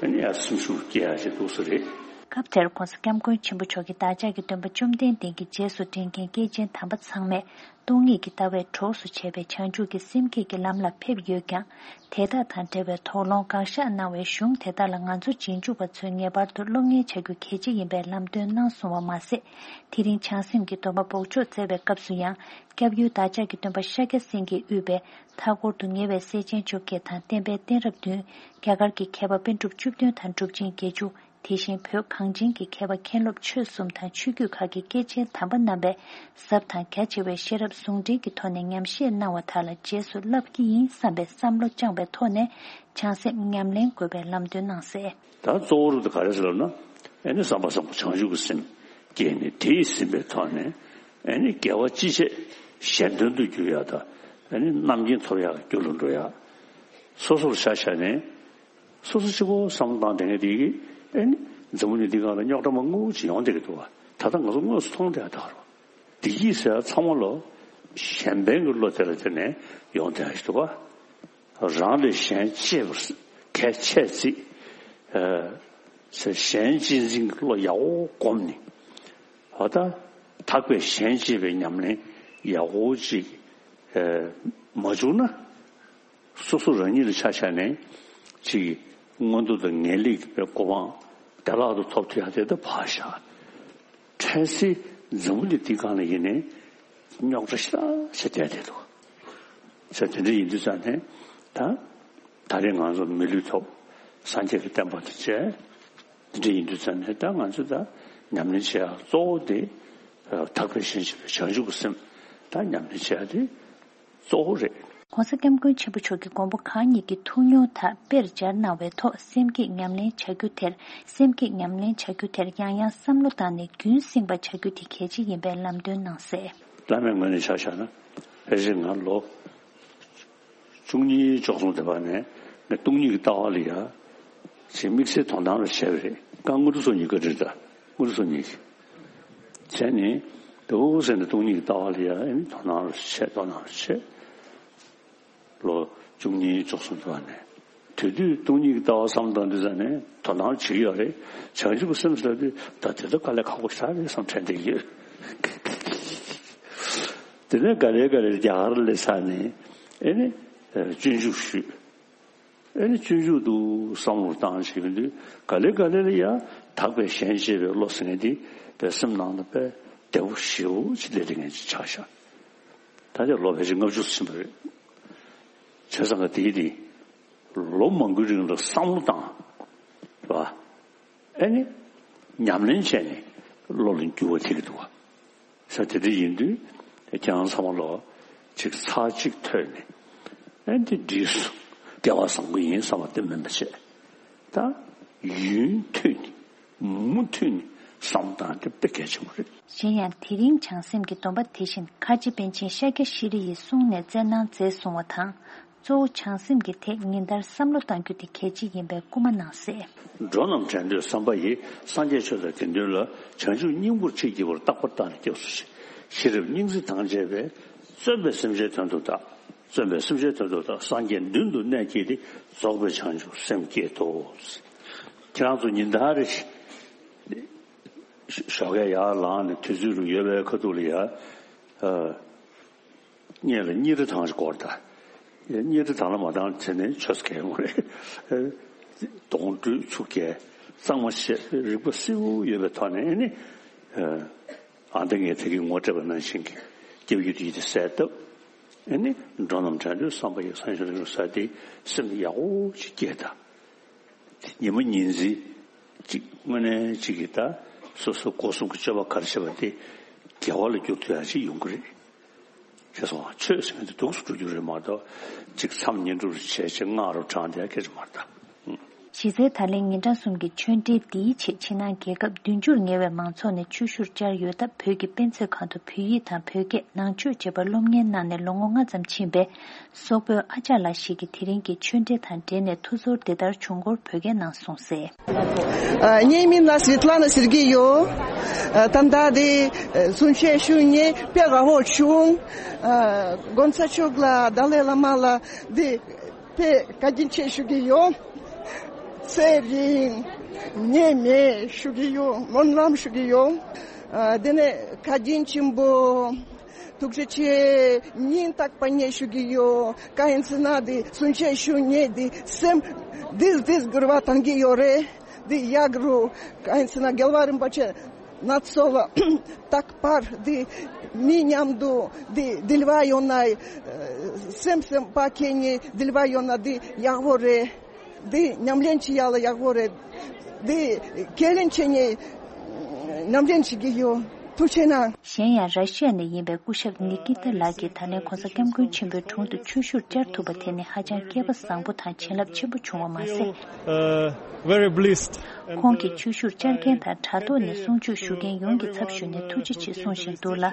ཨ་ནི་ཡང་སེམས་ཤུགས་སྐྱེ་ཡག་ཅིག་འདུག་ས་རེད། སྐབས་དེར་༸གོང་ས་༸སྐྱབས་མགོན་ཆེན་པོ་མཆོག་གིས་བདག་ཅག་གི་སྟོན་པ་བཅོམ་ལྡན་འདས་ཀྱི་རྗེས་སུ་འབྲང་མཁན་སྐྱེས་ཆེན་དམ་པ་ཚང་མས་སྟོང་ཉིད་ཀྱི་ལྟ་བའི་གྲོགས་སུ་བྱས་པའི་བྱང་ཆུབ་ཀྱི་སེམས་བསྐྱེད་ཀྱི་ལམ་ལ་ཕེབས་ཡོད་ཀྱང་། དེ་དག་དང་འབྲེལ་བའི་དོགས་སློང་དགག་བཞག་གནང་བའི་གཞུང་དེ་དག་ལ་ང་ཚོ་རྗེས་འཇུག་པ་ཚོས་ངེས་པར་དུ་སློབ་གཉེར་བྱ་རྒྱུ་གལ་ཆེ་ཡིན་པའི་ལམ་སྟོན་གནང་སོང་བ་མ་ཟད། དེ་རིང་བྱང་སེམས་ཀྱི་སྡོམ་པ་འབོགས་ཆོག་སྩལ་བའི་སྐབས་སུ་ཡང་། སྐྱབས་ཡུལ་བདག་ཅག་གི་སྟོན་པ་ཤཱཀྱ་སེང་གེས་དབུས་པའི་མཐའ་འཁོར་དུ་ཉེ་བའི་སྲས་ཆེན་བཅོ་བརྒྱད་དང་བསྟན་པའི་གཏད་རབས་བདུན། རྒྱ་གར་གྱི་མཁས་པ་པཎ་གྲུབ་བཅུ་བདུན་དང་གྲུབ་ཆེན་བརྒྱད་ཅུ། དེ་བཞིན་བོད་གངས་ཅན་གྱི་མཁས་པ་མཁན་སློབ་ཆོས་གསུམ་དང་ཆོས་བརྒྱུད་ཁག་གི་སྐྱེས་ཆེན་དམ་པ་རྣམ་པས་ཟབ་དང་རྒྱ་ཆེ་བའི་ཤེས་རབ་ཟུང་འབྲེལ་གྱི་ཐོག་ནས་ཉམས་བཞེས་གནང་བ་དག་ལ་རྗེས་སུ་བསླབ་ཀྱི་ཡིན་བསམ་པའི་བསམ་བློ་བཅངས་པའི་ཐོག་ནས་བྱང་སེམས་ཉམས་ལེན་དགོས་པའི་ལམ་སྟོན་གནང་གསལ། ད་གཙོ་བོ་རུ་ག་རེ་ཟེར་ལབ་ན། ཨེ་ནི་བསམ་པ་བཟང་པོ་བྱང་ཆུབ་ཀྱི་སེམས་སྐྱེས་ནས་དེ་ཡིས་ཟིན་པའི་ཐོག་ནས་ཨེ་ནི་དགེ་བ་ཅི་བྱས་གཞན་དོན་དུ་འགྱུར་ཡག་དང་ཨེ་ནི་རྣམ་མཁྱེན་ཐོབ་ཡག་གི་རྒྱུ་ལ་འགྲོ་ཡག་སོ་སོར་ཆ་བཞག་ནས། སོ་སོ་གཅིག་པོ་བསམ་བློ་བཏང་བསྡད་མཁན་དེ་གིས་ཨེ་ནི་འཛམ་བུ་གླིང་འདི་སྒང་ལ་རྙོག་དྲ་མང་པོ་ཅིག་ཡོང་བསྡད་ཀྱི་འདུག་བ། ད་ལྟ་ང་ཚོ་དངོས་སུ་མཐོང་བསྡད་ཡག་དེ་རེད། བདེ་སྐྱིད་ཟེར་ཡག་ཚང་མ་ལོ་གཞན་ཕན་གྱི་བློ་དེ་ལ་བརྟེན་ནས་ཡོང་བསྡད་ཡག་ཞིག་འདུག་བ། རང་ལས་གཞན་གཅེས་པར་གལ་ཆེ་བརྩི། ཨ། ཟེར་གཞན་གཅེས་འཛིན་གྱི་བློ་ཡག་པོ་བསྒོམས་ནས། འོ་ད་དག་པའི་གཞན་གཅེས་པའི་ཉམས་ལེན་ཡག་པོ་ཅིག་ཨ། མ་བྱུང་ན། སོ་སོ་རང་ཉིད་ལ་ཆ་བཞག་ནས་ཅིག་མངོན་མཐོ་དང་ངེས་ལེགས་ཀྱི་གོ་འཕང་བདེ་བླག་ཏུ་ཐོབ་ཐུབ་ཡག་དེ་ད་ཕར་བཞག་འཕྲལ་སེལ་འཛམ་བུ་གླིང་འདི་སྒང་ལ་ཡིན་ནའི་རྙོག་དྲ་ཞེ་དྲག་ཞིག་བསྡད་བསྡད་འདུག་ཟེར་དེ་འདྲ་ཡིན་དུས་ཙང་ནས་ད་ད་རེས་ང་ཚོ་མི་ལུས་ཐོབ། སངས་རྒྱས་ཀྱི་བསྟན་པ་དང་བཅས། དེ་འདྲ་ཡིན་དུས་ཙང་ནས་ད་ང་ཚོས་ད་ཉམས་ལེན་བྱེད་ཡག་གཙོ་བོ་དེ་དག་པའི་ཞེན་བྱེད་པའི་བྱང་ཆུབ་ཀྱི་སེམས་ད་ཉམས་ལེན་བྱེད་ཡག་དེ་གཙོ་བོ་རེད། ༸གོང་ས་༸སྐྱབས་མགོན་ཆེན་པོ་མཆོག་གིས་མགོན་པོ་གང་ཉིད་ཀྱི་ཐུགས་མྱོང་དག་དཔེར་སྦྱར་གནང་བའི་ཐོག་སེམས་བསྐྱེད་ཉམས་ལེན་བྱ་རྒྱུ་དེར། སེམས་བསྐྱེད་ཉམས་ལེན་བྱ་རྒྱུ་དེར་ཡང་ཡང་བསམ་བློ་བཏང་ནས་རྒྱུན་བསྲིངས་པ་བྱ་རྒྱུ་དེ་གལ་ཆེ་ཡིན་པའི་ལམ་སྟོན་གནང་གསལ། བླ་མའི་ངོས་ནས་ཆ་བཞག་ན་ཕལ་ཆེར་ང་ལོ་བཅུ་གཉིས་བཅུ་གསུམ་དེ་བར་ནས་ངས་སྟོང་ཉིད་ཀྱི་ལྟ་བ་ལ་ཡ་ཅིག་དམིགས་བསལ་དོ་སྣང་རུ་བྱས་པ་རེད། ཀ་དངོས་གྲུབ་སོ་གཉིས་བཀའ་དྲིན་དང་དངོས་གྲུབ་སོ་གཉིས་བྱས་ནས་དེ་འུ་ཟེར་ནས་སྟོང་ཉིད་ཀྱི་ལྟ་བ་ལ་ཡ་ཨེ་ནི་དོ་སྣང་རུ་བྱས་དོ་སྣང་རུ་བྱས། ལོ་བཅུ་གཉིས་བཅུ་གསུམ་དུ་བ་ནས་དེ་དུས་སྟོང་ཉིད་ཀྱི་ལྟ་བ་བསམ་བློ་བཏང་དུས་ཙམ་ནས་དོ་སྣང་བྱེད་ཀྱི་ཡོད་རེད། བྱང་ཆུབ་ཀྱི་སེམས་ཟེར་དུས་ད་དེ་ཚོ་དཀའ་ལས་ཁག་པོ་ཞེ་དྲག་རེད་བསམ་དྲན་བསྡད་ཡོད། དེ་ནས་ག་ལེ་ག་ལེ་རྒྱ་གར་སླེབས་ཚར་ནས་ཨེ་ནི་སྤྱོད་འཇུག་ཞུས། ཨེ་ནི་སྤྱོད་འཇུག་ཏུ་བསམ་བློ་བཏང་བྱེད་ཀྱི་དུས་ག་ལེ་ག་ལེ་ལ་ཡ་དག་པའི་ཞེན་བཅས་པའི་བློ་ཟེར་མཁན་དེ་བའི་སེམས་ནང་དུ་དཔེ་བདེ་པོ་ཞེ་པོ་ཅིག་སླེབས་བསྡད་མཁན་ཅིག་ཆགས་ཤག་ད་ལྟ་ལོ་ཕལ་ཆེར་ལྔ་བཅུ་ཕྱིན་པ་རེད། བྱས་ཙང་ག་དེའི་དེ་ལོ་མང་པོའི་རིང་ལ་བསམ་བློ་བཏང་བ། ཨེ་ནི་ཉམས་ལེན་བྱས་ནས་བློ་ལ་འགྱུར་བ་ཐེབས་ཀྱི་འདུག་བ། ས་དེ་འདྲ་ཡིན་དུས་ཁྱེད་རང་ཚང་མ་ལོ་ཅིག་ཚར་གཅིག་ཐོས་ནས་ཨེ་འདི་འགྲིག་སོང་སྐལ་བ་བཟང་པོ་ཡིན་བསམ་པ་དེ་མིན་པ་བྱས། ད་ཡུན་ཐུང་ནས་མུ་མཐུད་ནས་བསམ་བློ་བཏང་དེ་དཔེ་གལ་ཆེན་པོ་རེད། གཞན་ཡང་དེ་རིང་བྱང་སེམས་ཀྱི་སྡོམ་པ་དེ་བཞིན་ཁ་ཆེ་པཎ་ཆེན་ཤཱཀྱ་ཤྲཱི་ཡི་གསུང་ནས་སྩལ་གནང་མཛད་གསུང་བ་དང་། གཙོ་བོ་བྱང་སེམས་ཀྱི་ཐད་ཉིན་ལྟར་བསམ་བློ་གཏང་རྒྱུ་དེ་གལ་ཆེ་ཡིན་པའི་སྐུལ་མ་གནང་གསལ། འགྲོ་རྣམས་དྲན་འདོད་བསམ་པ་ཡིས། སངས་རྒྱས་ཆོས་དང་དགེ་འདུན་ལ། བྱང་ཆུབ་སྙིང་པོར་ཆེས་བགྱི་བར། རྟག་པར་བདག་ནི་སྐྱབས་སུ་མཆི། ཤེས་རབ་སྙིང་བརྩེ་དང་བཅས་པས། བརྩོན་པས་སེམས་ཅན་དོན་དུ་བདག་བརྩོན་པས་སེམས་ཅན་དོན་དུ་བདག་སངས་རྒྱས་མདུན་དུ་གནས་བསྐྱེད་དེ། རྫོགས་པའི་བྱང་ཆུབ་སེམས་བསྐྱེད་དོ། ཁྱེད་རང་ཚོ་ཉིན་ལྟར་རེ་ཞིག་ཞོགས་ཀས་ཡར་ལངས་ནས་དུས་ཚོད་རུ་ཡོལ་བའི་ཁ་ཐུག་ལ་ཡ། ཨ། སྔོན་ལ་གཉིས་རེ་ཐང་ཞིག་སྐོར་ད། གཉིས་རེ་ཐང་ལ་མ་བཏང་བྱས་ནས་ཆོས་སྐད་ངོ་རེད། གདོང་དྲུད་ཆུ་རྐྱལ་གཙང་མ་བཤད་རིག་པ་གསལ་པོ་ཡོད་པའི་ཐོག་ནས་ཨེ་ནི། ཨ་ད་ངས་དེ་གི་ངོ་སྤྲད་པ་ནང་བཞིན་གྱི་སྐྱབས་ཡུལ་དེ་ཡིད་དུ་གསལ་བཏབ། ཨེ་ནི་འགྲོ་རྣམས་དྲན་འདོད་བསམ་པ་ཡིས། སངས་རྒྱས་ཆོས་དང་ཟེར་དེ་སེམས་ཡག་པོ་ཅིག་སྐྱེས་ད། ཉི་མ་ཉིན་མཚན་གཅིག་དངོས་གནས་གཅིག་གིས་ད་སོ་སོ་སྒོ་གསུམ་གྱི་སྤྱོད་པ་ག་རེ་བྱེད་པ་དེ་དགེ་བ་ལ་འགྱུར་ཐུབ་ཡག་ཅིག་ཡོང་གི་རེད། ཞེས་སོ། ཆོས་ཟེར་མཁན་དེ་འདུག་སེ་འགྲོ་རྒྱུ་རེད་མ་གཏོགས་གཅིག་མཚམས་ཉིན་དྲུག་རུ་བྱས་བྱས་ལྔ་རུ་བགྲངས་བསྡད་ཡག་སྐད་ཆ་མ་རེད་ད། གཞི་རྩའི་ད་ལན་ཉིན་གྲངས་གསུམ་གྱི་ཆོས་འབྲེལ་འདིའི་ཆེད་ཕྱི་ནང་རྒྱལ་ཁབ་བདུན་ཅུར་ཉེ་བའི་མང་ཚོགས་ནས་ཆོས་ཞུར་བཅར་ཡོད་སྟབས། བོད་ཀྱི་དཔེ་མཛོད་ཁང་དུ་བོད་ཡིག་དང་བོད་སྐད་ནང་ཆོས་བཅས་པ་སློབ་གཉེར་གནང་ནས་ལོ་ངོ་ལྔ་ཙམ་ཕྱིན་པའི་སོག་པོའི་ཨ་ཅག་ལགས་ཤིག་གིས་དེ་རིང་གི་ཆོས་འབྲེལ་དང་འབྲེལ་ནས་ཐུགས་ཚོར་འདི་ལྟར་བྱུང་སྐོར་བོད་སྐད་ནང་གསུངས་གསལ། ཨ། ངའི་མིང་ལ་སི་ཝེ་ཏ་ལ་ན་སེར་གྱི་ཡོད། ཨ། ད་ལྟ་དེ་གསུང་ཆོས་ཞུ་མཁན་དཔེ་དགའ་པོ་བྱུང་། ཨ། གོང་ས་མཆོག་ལ་ཏཱ་ལའི་བླ་མ་ལ་དེ་དཔེ་བཀའ་དྲིན་ཆེ་ཞུ་གི་ཡོད། ཚེ་རིང་ཉེས་མེད་ཞུ་གི་ཡོད། སྨོན་ལམ་ཞུ་གི་ཡོད། ཨ། དེ་ནས་བཀའ་དྲིན་ཆེན་པོ། ཐུགས་རྗེ་ཆེ། སྙིང་ཐག་པ་ནས་ཞུ་གི་ཡོད། གང་ཡིན་ཟེར་ན་དེ་གསུང་ཆོས་ཞུ་མཁན་དེ་སེམས་བདེ་བདེ་འགྱུར་བ་གཏང་གི་ཡོད་རེད། དེ་ཡག་རུ་གང་ཡིན་ཟེར་ན་རྒྱལ་བ་རིན་པོ་ཆེ་ན་ཚོ་ལ་རྟག་པར་དེ་མི་མཉམ་དུ་དེ་འབྲེལ་བ་ཡོང་ན་སེམས་སེམས་པ་ཁྱེད་གཉིས་འབྲེལ་བ་ཡོང་ན་དེ་ཡག་པོ་རེད། འདི་ཉམས་ལེན་བྱེད་ཡག་ལ་ཡག་པོ་རེད། འདི་ཁས་ལེན་བྱེད་ངེས། ཉམས་ལེན་བྱེད་ཀྱི་ཡོད། ཐུགས་རྗེ་གནང་། གཞན་ཡང་ར་ཤི་ཡ་ནས་ཡིན་པའི་སྐུ་ཞབས་ནི་ཀི་ཏ་ལགས་ཀྱིས་ད་ལན་༸གོང་ས་༸སྐྱབས་མགོན་ཆེན་པོའི་དྲུང་དུ་ཆོས་ཞུར་བཅར་ཐུབ་པ་དེ་ནི་ཧ་ཅང་སྐལ་པ་བཟང་པོ་དང་བྱིན་རླབས་ཆེན་པོ་བྱུང་བ་མ་ཟད། Uh, very blessed. ཁོང་གིས་ཆོས་ཞུར་བཅར་མཁན་དང་དྲ་ཐོག་ནས་གསུང་ཆོས་ཞུ་མཁན་ཡོངས་ཀྱི་ཚབ་ཞུས་ནས་ཐུགས་རྗེ་ཆེ་གསུང་བཞིན་འདུག་ལ།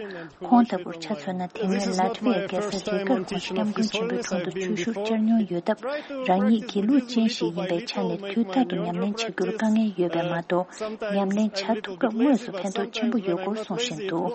ཁོང་ལྟ་བུར་ཆ་མཚོན་ན། དེ་སྔོན་ལ་ཏི་ཝི་ཡའི་རྒྱལ་ས་རི་གར་༸གོང་ས་༸སྐྱབས་མགོན་ཆེན་པོའི་དྲུང་དུ་ཆོས་ཞུར་བཅར་མྱོང་ཡོད་སྟབས། རང་ཉིད་སྒྱིད་ལུག་ཅན་ཞིག་ཡིན་པའི་ཆ་ནས་དུས་རྟག་ཏུ་ཉམས་ལེན་བྱ་རྒྱུར་དཀའ་ངལ་ཡོད་པས་མ་གཏོགས། ཉམས་ལེན་བྱ་ཐུབ་སྐབས་དངོས་སུ་ཕན་ཐོགས་ཆེན་པོ་ཡོད་སྐོར་གསུང་བཞིན་འདུག།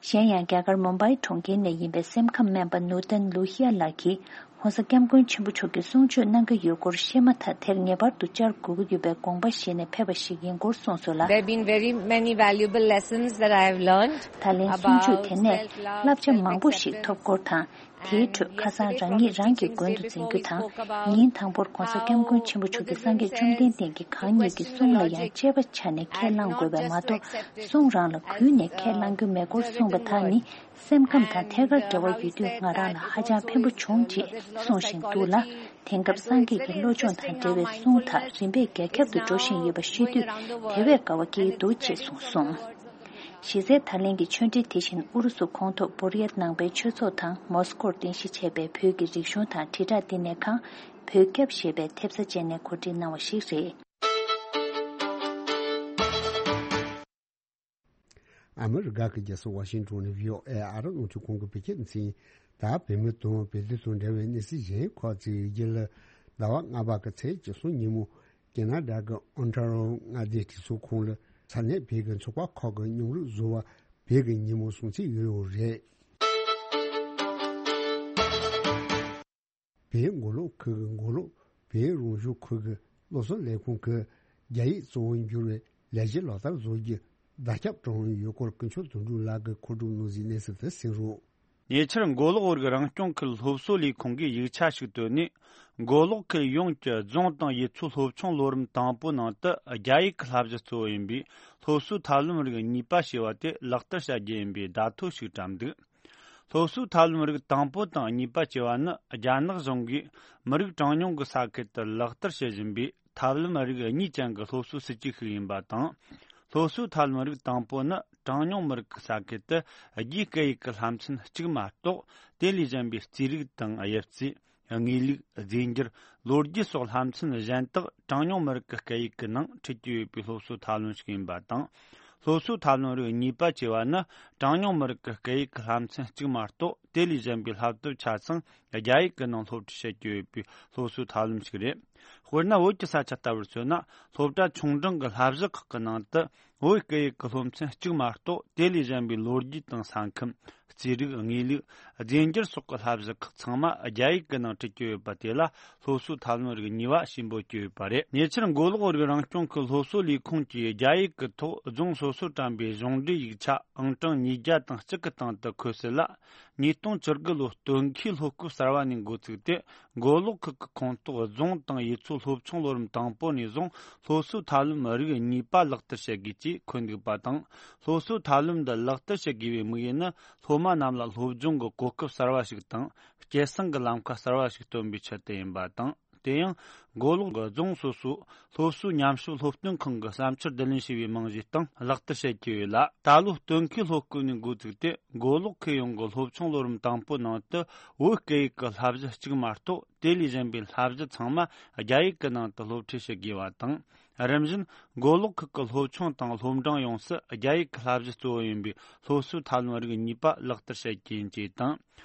གཞན་ཡང་། རྒྱ་གར་མུམ་བྷའི་གྲོང་ཁྱེར་ནས་ཡིན་པའི་སེམས་ཁམས་སྨན་པ་ནུར་ཏན་ལུ་ཧི་ཡ་ལགས་ཀྱིས། ༸གོང་ས་༸སྐྱབས་མགོན་ཆེན་པོ་མཆོག་གིས་གསུང་ཆོས་གནང་གི་ཡོད་སྐོར་ཤེས་མ་ཐག་དེར་ངེས་པར་དུ་བཅར་དགོས་ཀྱི་ཡོད་པའི་དགོངས་པ་བཞེས་ནས་ཕེབས་པ་ཞིག་ཡིན་སྐོར་གསུངས་སོང་ལ། There have been very many valuable lessons that I have learned about self-love, self-love. ད་ལན་གསུང་ཆོས་དེ་ནས་བསླབ་བྱ་མང་པོ་ཞིག་ཐོབ་སྐོར་དང་། དེའི་ཁྲོད་ཁ་སང་རང་ཉིད་རང་གི་མགོན་དུ་འཛིན་རྒྱུ་དང་། ཉིན་དང་པོར་༸གོང་ས་༸སྐྱབས་མགོན་ཆེན་པོ་མཆོག་གིས་སངས་རྒྱས་བཅོམ་ལྡན་འདས་ཀྱི་གང་ཉིད་ཀྱི་གསུང་ལ་ཡང་དཔྱད་པ་བྱས་ནས་ཁས་བླང་དགོས་པས་མ་གཏོགས། གསུང་རང་ལ་གུས་ནས་ཁས་བླང་རྒྱུ་མེད་སྐོར་གསུངས་པ་དག་ནི། སེམས་ཁམས་དང་ཐད་ཀར་འབྲེལ་བ་ཡོད་དུས་ང་རང་ལ་ཧ་ཅང་ཕན་པོ་བྱུང་ཅེས་གསུང་བཞིན་འདུག་ལ། དེང་སྐབས་སངས་རྒྱས་ཀྱི་བློ་སྦྱོང་དང་འབྲེལ་བའི་གསུང་དག་རིམ་པས་རྒྱ་ཁྱབ་ཏུ་འགྲོ་བཞིན་ཡོད་པ་ཤེས་དུས་དེ་བས་དགའ་བ་སྐྱེ་གི་འདུག་ཅེས་གསུངས་སོང་། གཞི་རྩའི་ད་ལན་གྱི་ཆོས་འབྲེལ་དེ་བཞིན་ཨུ་རུ་སུ་ཁོངས་གཏོགས་བོར་ཡ་ནང་པའི་ཆོས་ཚོགས་དང་མོ་སི་ཀོར་རྟེན་གཞི་བྱས་པའི་བོད་ཀྱི་རིག་གཞུང་དང་དྲིལ་བསྒྲགས་བསྟི་གནས་ཁང་བོད་སྐྱབས་ཞེས་པའི་ཐེབས་རྩ་བཅས་ནས་གོ་སྒྲིག་གནང་བ་ཞིག་རེད། ཨ་མི་རི་ཀ་གི་རྒྱལ་ས་ཝ་ཤིང་ཏོན་ནས་བྷི་ཨོ་ཨེ་ཨ་རི་རླུང་འཕྲིན་ཁང་གི་བོད་སྐད་སྡེ་ཚན། ད་བོད་མི་དང་བོད་དོན་དང་འབྲེལ་བའི་གནས་ཚུལ་གཞན་ཁག་ཅིག་ཡིན་རྒྱུ་ལ། ཟླ་བ་ལྔ་པ་གི་ཚེས་བཅུ་གསུམ་ཉིན་མོ་ཀེ་ན་ཌ་གི་ཨོན་ཊ་རི་ཡོ་མངའ་སྡེའི་གྲོས་ཚོགས་ཁང་ལ་ས་གནས་བོད་ཀྱི་ཚོགས་པ་ཁག་གི་མཉམ་རུབ་བཟོ་བ་བོད་ཀྱི་ཉིན་མོ་སྲུང་བརྩི་ཡོད་ཡོད་རེད། བོད་མགོ་ལོག་ཁུལ་གྱི་མགོ་ལོག་བོད་རང་སྐྱོང་ཁུལ་གྱི་སློབ་གསོ་ལས་ཁུངས་ཀྱིས་རྒྱ་ཡིག་གཙོ་བོར་འགྱུར་བའི་ལས་གཞི་ལག་བསྟར་བཟོ་རྒྱུ་བརྡ་ཁྱབ་བཏང་ཡོད་སྐོར་ཀུན་མཁྱེན་དོན་གྲུབ་ལགས་ཀྱིས་མཁོ་སྒྲུབ་གནང་གཟིགས་གནས་ཚུལ་དེ་གསན་རོགས། ཉེ་ཆར་མགོ་ལོག་བོད་ཀྱི་རང་སྐྱོང་ཁུལ་སློབ་གསོ་ལས་ཁུངས་ཀྱིས་ཡིག་ཆ་ཞིག་བཏོན་ནས། མགོ་ལོག་ཁུལ་ཡོངས་ཀྱི་རྫོང་དང་ཡུལ་ཚོའི་སློབ་ཆུང་ལོ་རིམ་དང་པོའི་ནང་དུ་རྒྱ་ཡིག་གི་བསླབ་གཞི་གཙོ་བོ་ཡིན་པའི་སློབ་གསོའི་ཐབས་ལམ་རིགས་གཉིས་པ་ཞེས་པ་དེ་ལག་བསྟར་བྱ་རྒྱུ་ཡིན་པའི་བརྡ་ཐོ་ཞིག་བཀྲམ་འདུག་སློབ་གསོའི་ཐབས་ལམ་རིགས་དང་པོ་དང་གཉིས་པ་ཞེས་པ་ནི་རྒྱ་ནག་གཞུང་གིས་མི་རིགས་གྲངས་ཉུང་གི་ས་ཁུལ་དུ་ལག་བསྟར་བྱེད་བཞིན་པའི་ཐབས་ལམ་རིགས་གཉིས་ཅན་གྱི་སློབ་གསོའི་སྲིད་ཇུས་ཤིག་ཡིན་པ་དང་། སློབ་གསོའི་ཐབས་ལམ་རིགས་དང་པོ་ནི་གྲངས་ཉུང་མི་རིགས་ཀྱི་ས་ཁུལ་དུ་རྒྱའི་སྐད་ཡིག་གི་བསླབ་ཚན་གཅིག་མ་གཏོགས་དེ་ལས་གཞན་པའི་རྩིས་རིག་དང་དབྱིབས་རྩིས། དངོས་ལུགས། རྫས་འགྱུར། ལོ་རྒྱུས་སོགས་བསླབ་ཚན་གཞན་དག་གྲངས་ཉུང་མི་རིགས་ཀྱི་སྐད་ཡིག་གི་ནང་ཁྲིད་ཀྱི་ཡོད་པའི་སློབ་གསོའི་ཐབས་ལམ་ཞིག་ཡིན་པ་དང་། སློབ་གསོའི་ཐབས་ལམ་རིགས་གཉིས་པ་ཞེས་པ་ནི་གྲངས་ཉུང་མི་རིགས་ཀྱི་སྐད་ཡིག་གི་བསླབ་ཚན་གཅིག་མ་གཏོགས་དེ་ལས་གཞན་པའི་བསླབ་དེབ་ཆ་ཚང་རྒྱ་ཡིག་གི་ནང་སློབ་ཁྲིད་བྱེད་ཀྱི་ཡོད་པའི་སློབ་གསོའི་ཐབས་ལམ་ཞིག་རེད། དཔེར་ན། བོད་ཀྱི་ས་ཆ་ལྟ་བུར་མཚོན་ན། སློབ་གྲྭ་ཆུང་འབྲིང་གི་བསླབ་གཞི་ཁག་གི་ནང་དུ་བོད་སྐད་ཡིག་གི་སློབ་ཚན་གཅིག་མ་གཏོགས་དེ་ལས་གཞན་པའི་ལོ་རྒྱུས་དང་ས་ཁམས། རྩིས་རིག། དངོས་ལུགས། རྫས་འགྱུར་སོགས་ཀྱི་བསླབ་གཞི་ཁག་ཚང་མ་རྒྱ་ཡིག་གི་ནང་ཁྲིད་ཀྱི་ཡོད་པ་དེ་ལ་སློབ་གསོའི་ཐབས་ལམ་རིགས་གཉིས་པ་ཞེས་འབོད་ཀྱི་ཡོད་པ་རེད། ཉེ་ཆར་མགོ་ལོག་བོད་རིགས་རང་སྐྱོང་ཁུལ་སློབ་གསོ་ལས་ཁུངས་ཀྱིས་རྒྱ་ཡིག་གི་ཐོག་རྫོང་སོ་སོར་བཀྲམ་པའི་གཞུང་འབྲེལ་ཡིག་ཆ་ཨང་གྲངས་ཉིས་བརྒྱ་དང་གཅིག་གི་སྟེང་དུ་འཁོད་གསལ་ལ། ཉིས་སྟོང་བཅུ་དགུ་ལོའི་སྟོན་ཁའི་སློབ་སྐབས་གསར་བ་ནས་འགོ་བཙུགས་ཏེ། མགོ་ལོག་ཁུལ་གྱི་ཁོངས་གཏོགས་རྫོང་དང་ཡུལ་ཚོའི་སློབ་ཆུང་ལོ་རིམ་དང་པོ་ནས་བཟུང་སློབ་གསོའི་ཐབས་ལམ་རིགས་གཉིས་པ་ལག་བསྟར་བྱེད་དགོས་ཅེས་འཁོད་འདུག་པ་དང་། སློབ་གསོའི་ཐབས་ལམ་འདི་ལག་བསྟར་བྱེད་དགོས་པའི་དམིགས་ཡུལ་ནི། སློབ་མ་རྣམས་ལ་སློབ་སྦྱོང་གི་གོ་སྐབས་གསར་བ་ཞིག་དང་། སྐྱེད་སྲིང་གི་ལམ་ཁ་གསར་བ་ཞིག་སྟོན་པའི་ཆེད་དུ་ཡིན་པ་དང་། དེ་ཡང་། མགོ་ལོག་གི་རྫོང་སོ་སོའི་སློབ་གསོའི་ཉམས་ཞིབ་སློབ་སྟོན་ཁང་གིས་བསམ་འཆར་བསྡུ་ལེན་བྱས་པའི་རྨང་གཞིའི་སྟེང་ལག་བསྟར་བྱེད་ཀྱི་ཡོད་ལ། ད་ལོའི་སྟོན་ཁའི་སློབ་སྐབས་ནས་འགོ་བཙུགས་ཏེ། མགོ་ལོག་ཁུལ་ཡོངས་ཀྱི་སློབ་ཆུང་ལོ་རིམ་དང་པོའི་ནང་དུ་བོད་སྐད་ཡིག་གི་བསླབ་གཞི་གཅིག་མ་གཏོགས་དེ་ལས་གཞན་པའི་བསླབ་གཞི་ཚང་མ་རྒྱ་ཡིག་གི་ནང་དུ་སློབ་ཁྲིད་བྱེད་དགོས་པ་དང་། རིམ་བཞིན་མགོ་ལོག་ཁུལ་གྱི་སློབ་ཆུང་དང་སློབ་འབྲིང་ཡོངས་སུ་རྒྱ་ཡིག་གི་བསླབ་གཞི་གཙོ་བོ་ཡིན་པའི་སློབ་གསོའི་ཐབས་ལམ་རིགས་གཉིས་པ་ལག་བསྟར་བྱེད་རྒྱུ་ཡིན་ཅེས་དང་།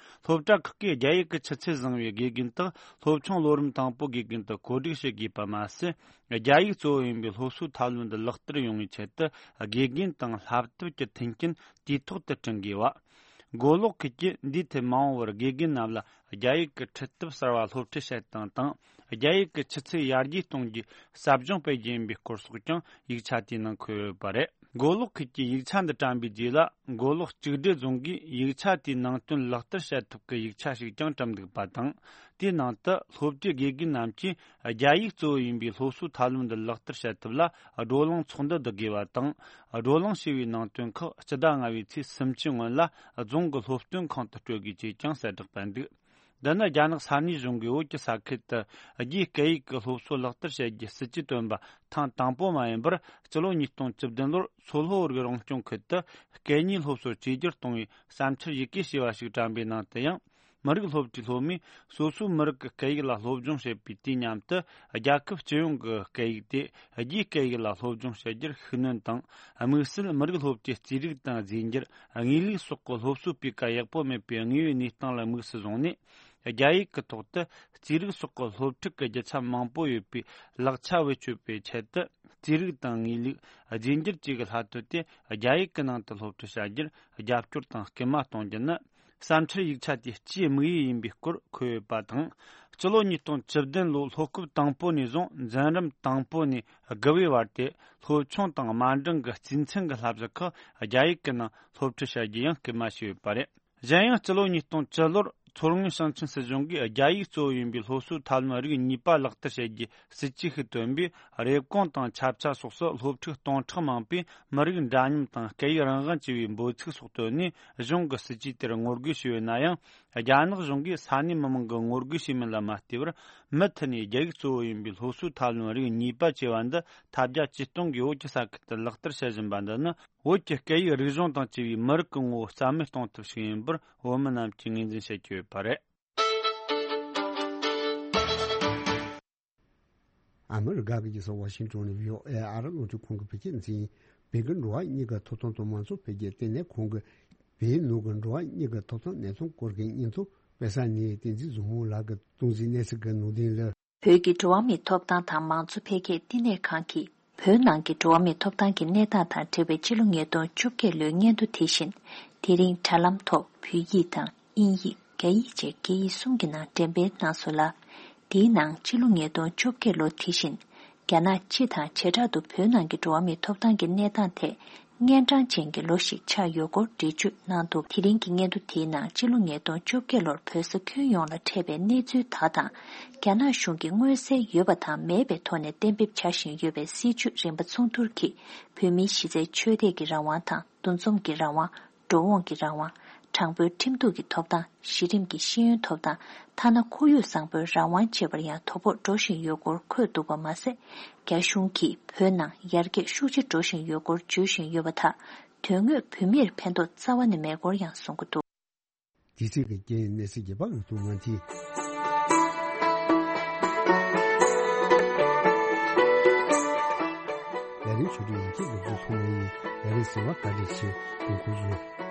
སློབ་གྲྭ་ཁག་གིས་རྒྱ་ཡིག་གི་ཆུ་ཚད་བཟང་བའི་དགེ་རྒན་དག་སློབ་ཆུང་ལོ་རིམ་དང་པོའི་དགེ་རྒན་དུ་བཀོད་སྒྲིག་བྱེད་དགོས་པ་མ་ཟད། རྒྱ་ཡིག་གཙོ་བོ་ཡིན་པའི་སློབ་གསོའི་ཐབས་ལམ་འདི་ལག་བསྟར་ཡོང་བའི་ཆེད་དུ་དགེ་རྒན་དང་བསླབ་དེབ་ཀྱི་མཐུན་རྐྱེན་དུས་ཐོག་ཏུ་བསྐྲུན་དགོས་པ། མགོ་ལོག་ཁུལ་གྱིས་འདིའི་ཐད་མ་འོངས་པར་དགེ་རྒན་རྣམས་ལ་རྒྱ་ཡིག་གི་ཁྲིད་ཐབས་གསར་བ་སློབ་ཁྲིད་བྱེད་སྟངས་དང་། རྒྱ་ཡིག་གི་ཆུ་ཚད་ཡར་རྒྱས་གཏོང་རྒྱུའི་ཟབ་སྦྱོང་སྤེལ་རྒྱུ་ཡིན་པའི་སྐོར་སོགས་ཀྱང་ཡིག་ཆ་དེའི་ནང་འཁོད་ཡོད་པ་རེད། མགོ་ལོག་ཁུལ་གྱིས་ཡིག་ཆ་འདི་བཀྲམ་པའི་རྗེས་ལ། མགོ་ལོག་གཅིག་སྒྲིལ་རྫོང་གིས་ཡིག་ཆ་དེའི་ནང་དོན་ལག་བསྟར་བྱེད་ཐབས་ཀྱི་ཡིག་ཆ་ཞིག་ཀྱང་བཀྲམ་འདུག་པ་དང་། དེའི་ནང་དུ་སློབ་གྲྭའི་དགེ་རྒན་རྣམས་ཀྱིས་རྒྱ་ཡིག་གཙོ་བོ་ཡིན་པའི་སློབ་གསོའི་ཐབས་ལམ་འདི་ལག་བསྟར་བྱེད་ཐབས་ལ་བགྲོ་གླེང་ཚོགས་འདུ་བསྡུ་དགོས་པ་དང་། བགྲོ་གླེང་བྱས་པའི་ནང་དོན་ཁག་སྤྱི་ཟླ་ལྔ་པའི་ཚེས་སུམ་ཅུའི་སྔོན་ལ་རྫོང་གི་སློབ་སྟོན་ཁང་དུ་སྤྲོད་དགོས་ཅེས་ཀྱང་གསལ་བསྒྲགས་སྤེལ་འདུག་འདི་ནི་རྒྱ་ནག་ས་གནས་གཞུང་གིས་བོད་ཀྱི་ས་ཁུལ་དུ་རྒྱའི་སྐད་ཡིག་གི་སློབ་གསོ་ལག་བསྟར་བྱེད་རྒྱུའི་སྲིད་ཇུས་བཏོན་པ་ཐེངས་དང་པོ་མ་ཡིན་པར། སྤྱི་ལོ་ཉིས་སྟོང་བཅུ་བདུན་ལོར་མཚོ་ལྷོ་བོད་རིགས་རང་སྐྱོང་ཁུལ་དུ་སྐད་གཉིས་སློབ་གསོ་བཅོས་བསྒྱུར་གཏོང་བའི་བསམ་འཆར་ཡི་གེ་ཞེས་པ་ཞིག་བཀྲམ་པའི་ནང་དུ་ཡང་། མི་རིགས་སློབ་གྲྭའི་སློབ་མས་སོ་སོའི་མི་རིགས་ཀྱི་སྐད་ཡིག་ལ་སློབ་སྦྱོང་བྱེད་པའི་དུས་མཉམ་དུ། རྒྱལ་ཁབ་སྤྱི་ཡོངས་ཀྱི་སྐད་ཡིག་དེ་རྒྱའི་སྐད་ཡིག་ལ་སློབ་སྦྱོང་བྱེད་རྒྱུར་ཤུགས་སྣོན་དང་། དམིགས་བསལ་མི་རིགས་སློབ་གྲྭའི་རྩིས་རིག་དང་རྫས་འགྱུར། དངོས་ལུགས་སོགས་ཀྱི་སློབ་གསོའི་སྤུས་ཀ་ཡག་པོ་མེད་པའི་དངོས་ཡོད་གནས་སྟངས་ལ་དམིགས་སུ་བཟུང་ནས། རྒྱ་ཡིག་གི་ཐོག་ཏུ་རྩིས་རིག་སོགས་ཀྱི་སློབ་ཁྲིད་ཀྱི་རྒྱུ་ཆ་མང་པོ་ཡོད་པའི་ལག་ཆ་བེད་སྤྱོད་པའི་ཆེད་དུ། རྩིས་རིག་དང་དངོས་ལུགས། རྫས་འགྱུར་བཅས་ཀྱི་སློབ་དེབ་དེ་རྒྱ་ཡིག་གི་ནང་དུ་སློབ་ཁྲིད་བྱ་རྒྱུར་རྒྱབ་སྐྱོར་དང་སྐུལ་མ་གཏོང་རྒྱུ་ནི། བསམ་འཆར་ཡིག་ཆ་དེའི་སྤྱིའི་དམིགས་ཡུལ་ཡིན་པའི་སྐོར་འཁོད་ཡོད་པ་དང་། སྤྱི་ལོ་ཉིས་སྟོང་བཅུ་བདུན་ལོའི་སློབ་སྐབས་དང་པོ་ནས་བཟུང་འཛིན་རིམ་དང་པོ་ནས་དགུ་པའི་བར་དེ་སློབ་ཆུང་དང་དམའ་འབྲིང་གི་རྩིས་མཚན་གྱི་བསླབ་གཞི་ཁག་རྒྱ་ཡིག་གི་ནང་སློབ་ཁྲིད་བྱ་རྒྱུ་ཡང་སྐུལ་མ་བྱས་ཡོད་པ་རེད། གཞན་ཡང་། སྤྱི་ལོ་ཉིས་སྟོང་བཅུ་ལོར་མཚོ་སྔོན་ཞིང་ཆེན་སྲིད་གཞུང་གིས་རྒྱ་ཡིག་གཙོ་བོ་ཡིན་པའི་སློབ་གསོའི་ཐབས་ལམ་རིགས་གཉིས་པ་ལག་བསྟར་བྱེད་རྒྱུའི་སྲིད་ཇུས་ཤིག་བཏོན་པས། རེབ་གོང་དང་ཆབ་ཆ་སོགས་སུ་སློབ་ཕྲུག་སྟོང་ཕྲག་མང་པོས་མི་རིགས་འདྲ་མཉམ་དང་སྐད་ཡིག་རང་དབང་བཅས་པའི་འབོད་ཚིག་སོགས་བཏོན་ནས། གཞུང་གི་སྲིད་ཇུས་དེར་ངོ་རྒོལ་བྱས་ཡོད་ན་ཡང་། རྒྱ་ནག་གཞུང་གིས་ས་གནས་མི་མང་གི་ངོ་རྒོལ་བྱས་མིན་ལ་མ་ལྟོས་པར། མུ་མཐུད་ནས་རྒྱ་ཡིག་གཙོ་བོ་ཡིན་པའི་སློབ་གསོའི་ཐབས་ལམ་རིགས་གཉིས་པ་ཅེས་པ་འདི་ཐབས་བརྒྱ་ཇུས་སྟོང་གིས་བོད་ཀྱི་ས་ཁུལ་དུ་ལག་བསྟར་བྱེད་བཞིན་པ་འདི་ནི། བོད་ཀྱི་སྐད་ཡིག་རིག་གཞུང་དང་བཅས་པའི་མི་རིགས་ཀྱི་ངོ་བོ་རྩ་མེད་གཏོང་ཐབས་ཤིག་ཡིན་པར་བོད་མི་རྣམས་ཀྱིས་ངོས་འཛིན་བྱེད་ཀྱི་ཡོད་པ་རེད། ཨ་མི་རི་ཀ་གི་རྒྱལ་ས་ཝ་ཤིང་ཏོན་ནས་བྷི་ཨོ་ཨེ་ཨ་རི་རླུང་འཕྲིན་ཁང་གི་བོད་སྐད་འཛིན། བོད་ཀྱི་འགྲོ་བ་མིའི་ཐོབ་ཐང་དང་མང་གཙོ་འཕེལ་རྒྱས་ལྟེ་གནས་ཁང་གིས་བོད་ནང་གི་འགྲོ་བ་མིའི་ཐོབ་ཐང་གནས་སྟངས་སྐོར་གྱི་སྙན་ཐོ་དཔེ་གསར་ནས་བསྟན་འཛིན་བཟང་མོ་ལགས་ཀྱིས་གཏོང་གཟིགས་གནས་ཚུལ་གྱི་ནང་དོན་ལ། བོད་ཀྱི་འགྲོ་བ་མིའི་ཐོབ་ཐང་དང་མང་གཙོ་འཕེལ་རྒྱས་བསྟི་གནས་ཁང་གིས་བོད་ནང་གི་འགྲོ་བ་མིའི་ཐོབ་ཐང་གི་གནས་སྟངས་དང་འབྲེལ་བའི་ཕྱི་ལོ་ཉིས་སྟོང་བཅོ་བརྒྱད་ལོའི་སྙན་ཐོ་དེ་བཞིན། དེ་རིང་དྲ་ལམ་ཐོག་བོད་ཡིག་དང་དབྱིན་ཡིག་རྒྱ་ཡིག་བཅས་སྐད་ཡིག་གསུམ་གྱི་ནང་འགྲེམས་སྤེལ་གནང་སོང་ལ། དེའི་ནང་ཕྱི་ལོ་ཉིས་སྟོང་བཅོ་བརྒྱད་ལོ་དེ་བཞིན། རྒྱ་ནག་སྤྱི་དང་བྱེ་བྲག་ཏུ་བོད་ནང་གི་འགྲོ་བ་མིའི་ཐོབ་ཐང་གི་གནས་སྟངས་ཐད། གཉན་འཕྲང་ཅན་གྱི་ལོ་ཞིག་ཆགས་ཡོད་སྐོར་འགྲེལ་བརྗོད་གནང་འདུག་དེ་རིང་གི་སྙན་ཐོ་དེའི་ནང་ཕྱི་ལོ་ཉིས་སྟོང་བཅོ་བརྒྱད་ལོར་བོད་ས་ཁྱོན་ཡོངས་ལ་འཕྲད་པའི་གནས་ཚུལ་དག་དང་། རྒྱ་ནག་གཞུང་གིས་མངོན་གསལ་ཡོད་པ་དང་མེད་པའི་ཐོག་ནས་གཏན་འབེབས་བྱ་བཞིན་ཡོད་པའི་སྲིད་བྱུས་རིམ་པ་མཚུངས་བསྡུར་གྱིས། བོད་མིའི་གཞི་རྩའི་ཆོས་དད་ཀྱི་རང་དབང་དང་འདུ་འཛོམས་ཀྱི་རང་དབང་། འགྲོ་འོང་གི་རང་དབང་། དྲང་པོའི་ཁྲིམས་གཏུག་གི་ཐོབ་ཐང་། གཞི་རིམ་གྱི་ཤེས་ཡོན་ཐོབ་ཐང་། ཐ་ན་ཁོར་ཡུག་བཟང་པོའི་རང་དབང་བཅས་པར་ཡང་དོ་ཕོག་འགྲོ་བཞིན་ཡོད་སྐོར་འཁོད་འདུག་པ་མ་ཟད། རྒྱ་གཞུང་གིས་བོད་ནང་ཡར་རྒྱས་ཤུགས་ཆེ་འགྲོ་བཞིན་ཡོད་སྐོར་བརྗོད་བཞིན་ཡོད་པ་དག་དོན་དངོས་བོད་མིར་ཕན་ཐོགས་རྩ་བ་ནས་མེད་སྐོར་ཡང་གསུང་གི་འདུག་དེ་ཚིག་གི་རྐྱེན་གནས་ཚུལ་རྒྱས་པ་འོད་སྟོང་ངང་ཐིག་ལས་རིམ་ཆུ་ཚོད་ཡན་ཆད་འགོ་འཛུགས་ཐུབ་ནས་ཡིན། ལས་རིམ་གསན་པར་བཀའ་དྲིན་ཆེ། དགོངས་སྐོར་ཞུ།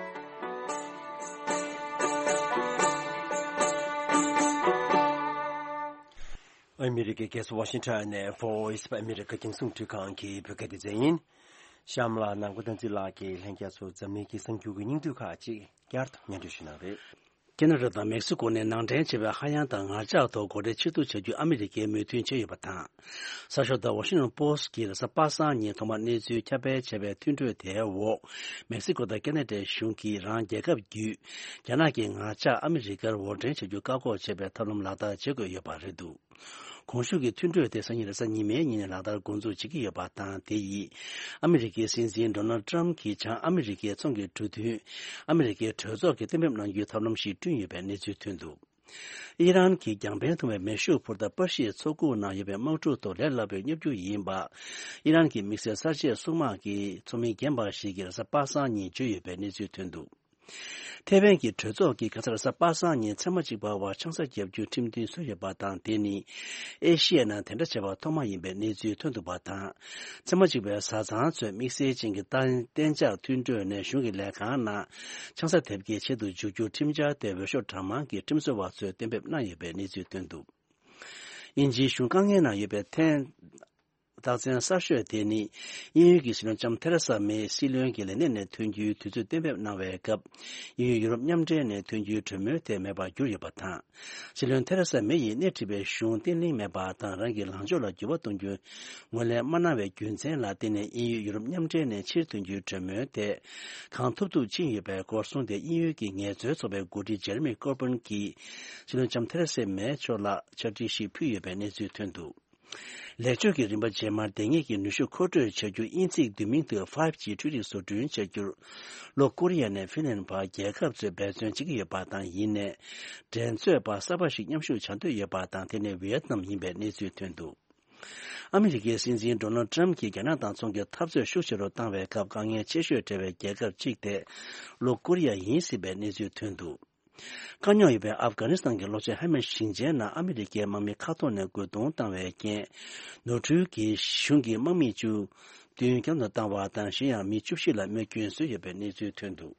ཨ་མི་རི་ཀའི་རྒྱལ་ས་ཝ་ཤིང་ཊོན་ནས་Voice of America རྒྱང་སྲིང་འཕྲིན་ཁང་གི་བོད་སྐད་སྡེ་ཚན་ཡིན། གཤམ་ལ་ནང་པ་བསྟན་འཛིན་ལགས་ཀྱིས་ལྷན་རྒྱས་ཚོར་འཛམ་གླིང་གི་གསར་འགྱུར་གྱི་སྙིང་བསྡུས་ཁག་ཅིག་བསྐྱར་དུ་སྙན་སྒྲོན་ཞུ་གནང་རེད། ཁེ་ན་ཌ་དང་མེག་སི་ཀོ་ནས་ནང་འདྲེན་བྱས་པའི་ཧ་ཡང་དང་ངར་ལྕགས་ཐོག་སྒོ་ཁྲལ་ཕྱིར་བསྡུ་བྱ་རྒྱུ་ཨ་མི་རི་ཀས་མོས་མཐུན་བྱས་ཡོད་པ་དང་། གསར་ཤོག་The Washington Post གིས་རེས་གཟའ་པ་སངས་ཉིན་ཐོག་མར་གནས་ཚུལ་ཁྱབ་སྤེལ་བྱས་པའི་མཐུན་གྲོས་དེའི་འོག་མེག་སི་ཀོ་དང་ཁེ་ན་ཌའི་གཞུང་གིས་རང་རྒྱལ་ཁབ་བརྒྱུད་རྒྱ་ནག་གི་ངར་ལྕགས་ཨ་མི་རི་ཀར་འོར་འདྲེན་བྱ་རྒྱུ་བཀག་འགོག་བྱེད་པའི་ཐབས་ལམ་ལག་བསྟར་བྱེད་དགོས་ཡོད་པ་རེད་འདུག་གོང་ཞུས་ཀྱི་མཐུན་གྲོས་དེ་སང་ཉིན་རེས་གཟའ་ཉི་མའི་ཉིན་ནས་ལག་བསྟར་འགོ་འཛུགས་བྱེད་ཀྱི་ཡོད་པ་དང་། དེ་ཡིས་ཨ་མི་རི་ཀའི་སྲིད་འཛིན་ཌོ་ནལ་ཊམ་གྱིས་བྱང་ཨ་མི་རི་ཀའི་ཚོང་གི་གྲོས་མཐུན་ཨ་མི་རི་ཀའི་གྲོས་ཚོགས་ཀྱིས་གཏན་འབེབས་གནང་རྒྱུའི་ཐབས་ལམ་ཞིག་བསྐྲུན་ཡོད་པའི་གནས་ཚུལ་ཐོན་འདུག་ཨི་རན་གྱིས་རྒྱང་འཕེན་ཐུང་བའི་མེ་ཤུགས་འཕུར་མདའ་པ་ཤིའི་མཚོ་ཁུག་ནང་ཡོད་པའི་དམག་འཁྲུག་ཐོག་ལས་སླ་པོའི་བརྙས་བཅོས་ཡིན་པ། ཨི་རན་གྱི་དམིགས་བསལ་གསར་བརྗེའི་སྲུང་དམག་གི་ཚོགས་མི་རྒན་པ་ཞིག་གིས་རེས་གཟའ་པ་སངས་ཉིན་བརྗོད་ཡོད་པའི་གནས་ཚུལ་ཐོན་འདུག་ཐེ་ཝན་གྱི་གྲོས་ཚོགས་ཀྱིས་ཁ་སང་རེས་གཟའ་པ་སངས་ཉིན་མཚན་མ་གཅིག་པ་བར་ཆང་ས་བརྒྱབ་རྒྱུའི་ཁྲིམས་མཐུན་བཟོས་ཡོད་པ་དང་། དེ་ནི་ཨེ་ཤི་ཡའི་ནང་དེ་འདྲ་བྱས་པ་ཐོག་མ་ཡིན་པའི་གནས་ཚུལ་ཐོན་འདུག་པ་དང་། མཚན་མ་གཅིག་པའི་བཟའ་ཚང་ཚོས་དམིགས་བསལ་ཅན་གྱི་གཏན་གཏན་འཇགས་མཐུན་གྲོས་ནས་གཞུང་གི་ལས་ཁང་ནང་ཆང་ས་དེབ་སྐྱེལ་ཆེད་དུ་འཇུག་རྒྱུ་ཁྲིམས་འཆར་དེ་འོས་ཤོག་གྲངས་མང་གིས་ཁྲིམས་བཟོ་བ་ཚོས་གཏན་འབེབས་གནང་ཡོད་པའི་གནས་ཚུལ་ཐོན་འདུག་དབྱིན་ཇིའི་གཞུང་དཀའ་ངལ་ནང་ཡོད་པའི་ཐད། རྟགས་མཚན་གསར་ཤོས་དེ་ནི། དབྱིན་ཡུལ་གྱི་སྲིད་བློན་ལྕམ་ཐེ་རེ་ས་མེ་སྲིད་བློན་གྱི་ལས་གནས་ནས་ཐོན་རྒྱུའི་དུས་ཚོད་གཏན་འབེབས་གནང་བའི་སྐབས། དབྱིན་ཡུལ་ཡུ་རོབ་མཉམ་འབྲེལ་ནས་ཐོན་རྒྱུའི་གྲོས་མོལ་དེ་མེད་པར་གྱུར་ཡོད་པ་དང་། སྲིད་བློན་ཐེ་རེ་ས་མེ་ཡིས་སྣེ་ཁྲིད་པའི་གཞུང་བརྟན་ལྷིང་མེད་པ་དང་། རང་གི་ལངས་ཕྱོགས་ལ་འགྱུར་བ་གཏོང་རྒྱུ་ངོས་ལེན་མ་གནང་བའི་རྒྱུ་མཚན་ལ་བརྟེན་ནས། དབྱིན་ཡུལ་ཡུ་རོབ་མཉམ་འབྲེལ་ནས་ཕྱིར་ཐོན་རྒྱུའི་གྲོས་མོལ་དེ་གང་ཐུབ་ཐུབ་ཕྱིན་ཡོད་པའི་སྐོར་གསུངས་ཏེ། དབྱིན་ཡུལ་གྱི་ངལ་རྩོལ་ཚོགས་པའི་འགོ་ཁྲིད་ཇེ་རེ་མི་ཀོར་པིན་གྱིས་སྲིད་བློན་ལྕམ་ཐེ་རེ་ས་མེ་མཆོག་ལ་ཕྱག་བྲིས་ཤིག་ཕུལ་ཡོད་པའི་གནས་ཚུལ་ཐོན་འདུག་ལེགས་བཅོས་ཀྱི་རིམ་པ་རྗེས་མར་ལྡང་ཡས་ཀྱི་ནུས་ཤུགས་མཁོ་སྤྲོད་བྱ་རྒྱུ། དབྱིན་ཚིག་བསྡུས་མིང་དུ་ཕའིབ་ཇི་འཕྲུལ་རིག་བཟོ་སྐྲུན་བྱ་རྒྱུར། ལྷོ་ཀོ་རི་ཡ་ནས་ཧྥིན་ལན་བར་རྒྱལ་ཁབ་ཚོས་འབད་བརྩོན་བྱེད་ཀྱི་ཡོད་པ་དང་། ཡིན་ནའི། འགྲན་རྩོད་པ་གསར་པ་ཞིག་མཉམ་ཞུགས་བྱ་འདོད་ཡོད་པ་དང་། དེ་ནི་ཝི་ཡེད་ནམ་ཡིན་པའི་གནས་ཚུལ་ཐོན་འདུག་ཨ་མི་རི་ཀའི་སྲིད་འཛིན་ཌོ་ནལ་ཏྲམ་གྱིས་རྒྱ་ནག་དང་ཚོང་གི་འཐབ་རྩོད་ཤུགས་ཆེ་རུ་བཏང་བའི་སྐབས། དཀའ་ངལ་ཆེ་ཤོས་འཕྲད་པའི་རྒྱལ་ཁབ་གཅིག་དེ་ལྷོ་ཀོ་རི་ཡ་ཡིན་སྲིད་པའི་གནས་ཚུལ་ཐོན་འདུག་དཀའ་རྙོག་ཡོད་པའི་ཨབ་གྷ་ནི་སི་ཐན་གྱི་ལྷོ་ཕྱོགས་ཧེ་མན་ཞིང་ཆེན་ནང་ཨ་མི་རི་ཀའི་དམག་མི་མཁའ་ཐོག་ནས་རྒོལ་རྡུང་བཏང་བའི་རྐྱེན། ནོར་འཁྲུལ་གྱིས་གཞུང་གི་དམག་མི་བཅུ་བདུན་བརྒྱ་ལ་བཏང་བ་དང་། གཞན་ཡང་མི་བཅུ་བཞི་ལ་རྨས་སྐྱོན་བཟོས་ཡོད་པའི་གནས་ཚུལ་ཐོན་འདུག་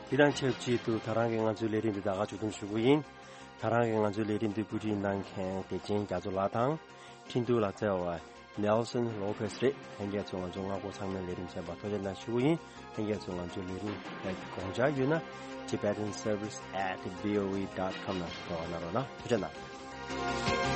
དེ་དང་ཆབས་ཅིག་ཏུ་ད་རང་གི་ང་ཚོའི་ལས་རིམ་འདི་ད་ག་མཇུག་བསྡོམས་ཞུ་གི་ཡིན། ད་རང་གི་ང་ཚོའི་ལས་རིམ་འདི་བཀོད་སྒྲིག་གནང་མཁན་བདེ་ཆེན་རྒྱ་མཚོ་ལགས་དང་། འཕྲིན་གཏོང་ལ་བརྩེ་བ་Nelson Lopez རེད། ལྷན་རྒྱས་ཚོས་ང་ཚོའི་ལྔ་སྒོར་ཚང་མའི་ལས་རིམ་གསན་པར་ཐུགས་རྗེ་གནང་ཞུ་གི་ཡིན། ལྷན་རྒྱས་ཚོས་ང་ཚོའི་ལས་རིམ་ལ་དགོངས་འཆར་ཡོད་ན། Tibetan Service at V O A dot com ལ་འབྲེལ་བ་གནང་རོགས་གནང་། ཐུགས་རྗེ་གནང་།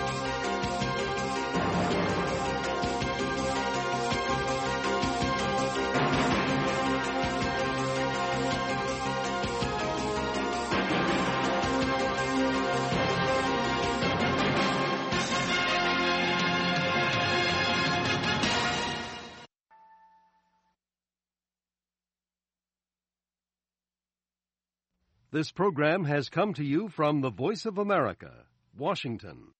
This program has come to you from the Voice of America, Washington.